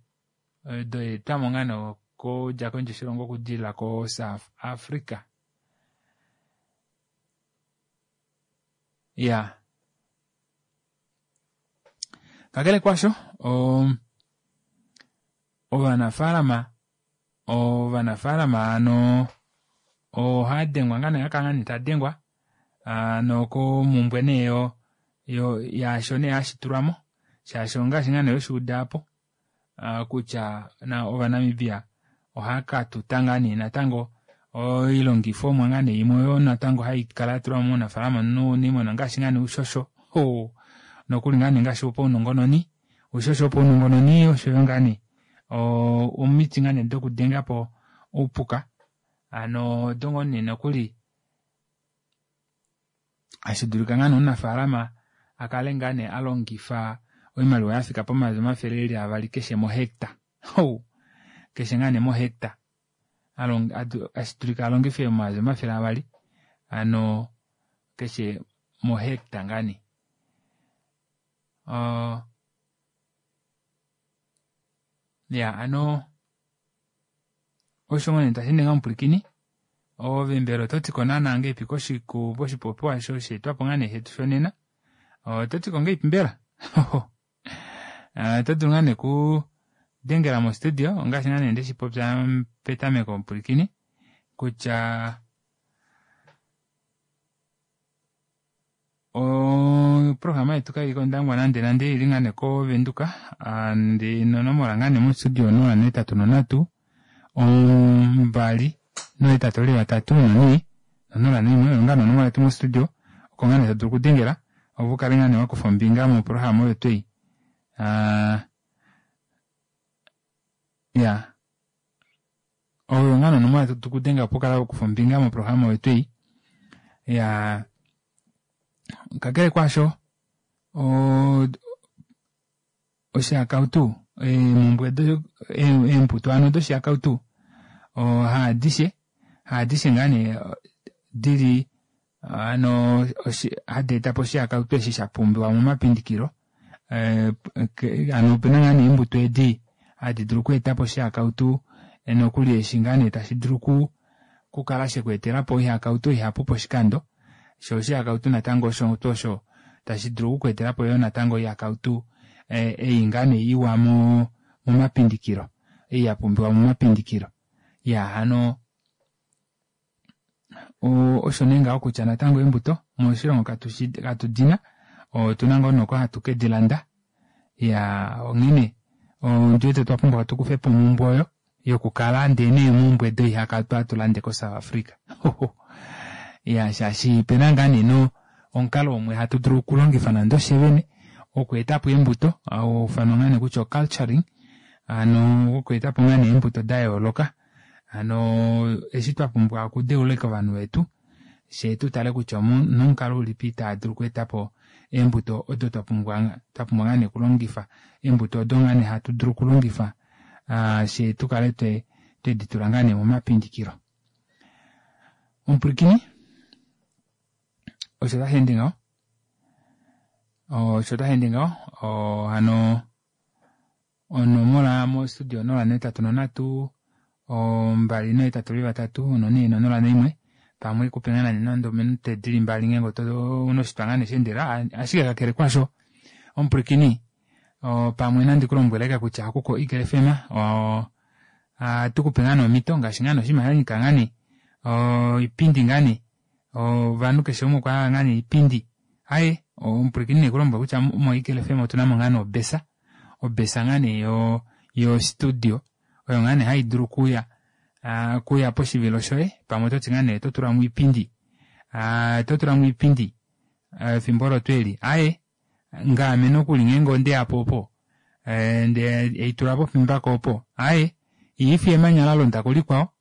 A: doyeetwamo ngaa nee okudja kondje yoshilongo okudilila ko South Africa iyaa kakele kwasho ovanafalama ovanafalama hano ohadengwa ngaa nee hakala ngaa nee tadengwa hano komumbwe nee yaasho nee hashitulwamo shaashi ongaashi ngaa nee weshuuda aapo kutya ovanamibia ohaakatuta ngaa nee natango Oilongifomwa ngaa nee imwe oyo natango haikala yatulwamo mounafalama nounimuna ongaashi ngaa nee oushosho oo nokuli ngaa nee ngaashi wopaunongononi oushosho wopaunongononi oshoyo ngaa nee omiti ngaa nee dokudengapo oupuka hano odo ngoo nee nokuli hashidulika ngaa nee omunafalama akale ngaa nee alongifa oimaliwa yafika pomayovi omafele eli avali keshe mo hectare oo keshe ngaa nee mo hectare ashidulika alongife omayovi omafele avali hano keshe mo hectare ngaa nee oo iyaa hano osho ngoo nee tasheende ngaho omupwilikini ove mbela ototiko naana ngahelipi koshipopiwa kosheetwapo shetu shonena ototiko ngahelipi mbela otodulu ngoo nee okudengela mo studio ongaashi ngoo nee ndeshipopya petameko omupwilikini kutya oprograma yetu kaili kondangwa nande nande oili ngaa nee ko venduka ndee nonomola ngaa nee mo studio onola nohetatu nonhatu ombali nohetatu veli vatatu nonhee onola noimwe oyo ngaa nee onomola yetu mo studio oko ngoo nee todulu okudengela opo ukale ngoo nee wakufa ombinga moprograma oyo tuu ei aa iyaa oyo ngoo nee onomola todulu okudenga opo ukale wakufa ombinga moprograma oyo tuu ei iyaa kakele kwaasho oo oshihakautu eemumbwe eembuto hano doshihakautu haadishe haadishe ngaa nee dili hano hadeetapo oshihakautu eshi shapumbiwa momapindikilo hano opena ngaa nee eembuto edi hadi dulu okweetapo oshihakautu nokuli eshi ngaa nee tashi dulu okukala shekweetelapo oihakautu ihapu poshikando shoo oshihakautu natango osho tuu osho tashi dulu oku kweetelapo yoo natango oihakautu ei ngaa nee iwa momapindikilo ei yapumbiwa momapindikilo iyaa hano osho nee ngaho kutya natango eembuto moshilongo katudina otuna ngoo nee oko hatu kedilanda iyaa onghene ondiwete otwapumbwa tukufepo omumbwe oyo yokukala ndee neemumbwe doihakautu hatulande ko south Africa iyaa shaashi opena ngaa nee omukalo umwe hatu dulu okulongifa nande ofye vene wokweetapo eembuto hauufanwa ngaa nee kutya o culturing hano wokweetapo ngaa nee eembuto dayooloka hano eshi twapumbwa okudeula ashike ovanhu vetu fyee tutale kutya onomukalo ulipi taadulu okweetapo eembuto odo twapumbwa twapumbwa ngaa nee okulongifa eembuto odo ngaa nee hatu dulu okulongifa fyee tukale tweditula ngaa nee momapindikilo. Omupwilikini osho tasheende ngaho osho tasheende ngaho hano onomola mo studio onola nohetatu nonhatu ombali nohetatu veli vatatu nonhee nonola noimwe pamwe haikupe ngoo nande ominute dili mbali ngeenge ouna oshitwa ngoo nee sheendelela ashike kakele kwaasho omupwilikini pamwe nandi kulombwele ashike kutya oku ko eagle F M ohatukupe ngaa nee omito ngaashi ngaa nee oshinima shanyika ngaa nee oipindi ngaa nee ovanhu keshe umwe okwahala ngaa nee oipindi aaye omupwilikini nekulombwele kutya mo eagle F M otunamo ngaa nee obesa obesa ngaa nee yo studio oyo ngaa nee haidulu okuuya okuuya poshivilo shoye pamwe ototi ngoo nee ototulamo oipindi ototulamo oipindi efimbo olo twoo eli aaye ngaame nokuli ngeenge ondeyapo opo ndee haitulwa popimbako opo aaye ihaifi emanya lalonda kulikwao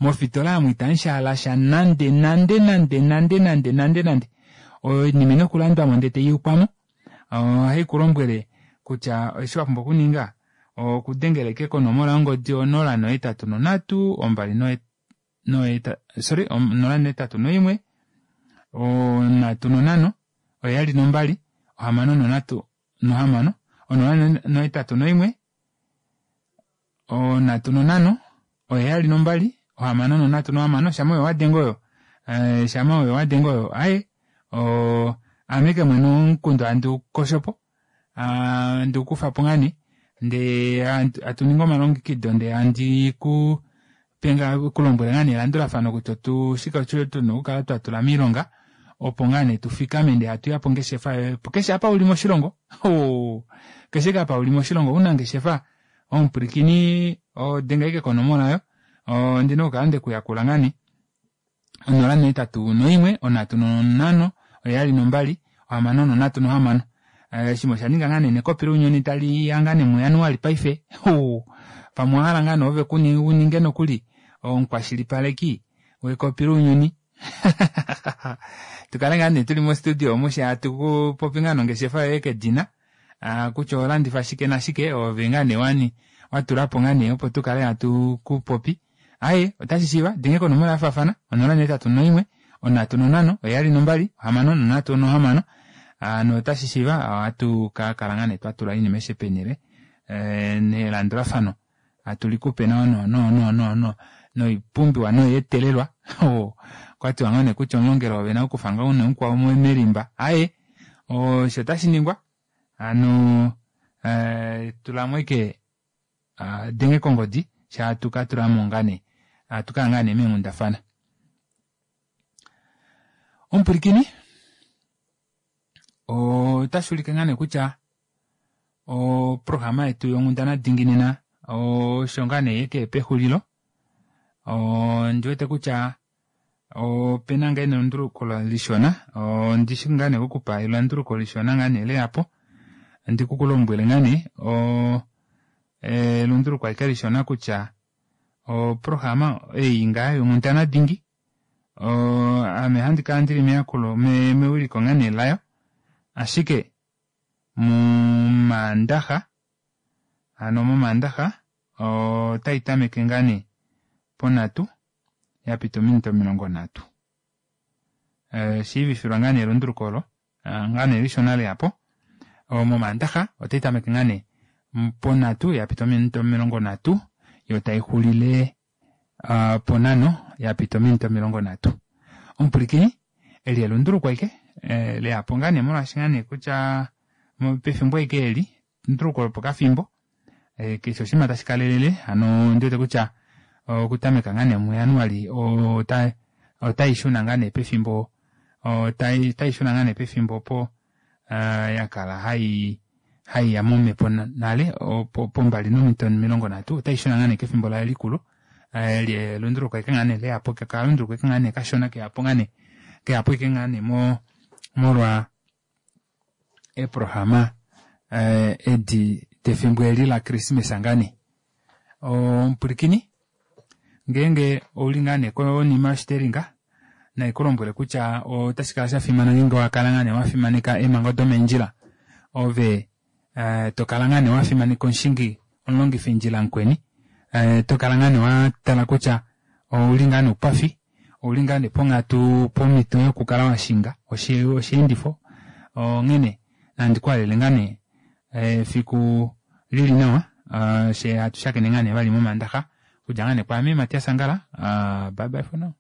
A: mofitola aamu itamushaalasha nande nande nande nande nande nande nande oinima oina okulandwamo ndee taiyukwamo ohaikulombwele kutya eshi wapumbwa okuninga okudengela ashike konomola yongodi onola nohetatu nonhatu ombali sorry onola nohetatu noimwe onhatu nonhano oheyali nombali ohamano nonhatu nohamano onola nohetatu noimwe onhatu nonhano oheyali nombali ohamano nonhatu nohamano shama oyo wadenge oyo shama oyo wadenge oyo aaye aame ashike mwene omukundu handi ukoshopo handi ukufapo ngaa nee ndee hatuningi omalongekido ndee handi kulombwele ngaa nee elandulafano kutya oshike osho tuna okukala twatula moilonga opo ngoo nee tufikame ndee hatuya pongeshefa yoye keshe apa uli moshilongo keshe ashike apa uli moshilongo omunangeshefa omupwilikini denga ashike konomola aayo Ondina okukala ndekuyakula ngaa nee onola nohetatu noimwe onhatu nonhano oheyali nombali ohamano nonhatu nohamano oshinima oshaninga ngaa nee nekopi lounyuni taliya ngaa nee mu januali paife uu pamwe owahala ngaa nee ove uninge nokuli omukwashilipaleki wekopi lounyuni tukale ngaa nee tuli mo studio omu fyee hatupopi ngaa nongeshefa yoye kedina kutya oholandifa shike nashike ove ngaa nee wani watulapo ngaa nee opo tukale hatu kupopi aaye otashishiiva denge konomola yafaafana onola nohetatu noimwe onhatu nonhano oheyali nombali ohamano nonhatu nohamano hano otashishiiva ohatu kakala ngaa nee twatula oinima aishe peenele ee nelandulafano hatu likupe nawa no no no no noipumbiwa noyeetelelwa okwatiwa ngoo nee kutya omulongelo oove nakukufa ngoo nee mukwao melimba aaye osho otashiningwa hano tulamo ashike denge kongodi fyee hatu katulamo ngaa nee hatukaya ngaa nee meenghundafana. Omupwilikini otashuulike ngaa nee kutya oprograma yetu yonghundana dingi nena osho ngaa nee yekeya pexulilo ondiwete kutya opena ngaa nelunduluko lishona ondishi ngaa nee okukupa elunduluko lishona ngaa nee leyapo ndikukulombwele ngaa nee oo elunduluko ashike lishona kutya oprograma ei ngaa yonghundana dingi ame ohandi kala ndili meyakulo mewiliko ngaa nee layo ashike momandaxa hano momandaxa otaitameke ngaa nee ponhatu yapita ominute omilongo nhatu shiivifilwa ngaa nee elunduluko oolo ngaa nee lishona leyapo momandaxa otaitameke ngaa nee ponhatu yapita ominute omilongo nhatu yoo taixulile ponhano yapita ominute omilongo nhatu omupwilikini eli elunduluko ashike leyapo ngaa nee molwaashi ngaa nee kutya pefimbo ashike eli elunduluko lopokafimbo keshe oshinima tashi kalelele hano ondiwete kutya okutameka ngaa nee mu januali otaishuna ngaa nee pefimbo otaishuna ngaa nee pefimbo opo yakala haiya momepo nale pombali nominute omilongo nhatu otaishuna ngaa nee kefimbo layo likulu eli elunduluko ashike ngaa nee leyapo okalunduluko ashike ngaa nee kashona keyapo ngaa nee keyapo ashike ngaa nee molwa eeprograma edi defimbo eli la christmas ngaa nee omupwilikini ngeenge ouli ngaa nee konima yoshitelinga naikulombwele kutya otashikala shafimana ngeenge owakala ngaa nee wafimaneka eemhango domeendjila ove tokala ngaa nee wafimaneka omushingi omulongifindjila mukweni tokala ngaa nee watala kutya ouli ngaa noupafi ouli ngaa nee ponghatu pomito yokukala washinga osheendifo onghene nandi kuhalele ngaa nee efiku lili nawa fyee hatu shakene ngaa nee vali momandaxa okudja ngaa nee kwaame Matias Angala bye bye for now.